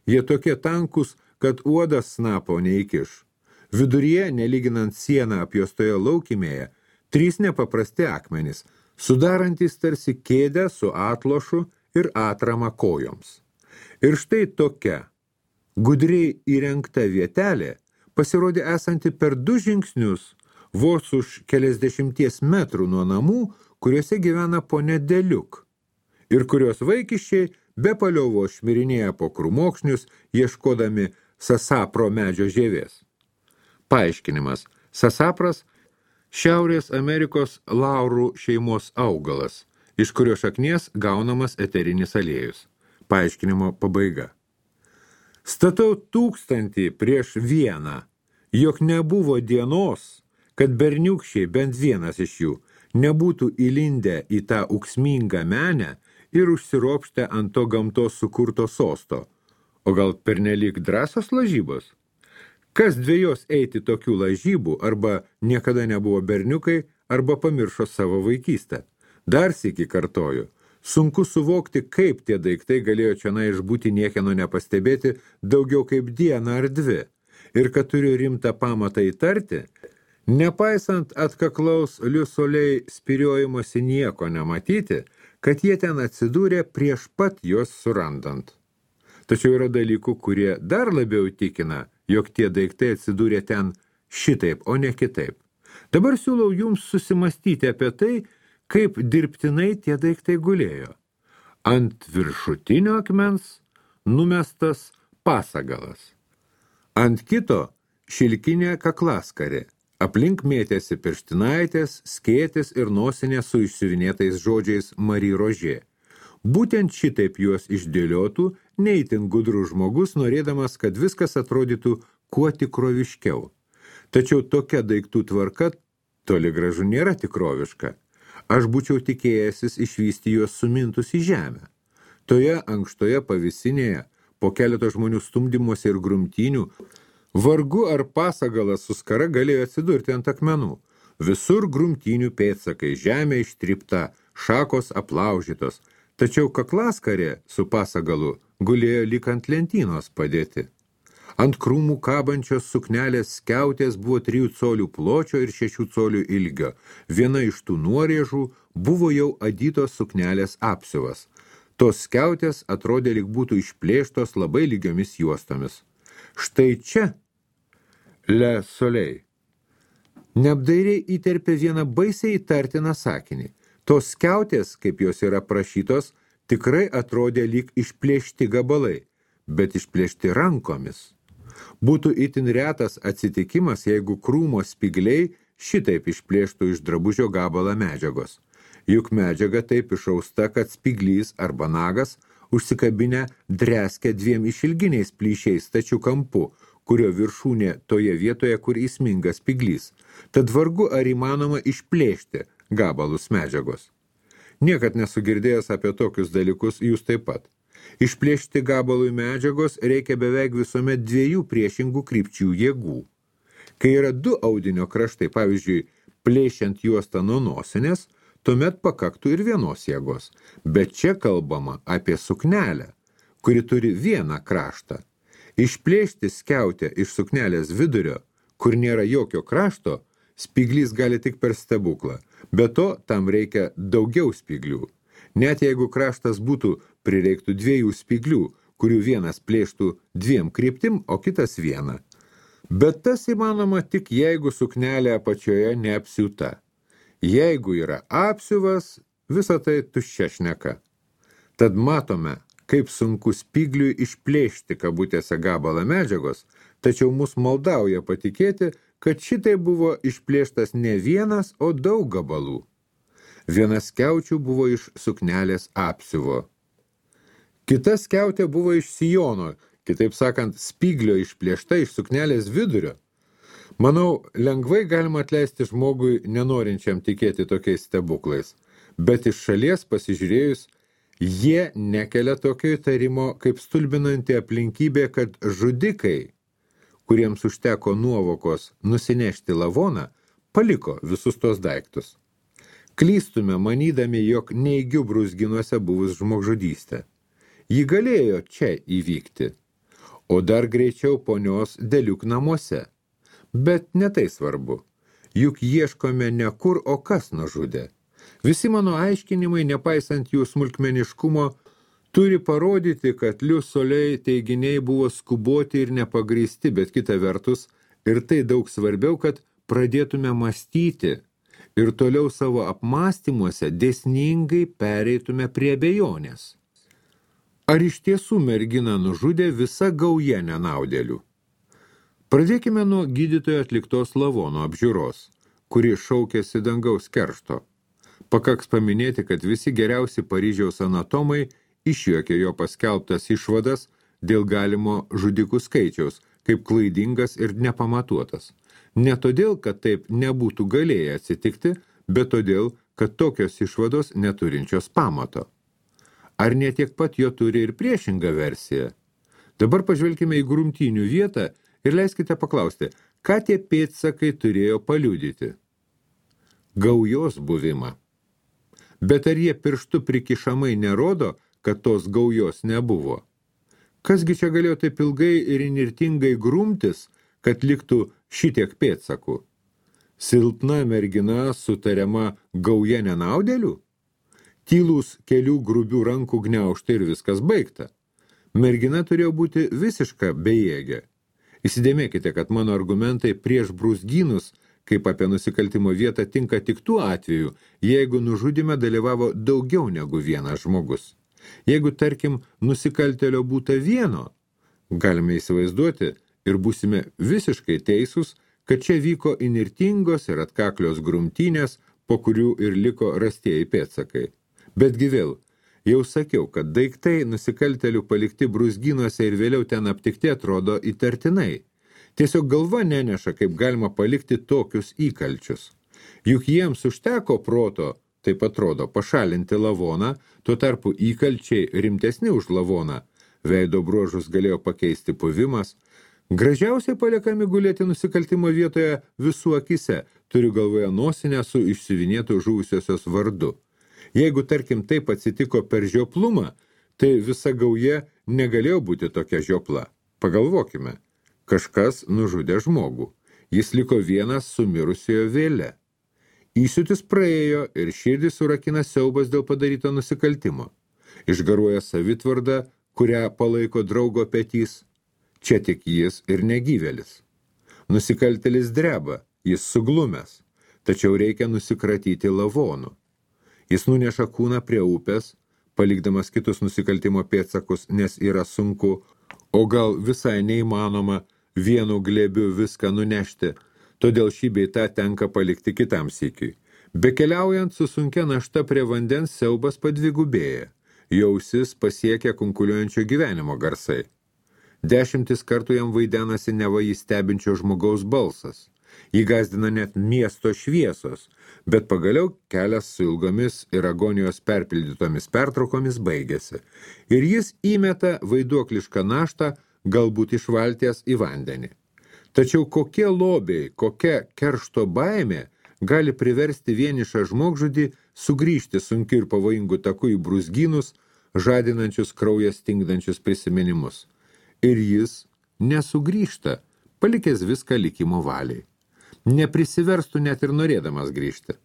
jie tokie tankus, kad uodas snapo neįkiš. Viduryje, nelyginant sieną apjuostoje laukimėje, 3 nepaprasti akmenys, sudarantys tarsi kėdę su atlošu ir atrama kojoms. Ir štai tokia gudriai įrengta vietelė pasirodė esanti per 2 žingsnius, vos už keliasdešimties metrų nuo namų, kuriuose gyvena ponia Deliuk, ir kurios vaikiščiai be paliovo šmirinėja po krūmokšnius, ieškodami sasapro medžio žievės. Paaiškinimas. Sasapras – Šiaurės Amerikos laurų šeimos augalas, iš kurio šaknies gaunamas eterinis aliejus. Paaiškinimo pabaiga. Statau 1000 prieš 1, jog nebuvo dienos, kad berniukščiai, bent vienas iš jų, nebūtų įlindę į tą ūksmingą menę ir užsiropštę ant to gamtos sukurto sosto, o gal pernelyg drąsios lažybos? Kas dvejos eiti tokių lažybų, arba niekada nebuvo berniukai, arba pamiršo savo vaikystę. Dar sykį kartoju, sunku suvokti, kaip tie daiktai galėjo čionai išbūti niekieno nepastebėti daugiau kaip dieną ar 2, ir kad turiu rimtą pamatą įtarti, nepaisant atkaklaus liusoliai spiriojimosi nieko nematyti, kad jie ten atsidūrė prieš pat juos surandant. Tačiau yra dalykų, kurie dar labiau tikina, jog tie daiktai atsidūrė ten šitaip, o ne kitaip. Dabar siūlau jums susimastyti apie tai, kaip dirbtinai tie daiktai gulėjo. Ant viršutinio akmens numestas pasagalas. Ant kito šilkinė kaklaskarė. Aplink mėtėsi pirštinaitės, skėtis ir nosinė su išsiuvinėtais žodžiais Marie Roger. Būtent šitaip juos išdėliotų neįtin gudrus žmogus, norėdamas, kad viskas atrodytų kuo tikroviškiau. Tačiau tokia daiktų tvarka toli gražu nėra tikroviška. Aš būčiau tikėjęsis išvysti juos sumintus į žemę. Toje ankštoje pavisinėje, po keleto žmonių stumdymuose ir grumtynių, vargu ar pasagalas su skara galėjo atsidurti ant akmenų. Visur grumtynių pėdsakai, žemė ištrypta, šakos aplaužytos, tačiau kaklaskarė su pasagalu gulėjo lyg ant lentynos padėti. Ant krūmų kabančios suknelės skiautės buvo 3 colių pločio ir 6 colių ilgio. Viena iš tų nuorėžų buvo jau adytos suknelės apsiuvas. Tos skiautės atrodė lyg būtų išplėštos labai lygiomis juostomis. Štai čia Le Soleil neapdairiai įterpė vieną baisiai įtartiną sakinį. Tos skiautės, kaip jos yra prašytos, tikrai atrodė lyg išplėšti gabalai, bet išplėšti rankomis. Būtų itin retas atsitikimas, jeigu krūmo spigliai šitaip išplėštų iš drabužio gabalą medžiagos. Juk medžiaga taip išausta, kad spiglys arba nagas užsikabinę dreskia 2 išilginiais plyšiais stačiu kampu, kurio viršūnė toje vietoje, kur įsmingas spiglys. Tad vargu ar įmanoma išplėšti gabalus medžiagos. Niekad nesu girdėjęs apie tokius dalykus, jūs taip pat. Išplėšti gabalui medžiagos reikia beveik visuomet 2 priešingų krypčių jėgų. Kai yra 2 audinio kraštai, pavyzdžiui, plėšiant juostą nuo nosinės, tuomet pakaktų ir vienos jėgos. Bet čia kalbama apie suknelę, kuri turi vieną kraštą. Išplėšti skiautę iš suknelės vidurio, kur nėra jokio krašto, spiglys gali tik per stebuklą. Be to, tam reikia daugiau spiglių. Net jeigu kraštas būtų, prireiktų 2 spiglių, kurių vienas plėštų 2 kryptim, o kitas 1. Bet tas įmanoma tik jeigu suknelė apačioje neapsiūta. Jeigu yra apsiuvas, visa tai tuščia šneka. Tad matome, kaip sunku spigliui išplėšti kabutėse gabalą medžiagos, tačiau mus maldauja patikėti, kad šitai buvo išplėštas ne vienas, o daug gabalų. Viena skiaučių buvo iš suknelės apsiuvo. Kita skiautė buvo iš sijono, kitaip sakant, spiglio išplėšta iš suknelės vidurio. Manau, lengvai galima atleisti žmogui, nenorinčiam tikėti tokiais stebuklais, bet iš šalies pasižiūrėjus, jie nekelia tokio įtarimo kaip stulbinanti aplinkybė, kad žudikai, kuriems užteko nuovokos nusinešti lavoną, paliko visus tos daiktus. Klystume manydami, jog neigiu brūzginuose buvus žmogžudystė. Ji galėjo čia įvykti, o dar greičiau ponios Deliuk namuose. Bet ne tai svarbu. juk ieškome ne kur, o kas nužudė. Visi mano aiškinimai, nepaisant jų smulkmeniškumo, turi parodyti, kad Lius Solei teiginiai buvo skuboti ir nepagrįsti, bet kita vertus, ir tai daug svarbiau, kad pradėtume mąstyti ir toliau savo apmąstymuose dėsningai pereitume prie abejonės. Ar iš tiesų merginą nužudė visa gauja nenaudėlių? Pradėkime nuo gydytojo atliktos lavono apžiūros, kuri šaukėsi dangaus keršto. Pakaks paminėti, kad visi geriausi Paryžiaus anatomai išjuokė jo paskelbtas išvadas dėl galimo žudikų skaičiaus, kaip klaidingas ir nepamatuotas. Ne todėl, kad taip nebūtų galėję atsitikti, bet todėl, kad tokios išvados neturinčios pamato. Ar ne tiek pat jo turi ir priešingą versiją? Dabar pažvelkime į grumtynių vietą ir leiskite paklausti, ką tie pėdsakai turėjo paliudyti? Gaujos buvimą. Bet ar jie pirštu prikišamai nerodo, kad tos gaujos nebuvo? Kasgi čia galėjo taip ilgai ir inirtingai grumtis, kad liktų šitiek pėdsakų? Silpna mergina sutariama gauja nenaudėlių? Tylūs kelių grubių rankų gniaužtai ir viskas baigta. Mergina turėjo būti visiška bejėgė. Įsidėmėkite, kad mano argumentai prieš brūzgynus, kaip apie nusikaltimo vietą, tinka tik tuo atveju, jeigu nužudime dalyvavo daugiau negu vienas žmogus. Jeigu, tarkim, nusikaltėlio būta vieno, galime įsivaizduoti ir būsime visiškai teisūs, kad čia vyko inirtingos ir atkaklios grumtynės, po kurių ir liko rastieji pėdsakai. Betgi vėl, jau sakiau, kad daiktai nusikaltėlių palikti brūzgynuose ir vėliau ten aptikti atrodo įtartinai. Tiesiog galva neneša, kaip galima palikti tokius įkalčius. Juk jiems užteko proto, taip atrodo, pašalinti lavoną, tuo tarpu įkalčiai rimtesni už lavoną. Veido bruožus galėjo pakeisti puvimas. Gražiausiai paliekami gulėti nusikaltimo vietoje visų akise, turiu galvoje nosinę su išsiuvinėtų žuvusiosios vardu. Jeigu, tarkim, taip atsitiko per žioplumą, tai visa gauja negalėjo būti tokia žiopla. Pagalvokime, kažkas nužudė žmogų. Jis liko vienas su mirusiojo vėle. Įsiūtis praėjo ir širdį surakina siaubas dėl padaryto nusikaltimo. Išgaruoja savitvarda, kurią palaiko draugo petys. Čia tik jis ir negyvelis. Nusikaltėlis dreba, jis suglumęs, tačiau reikia nusikratyti lavonu. Jis nuneša kūną prie upės, palikdamas kitus nusikaltimo pėdsakus, nes yra sunku, o gal visai neįmanoma vienu glėbiu viską nunešti, todėl šį bei tą tenka palikti kitam sykiui. Bekeliaujant su sunkia našta prie vandens siaubas padvigubėja, jo ausis pasiekia kunkuliuojančio gyvenimo garsai. 10 kartų jam vaidenasi neva jį stebinčio žmogaus balsas. Jį gazdina net miesto šviesos, bet pagaliau kelias su ilgomis ir agonijos perpildytomis pertraukomis baigėsi. Ir jis įmeta vaiduoklišką naštą, galbūt iš valties į vandenį. Tačiau kokie lobiai, kokia keršto baimė gali priversti vienišą žmogžudį sugrįžti sunkiu ir pavojingu taku į brūzgynus, žadinančius kraują stingdančius prisiminimus. Ir jis nesugrįžta, palikęs viską likimo valiai. Neprisiverstų net ir norėdamas grįžti.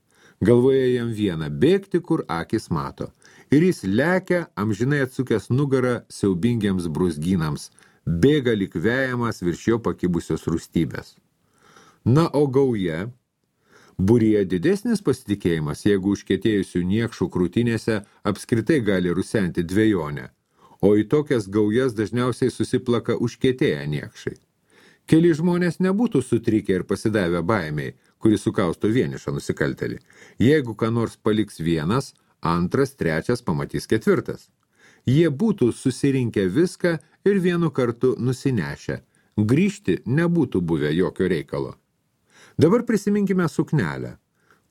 Galvoje jam viena bėgti, kur akis mato. Ir jis lekia, amžinai atsukęs nugarą siaubingiams brūzgynams, bėga lyg vejamas virš jo pakibusios rūstybės. Na, o gauja? Būryje didesnis pasitikėjimas, jeigu užkietėjusių niekšų krūtinėse apskritai gali rusenti dvejonę, o į tokias gaujas dažniausiai susiplaka užkietėję niekšai. Keli žmonės nebūtų sutrikę ir pasidavę baimiai, kuri sukausto vienišą nusikaltelį. Jeigu ką nors paliks vienas, antras, trečias pamatys ketvirtas. Jie būtų susirinkę viską ir vienu kartu nusinešę. Grįžti nebūtų buvę jokio reikalo. Dabar prisiminkime suknelę,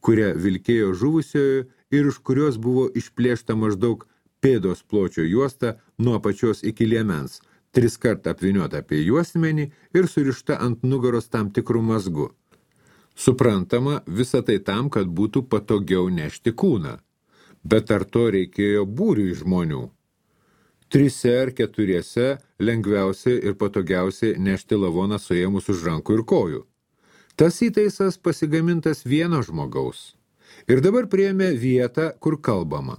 kurią vilkėjo žuvusiojo ir iš kurios buvo išplėšta maždaug pėdos pločio juosta nuo apačios iki liemens, 3 kartą apvyniota apie juosmenį ir surišta ant nugaros tam tikrų mazgu. Suprantama, visa tai tam, kad būtų patogiau nešti kūną. Bet ar to reikėjo būriui žmonių? 3 ar 4 lengviausiai ir patogiausiai nešti lavoną suėmus už rankų ir kojų. Tas įtaisas pasigamintas vieno žmogaus. Ir dabar priėmė vietą, kur kalbama.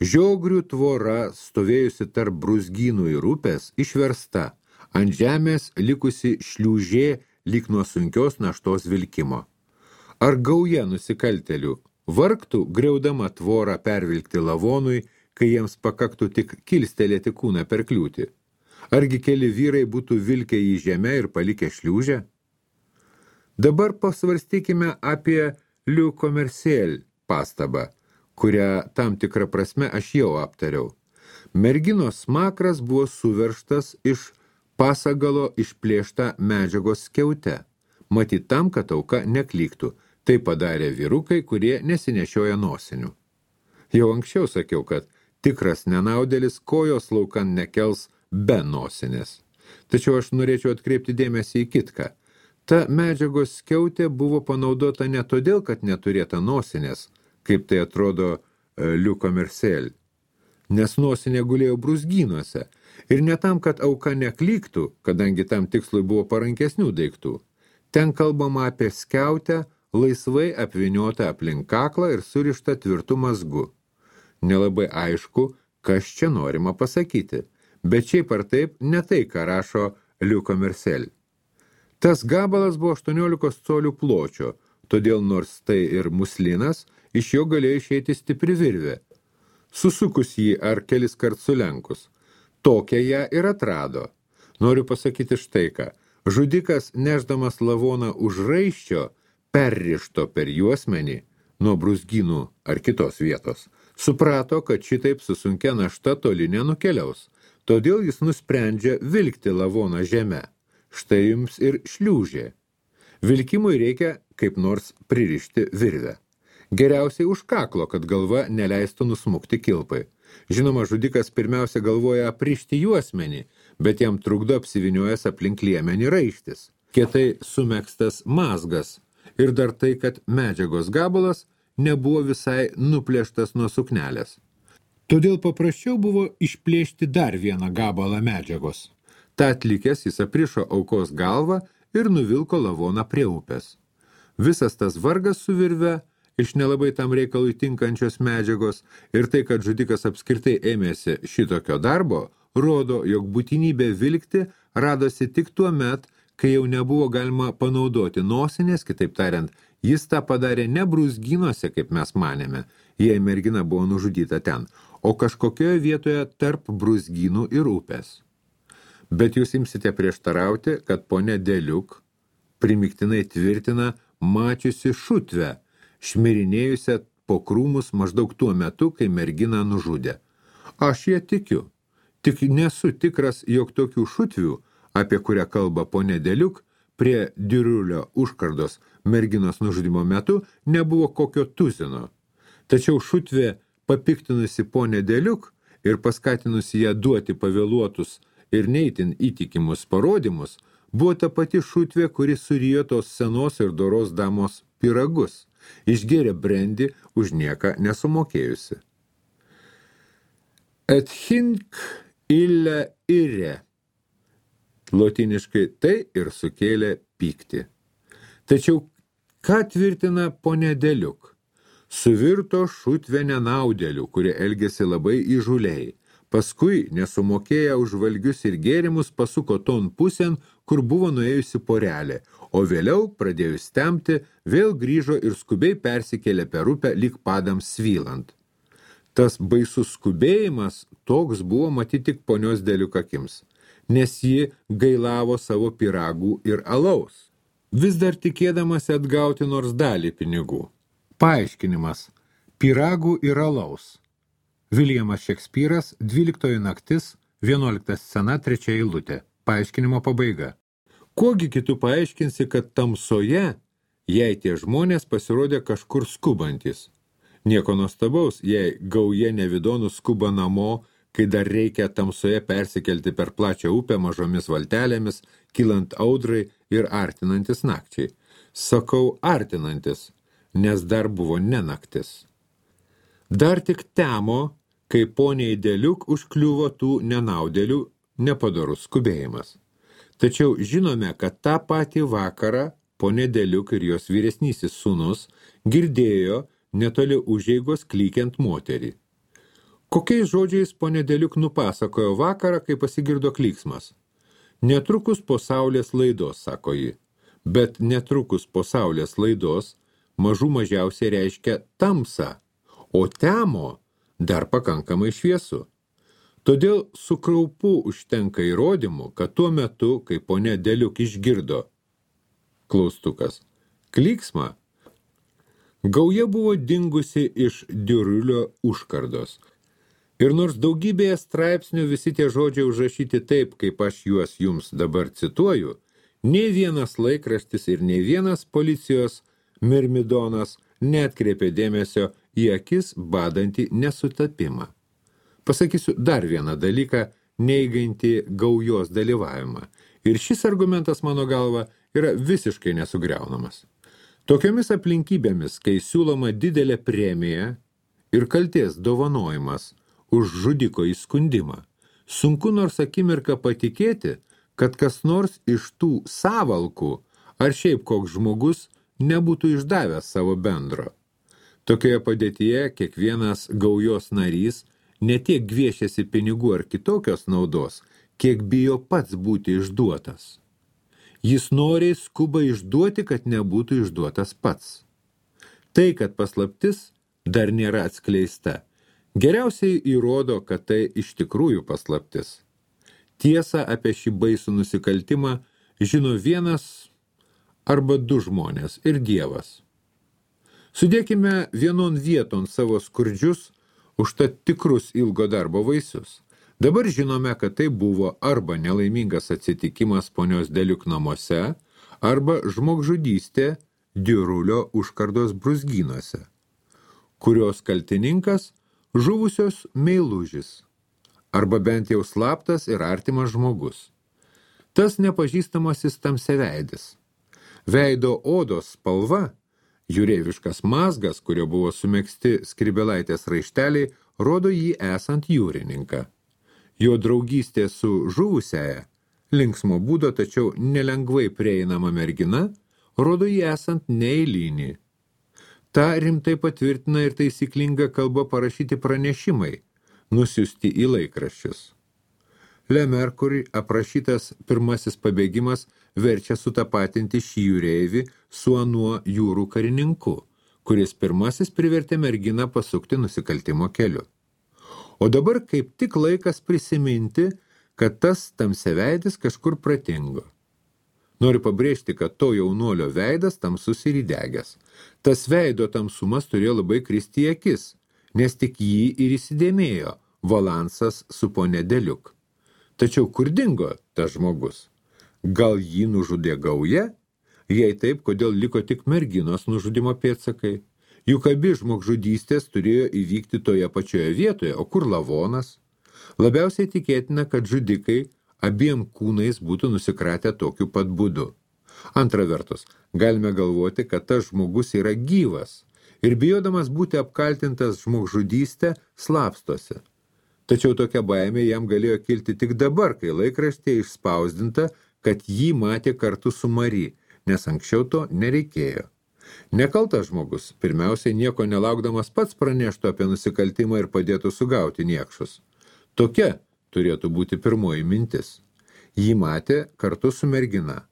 Žiogrių tvora, stovėjusi tarp brūzgynų ir upės, išversta, ant žemės likusi šliūžė lyg nuo sunkios naštos vilkimo. Ar gauja nusikaltelių vargtų, griaudama tvorą pervilkti lavonui, kai jiems pakaktų tik kilstelėti kūną per kliūtį? Argi keli vyrai būtų vilkę į žemę ir palikę šliūžę? Dabar pasvarstykime apie Le Commerciel pastabą, kurią tam tikrą prasme aš jau aptariau. Merginos smakras buvo suveržtas iš pasagalo išplėšta medžiagos skiaute, matyt tam, kad auka neklyktų. Tai padarė vyrukai, kurie nesinešioja nosinių. Jau anksčiau sakiau, kad tikras nenaudėlis kojos laukan nekels be nosinės. Tačiau aš norėčiau atkreipti dėmesį į kitką. Ta medžiagos skiautė buvo panaudota ne todėl, kad neturėta nosinės, kaip tai atrodo Le Commerciel, nes nosinė gulėjo brūzgynuose, ir ne tam, kad auka neklyktų, kadangi tam tikslui buvo parankesnių daiktų. Ten kalbama apie skiautę, laisvai apvyniota aplink kaklą ir surišta tvirtu mazgu. Nelabai aišku, kas čia norima pasakyti, bet šiaip ar taip ne tai, ką rašo Le Commerciel. Tas gabalas buvo 18 colių pločio, todėl nors tai ir muslinas, iš jo galėjo išeiti stipri virvė. Susukus jį ar kelis kart sulenkus. Tokią ją ir atrado. Noriu pasakyti štai ką. Žudikas, nešdamas lavoną už raiščio, perrišto per juosmenį nuo brūzgynų ar kitos vietos, suprato, kad šitaip su sunkia našta toli nenukeliaus, todėl jis nusprendžia vilkti lavoną žeme. Štai jums ir šliūžė. Vilkimui reikia kaip nors pririšti virvę. Geriausiai už kaklo, kad galva neleistų nusmukti kilpai. Žinoma, žudikas pirmiausia galvoja aprišti juosmenį, bet jam trukdo apsiviniojęs aplink liemenį raištis. Kietai sumegstas mazgas. Ir dar tai, kad medžiagos gabalas nebuvo visai nuplėštas nuo suknelės. Todėl paprasčiau buvo išplėšti dar vieną gabalą medžiagos. Ta atlikęs jis aprišo aukos galvą ir nuvilko lavoną prie upės. Visas tas vargas su virve, iš nelabai tam reikalui tinkančios medžiagos ir tai, kad žudikas apskritai ėmėsi šitokio darbo, rodo, jog būtinybė vilkti radosi tik tuo met, kai jau nebuvo galima panaudoti nosinės, kitaip tariant, jis tą padarė ne brūzgynuose, kaip mes manėme, jei mergina buvo nužudyta ten, o kažkokioje vietoje tarp brūzgynų ir upės. Bet jūs imsite prieštarauti, kad ponė Deliuk primiktinai tvirtina mačiusi šutvę, šmirinėjusią po krūmus maždaug tuo metu, kai merginą nužudė. Aš ją tikiu, tik nesu tikras, jog tokių šutvių, apie kurią kalba ponė Deliuk, prie Dirulio užkardos merginos nužudymo metu nebuvo kokio tuzino. Tačiau šutvė papiktinusi ponė Deliuk ir paskatinusi ją duoti pavėluotus ir neitin įtikimus parodymus, buvo ta pati šutvė, kuri surijo tos senos ir doros damos pyragus, išgėrė brendį už nieką nesumokėjusi. Et hinc ille ire. Lotiniškai tai ir sukėlė pyktį. Tačiau ką tvirtina ponė Deliuk? Suvirto šutvė nenaudėlių, kurie elgėsi labai įžuliai. Paskui, nesumokėję už valgius ir gėrimus, pasuko ton pusėn, kur buvo nuėjusi porelė, o vėliau, pradėjus temti, vėl grįžo ir skubiai persikėlė per upę lyg padams svylant. Tas baisus skubėjimas toks buvo matyti tik ponios Deliuk akims, nes ji gailavo savo pyragų ir alaus, vis dar tikėdamasi atgauti nors dalį pinigų. Paaiškinimas – pyragų ir alaus. Viljamas Šekspyras, 12 naktis, 11 scena, 3 eilutė. Paaiškinimo pabaiga. Kuogi kitu paaiškinsi, kad tamsoje, jei tie žmonės pasirodė kažkur skubantis. Nieko nuostabaus, jei gauja nevidonų skuba namo, kai dar reikia tamsoje persikelti per plačią upę mažomis valtelėmis, kylant audrai ir artinantis nakčiai. Sakau artinantis, nes dar buvo ne naktis. Dar tik temo, kai poniai Deliuk užkliuvo tų nenaudėlių nepadorus skubėjimas. Tačiau žinome, kad tą patį vakarą ponė Deliuk ir jos vyresnysis sūnus girdėjo netoli užeigos klykiant moterį. Kokiais žodžiais ponė Deliuk nupasakojo vakarą, kai pasigirdo klyksmas? Netrukus po saulės laidos, sako ji, bet netrukus po saulės laidos mažų mažiausiai reiškia tamsą, o temo dar pakankamai šviesu. Todėl su kraupu užtenka įrodymų, kad tuo metu, kai ponė Deliuk išgirdo klaustukas klyksmą, gauja buvo dingusi iš Diurulio užkardos. Ir nors daugybėje straipsnių visi tie žodžiai užrašyti taip, kaip aš juos jums dabar cituoju, nei vienas laikraštis ir nei vienas policijos mirmidonas neatkreipė dėmesio į akis badantį nesutapimą. Pasakysiu dar vieną dalyką, neigantį gaujos dalyvavimą. Ir šis argumentas, mano galva, yra visiškai nesugriaunamas. Tokiomis aplinkybėmis, kai siūloma didelė premija ir kaltės dovanojimas už žudiko įskundimą, sunku nors akimirką patikėti, kad kas nors iš tų savalkų ar šiaip koks žmogus nebūtų išdavęs savo bendro. Tokioje padėtyje kiekvienas gaujos narys ne tiek gviešiasi pinigų ar kitokios naudos, kiek bijo pats būti išduotas. Jis noriai skuba išduoti, kad nebūtų išduotas pats. Tai, kad paslaptis dar nėra atskleista, geriausiai įrodo, kad tai iš tikrųjų paslaptis. Tiesą apie šį baisų nusikaltimą žino vienas arba du žmonės ir Dievas. Sudėkime vienon vieton savo skurdžius, užtat tikrus ilgo darbo vaisius. Dabar žinome, kad tai buvo arba nelaimingas atsitikimas ponios Deliuk namuose, arba žmogžudystė Diurulio užkardos brūzgynuose, kurios kaltininkas žuvusios meilužis, arba bent jau slaptas ir artimas žmogus. Tas nepažįstamasis tamsiaveidis. Veido odos spalva, jūreiviškas mazgas, kurio buvo sumegzti skribelaitės raišteliai, rodo jį esant jūrininką. Jo draugystė su žuvusiaja, linksmo būdo, tačiau nelengvai prieinama mergina, rodo jį esant neeilinį. Ta rimtai patvirtina ir taisyklinga kalba parašyti pranešimai, nusiųsti į laikraščius. Le Mercury aprašytas pirmasis pabėgimas verčia sutapatinti šį jūreivį su anuo jūrų karininku, kuris pirmasis privertė merginą pasukti nusikaltimo keliu. O dabar kaip tik laikas prisiminti, kad tas tamsiaveidis kažkur pratingo. Noriu pabrėžti, kad to jaunuolio veidas tamsus ir įdegęs. Tas veido tamsumas turėjo labai kristi į akis, nes tik jį ir įsidėmėjo Valansas su ponė Deliuk. Tačiau kur dingo tas žmogus? Gal jį nužudė gauja? Jei taip, kodėl liko tik merginos nužudimo pėdsakai? Juk abi žmogžudystės turėjo įvykti toje pačioje vietoje, o kur lavonas? Labiausiai tikėtina, kad žudikai abiem kūnais būtų nusikratę tokiu pat būdu. Antra vertus, galime galvoti, kad tas žmogus yra gyvas ir bijodamas būti apkaltintas žmogžudystę slapstosi. Tačiau tokia baimė jam galėjo kilti tik dabar, kai laikraštė išspausdinta, kad jį matė kartu su Mari, nes anksčiau to nereikėjo. Nekaltas žmogus, pirmiausiai nieko nelaukdamas pats praneštų apie nusikaltimą ir padėtų sugauti niekšus. Tokia turėtų būti pirmoji mintis. Jį matė kartu su mergina.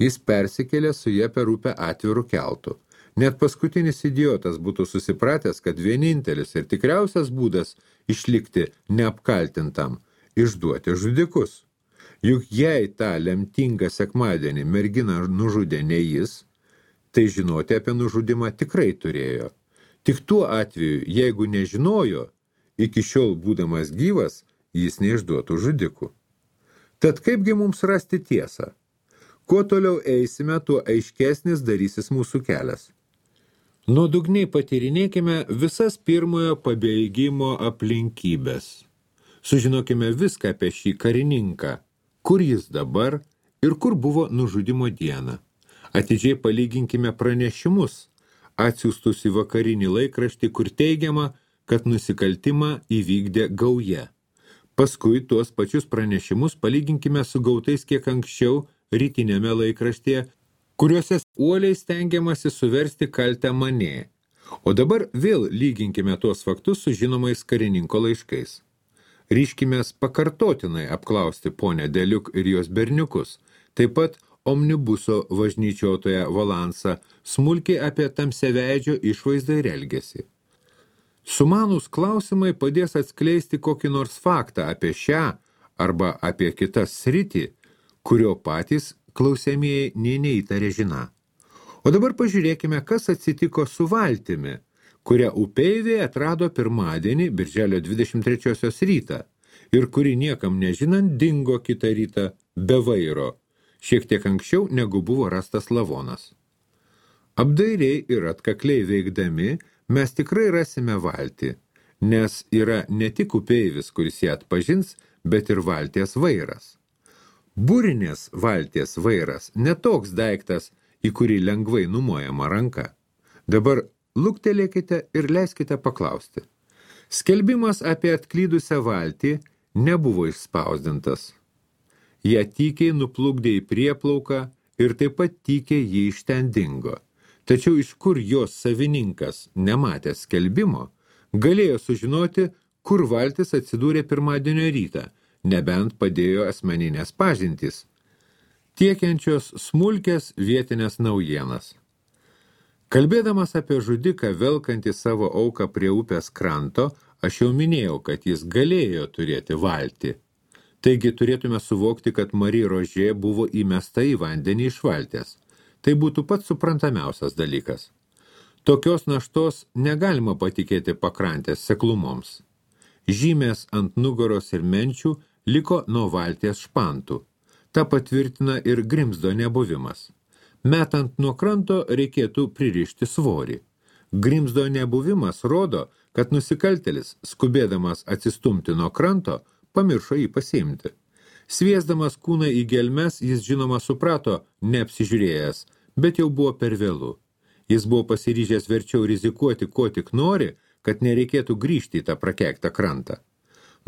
Jis persikėlė su ja per upę atvirų keltų. Net paskutinis idiotas būtų susipratęs, kad vienintelis ir tikriausias būdas išlikti neapkaltintam – išduoti žudikus. Juk jei tą lemtingą sekmadienį merginą nužudė ne jis, tai žinoti apie nužudimą tikrai turėjo. Tik tuo atveju, jeigu nežinojo, iki šiol būdamas gyvas, jis neišduotų žudikų. Tad kaipgi mums rasti tiesą? Kuo toliau eisime, tuo aiškesnis darysis mūsų kelias. Nuodugniai patyrinėkime visas pirmojo pabėgimo aplinkybės. Sužinokime viską apie šį karininką, kur jis dabar ir kur buvo nužudimo dieną. Atidžiai palyginkime pranešimus, atsiųstus į vakarinį laikraštį, kur teigiama, kad nusikaltimą įvykdė gauja. Paskui tuos pačius pranešimus palyginkime su gautais kiek anksčiau rytinėme laikraštyje, kuriuose uoliai stengiamasi suversti kaltę manė. O dabar vėl lyginkime tuos faktus su žinomais karininko laiškais. Ryškimės pakartotinai apklausti ponę Deliuk ir jos berniukus, taip pat omnibuso važnyčiotoją Valansą, smulkiai apie tamsiaveidžio išvaizdą ir elgesį. Sumanūs klausimai padės atskleisti kokį nors faktą apie šią arba apie kitas sritį, kurio patys klausiamieji nė neįtarė žiną. O dabar pažiūrėkime, kas atsitiko su valtimi, kurią upeiviai atrado pirmadienį, birželio 23 rytą, ir kuri niekam nežinant dingo kitą rytą be vairo, šiek tiek anksčiau negu buvo rastas lavonas. Apdairiai ir atkakliai veikdami mes tikrai rasime valtį, nes yra ne tik upeivis, kuris ją atpažins, bet ir valties vairas. Burinės valties vairas netoks daiktas, į kurį lengvai numojama ranka. Dabar luktelėkite ir leiskite paklausti. Skelbimas apie atklydusią valtį nebuvo išspausdintas. Ją tykiai nuplukdė į prieplauką ir taip pat tykiai jį iš ten dingo. Tačiau iš kur jos savininkas, nematęs skelbimo, galėjo sužinoti, kur valtis atsidūrė pirmadienio rytą, nebent padėjo asmeninės pažintys, tiekiančios smulkės vietinės naujienas. Kalbėdamas apie žudiką velkantį savo auką prie upės kranto, aš jau minėjau, kad jis galėjo turėti valtį. Taigi turėtume suvokti, kad Marie Rožė buvo įmesta į vandenį iš valties. Tai būtų pats suprantamiausias dalykas. Tokios naštos negalima patikėti pakrantės seklumoms. Žymės ant nugaros ir menčių liko nuo valties špantų. Ta patvirtina ir grimzdo nebuvimas. Metant nuo kranto reikėtų pririšti svorį. Grimzdo nebuvimas rodo, kad nusikaltėlis, skubėdamas atsistumti nuo kranto, pamiršo jį pasiimti. Sviesdamas kūną į gelmes, jis žinoma suprato, neapsižiūrėjęs, bet jau buvo per vėlu. Jis buvo pasiryžęs verčiau rizikuoti, ko tik nori, kad nereikėtų grįžti į tą prakeiktą krantą.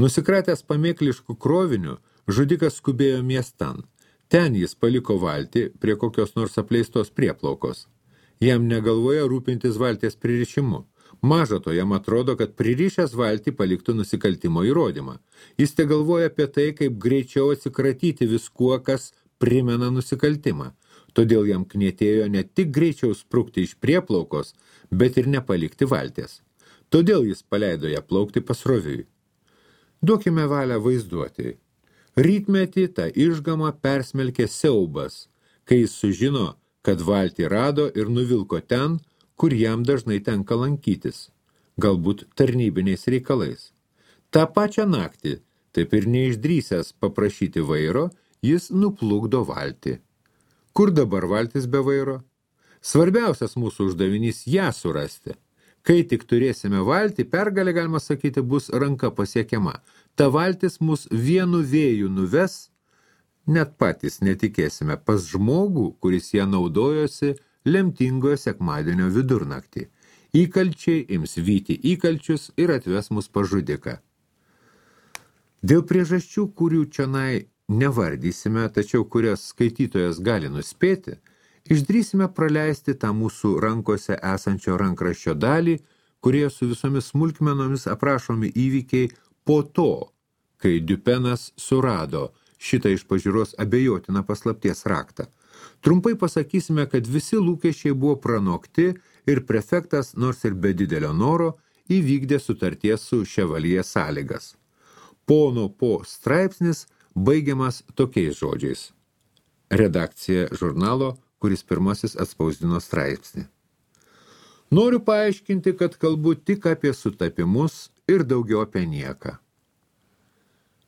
Nusikratęs pamėkliškų krovinių, žudikas skubėjo miestan. Ten jis paliko valtį prie kokios nors apleistos prieplaukos. Jam negalvoja rūpintis valties pririšimu. Maža to, jam atrodo, kad pririšęs valtį paliktų nusikaltimo įrodymą. Jis te galvoja apie tai, kaip greičiau atsikratyti viskuo, kas primena nusikaltimą. Todėl jam knietėjo ne tik greičiau sprukti iš prieplaukos, bet ir nepalikti valties. Todėl jis paleido ją plaukti pasroviui. Duokime valią vaizduoti. Rytmetį tą išgamą persmelkė siaubas, kai jis sužino, kad valtį rado ir nuvilko ten, kur jam dažnai tenka lankytis, galbūt tarnybiniais reikalais. Ta pačią naktį, taip ir neišdrįsęs paprašyti vairo, jis nuplukdo valtį. Kur dabar valtis be vairo? Svarbiausias mūsų uždavinys ją surasti. Kai tik turėsime valtį, pergalė, galima sakyti, bus ranka pasiekiama. Ta valtis mus vienu vėju nuves, net patys netikėsime, pas žmogų, kuris ją naudojosi lemtingojo sekmadienio vidurnaktį. Įkalčiai ims vyti įkalčius ir atves mus pas žudiką. Dėl priežasčių, kurių čionai nevardysime, tačiau kurias skaitytojas gali nuspėti, išdrįsime praleisti tą mūsų rankose esančio rankraščio dalį, kurie su visomis smulkmenomis aprašomi įvykiai po to, kai Dupenas surado šitą iš pažiūros abejotiną paslapties raktą. Trumpai pasakysime, kad visi lūkesčiai buvo pranokti ir prefektas, nors ir be didelio noro, įvykdė sutarties su Ševalyje sąlygas. Pono po straipsnis baigiamas tokiais žodžiais. Redakcija žurnalo, kuris pirmasis atspausdino straipsnį. Noriu paaiškinti, kad kalbu tik apie sutapimus ir daugiau apie nieką.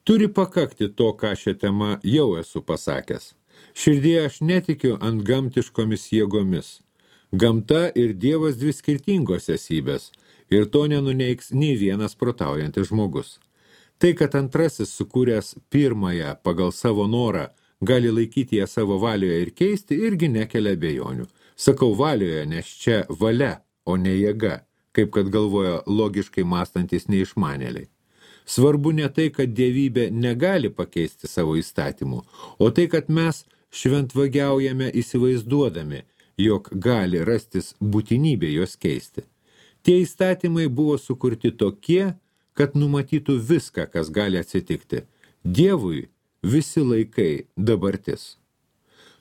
Turi pakakti to, ką šią temą jau esu pasakęs. Širdėje aš netikiu ant gamtiškomis jėgomis. Gamta ir Dievas dvi skirtingos esybės, ir to nenuneigs nei vienas protaujantis žmogus. Tai, kad antrasis sukūręs pirmąją pagal savo norą, gali laikyti ją savo valioje ir keisti, irgi nekelia abejonių. Sakau valioje, nes čia valia, o ne jėga, kaip kad galvoja logiškai mąstantis neišmanėliai. Svarbu ne tai, kad dievybė negali pakeisti savo įstatymų, o tai, kad mes šventvagiaujame įsivaizduodami, jog gali rastis būtinybė juos keisti. Tie įstatymai buvo sukurti tokie, kad numatytų viską, kas gali atsitikti. Dievui visi laikai dabartis.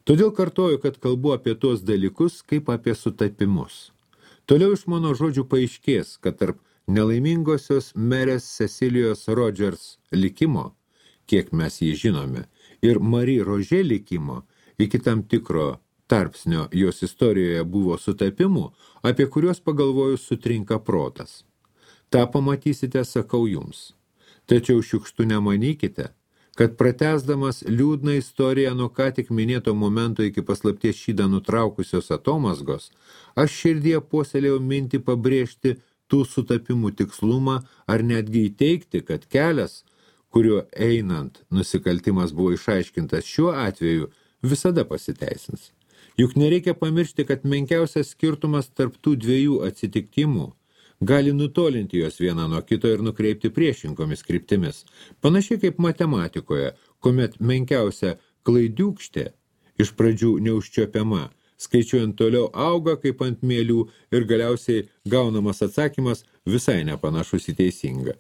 Todėl kartoju, kad kalbu apie tuos dalykus kaip apie sutapimus. Toliau iš mano žodžių paaiškės, kad tarp nelaimingosios merės Cecilijos Rogers likimo, kiek mes jį žinome, ir Marie Rože likimo, iki tam tikro tarpsnio jos istorijoje buvo sutapimų, apie kuriuos pagalvojus sutrinka protas. Ta pamatysite, sakau jums. Tačiau šiukštu nemanykite, kad pratęsdamas liūdną istoriją nuo ką tik minėto momento iki paslapties šydą nutraukusios atomazgos, aš širdyje puoselėjau mintį pabrėžti tų sutapimų tikslumą ar netgi įteikti, kad kelias, kuriuo einant nusikaltimas buvo išaiškintas šiuo atveju, visada pasiteisins. Juk nereikia pamiršti, kad menkiausias skirtumas tarp tų dviejų atsitikimų gali nutolinti juos vieną nuo kito ir nukreipti priešingomis kryptimis. Panašiai kaip matematikoje, kuomet menkiausia klaidiūkštė iš pradžių neužčiopiama, skaičiuojant toliau auga kaip ant mielių ir galiausiai gaunamas atsakymas visai nepanašus į teisingą.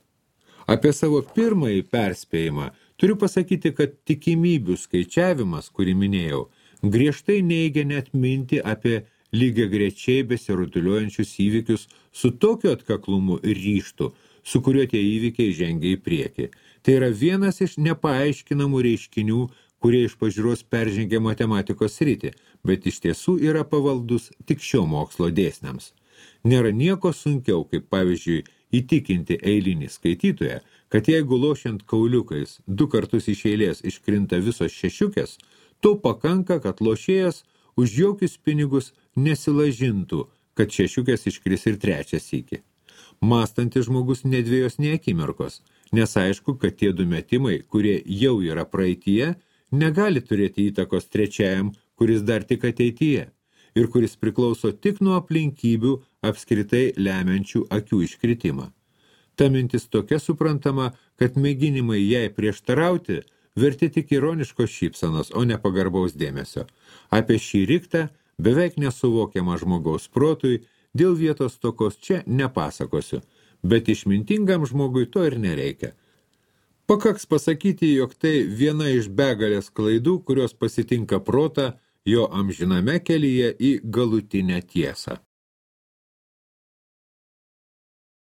Apie savo pirmąjį perspėjimą turiu pasakyti, kad tikimybių skaičiavimas, kurį minėjau, griežtai neigia net mintį apie lygiagrečiai besirutuliuojančius įvykius su tokiu atkaklumu ir ryžtu, su kuriuo tie įvykiai žengia į priekį. Tai yra vienas iš nepaaiškinamų reiškinių, kurie iš pažiūros peržengia matematikos sritį, bet iš tiesų yra pavaldus tik šio mokslo dėsniams. Nėra nieko sunkiau, kaip pavyzdžiui, įtikinti eilinį skaitytoją, kad jeigu lošiant kauliukais 2 kartus iš eilės iškrinta visos šešiukės, to pakanka, kad lošėjas už jokius pinigus nesilažintų, kad šešiukės iškris ir 3 sykį. Mąstantis žmogus nedvėjos nei akimirkos, nes aišku, kad tie 2 metimai, kurie jau yra praeityje, negali turėti įtakos 3, kuris dar tik ateityje ir kuris priklauso tik nuo aplinkybių apskritai lemiančių akių iškritimą. Ta mintis tokia suprantama, kad mėginimai jai prieštarauti verti tik ironiškos šypsenos, o ne pagarbaus dėmesio. Apie šį riktą, beveik nesuvokiamą žmogaus protui, dėl vietos stokos čia nepasakosiu, bet išmintingam žmogui to ir nereikia. Pakaks pasakyti, jog tai viena iš begalės klaidų, kurios pasitinka protą jo amžiname kelyje į galutinę tiesą.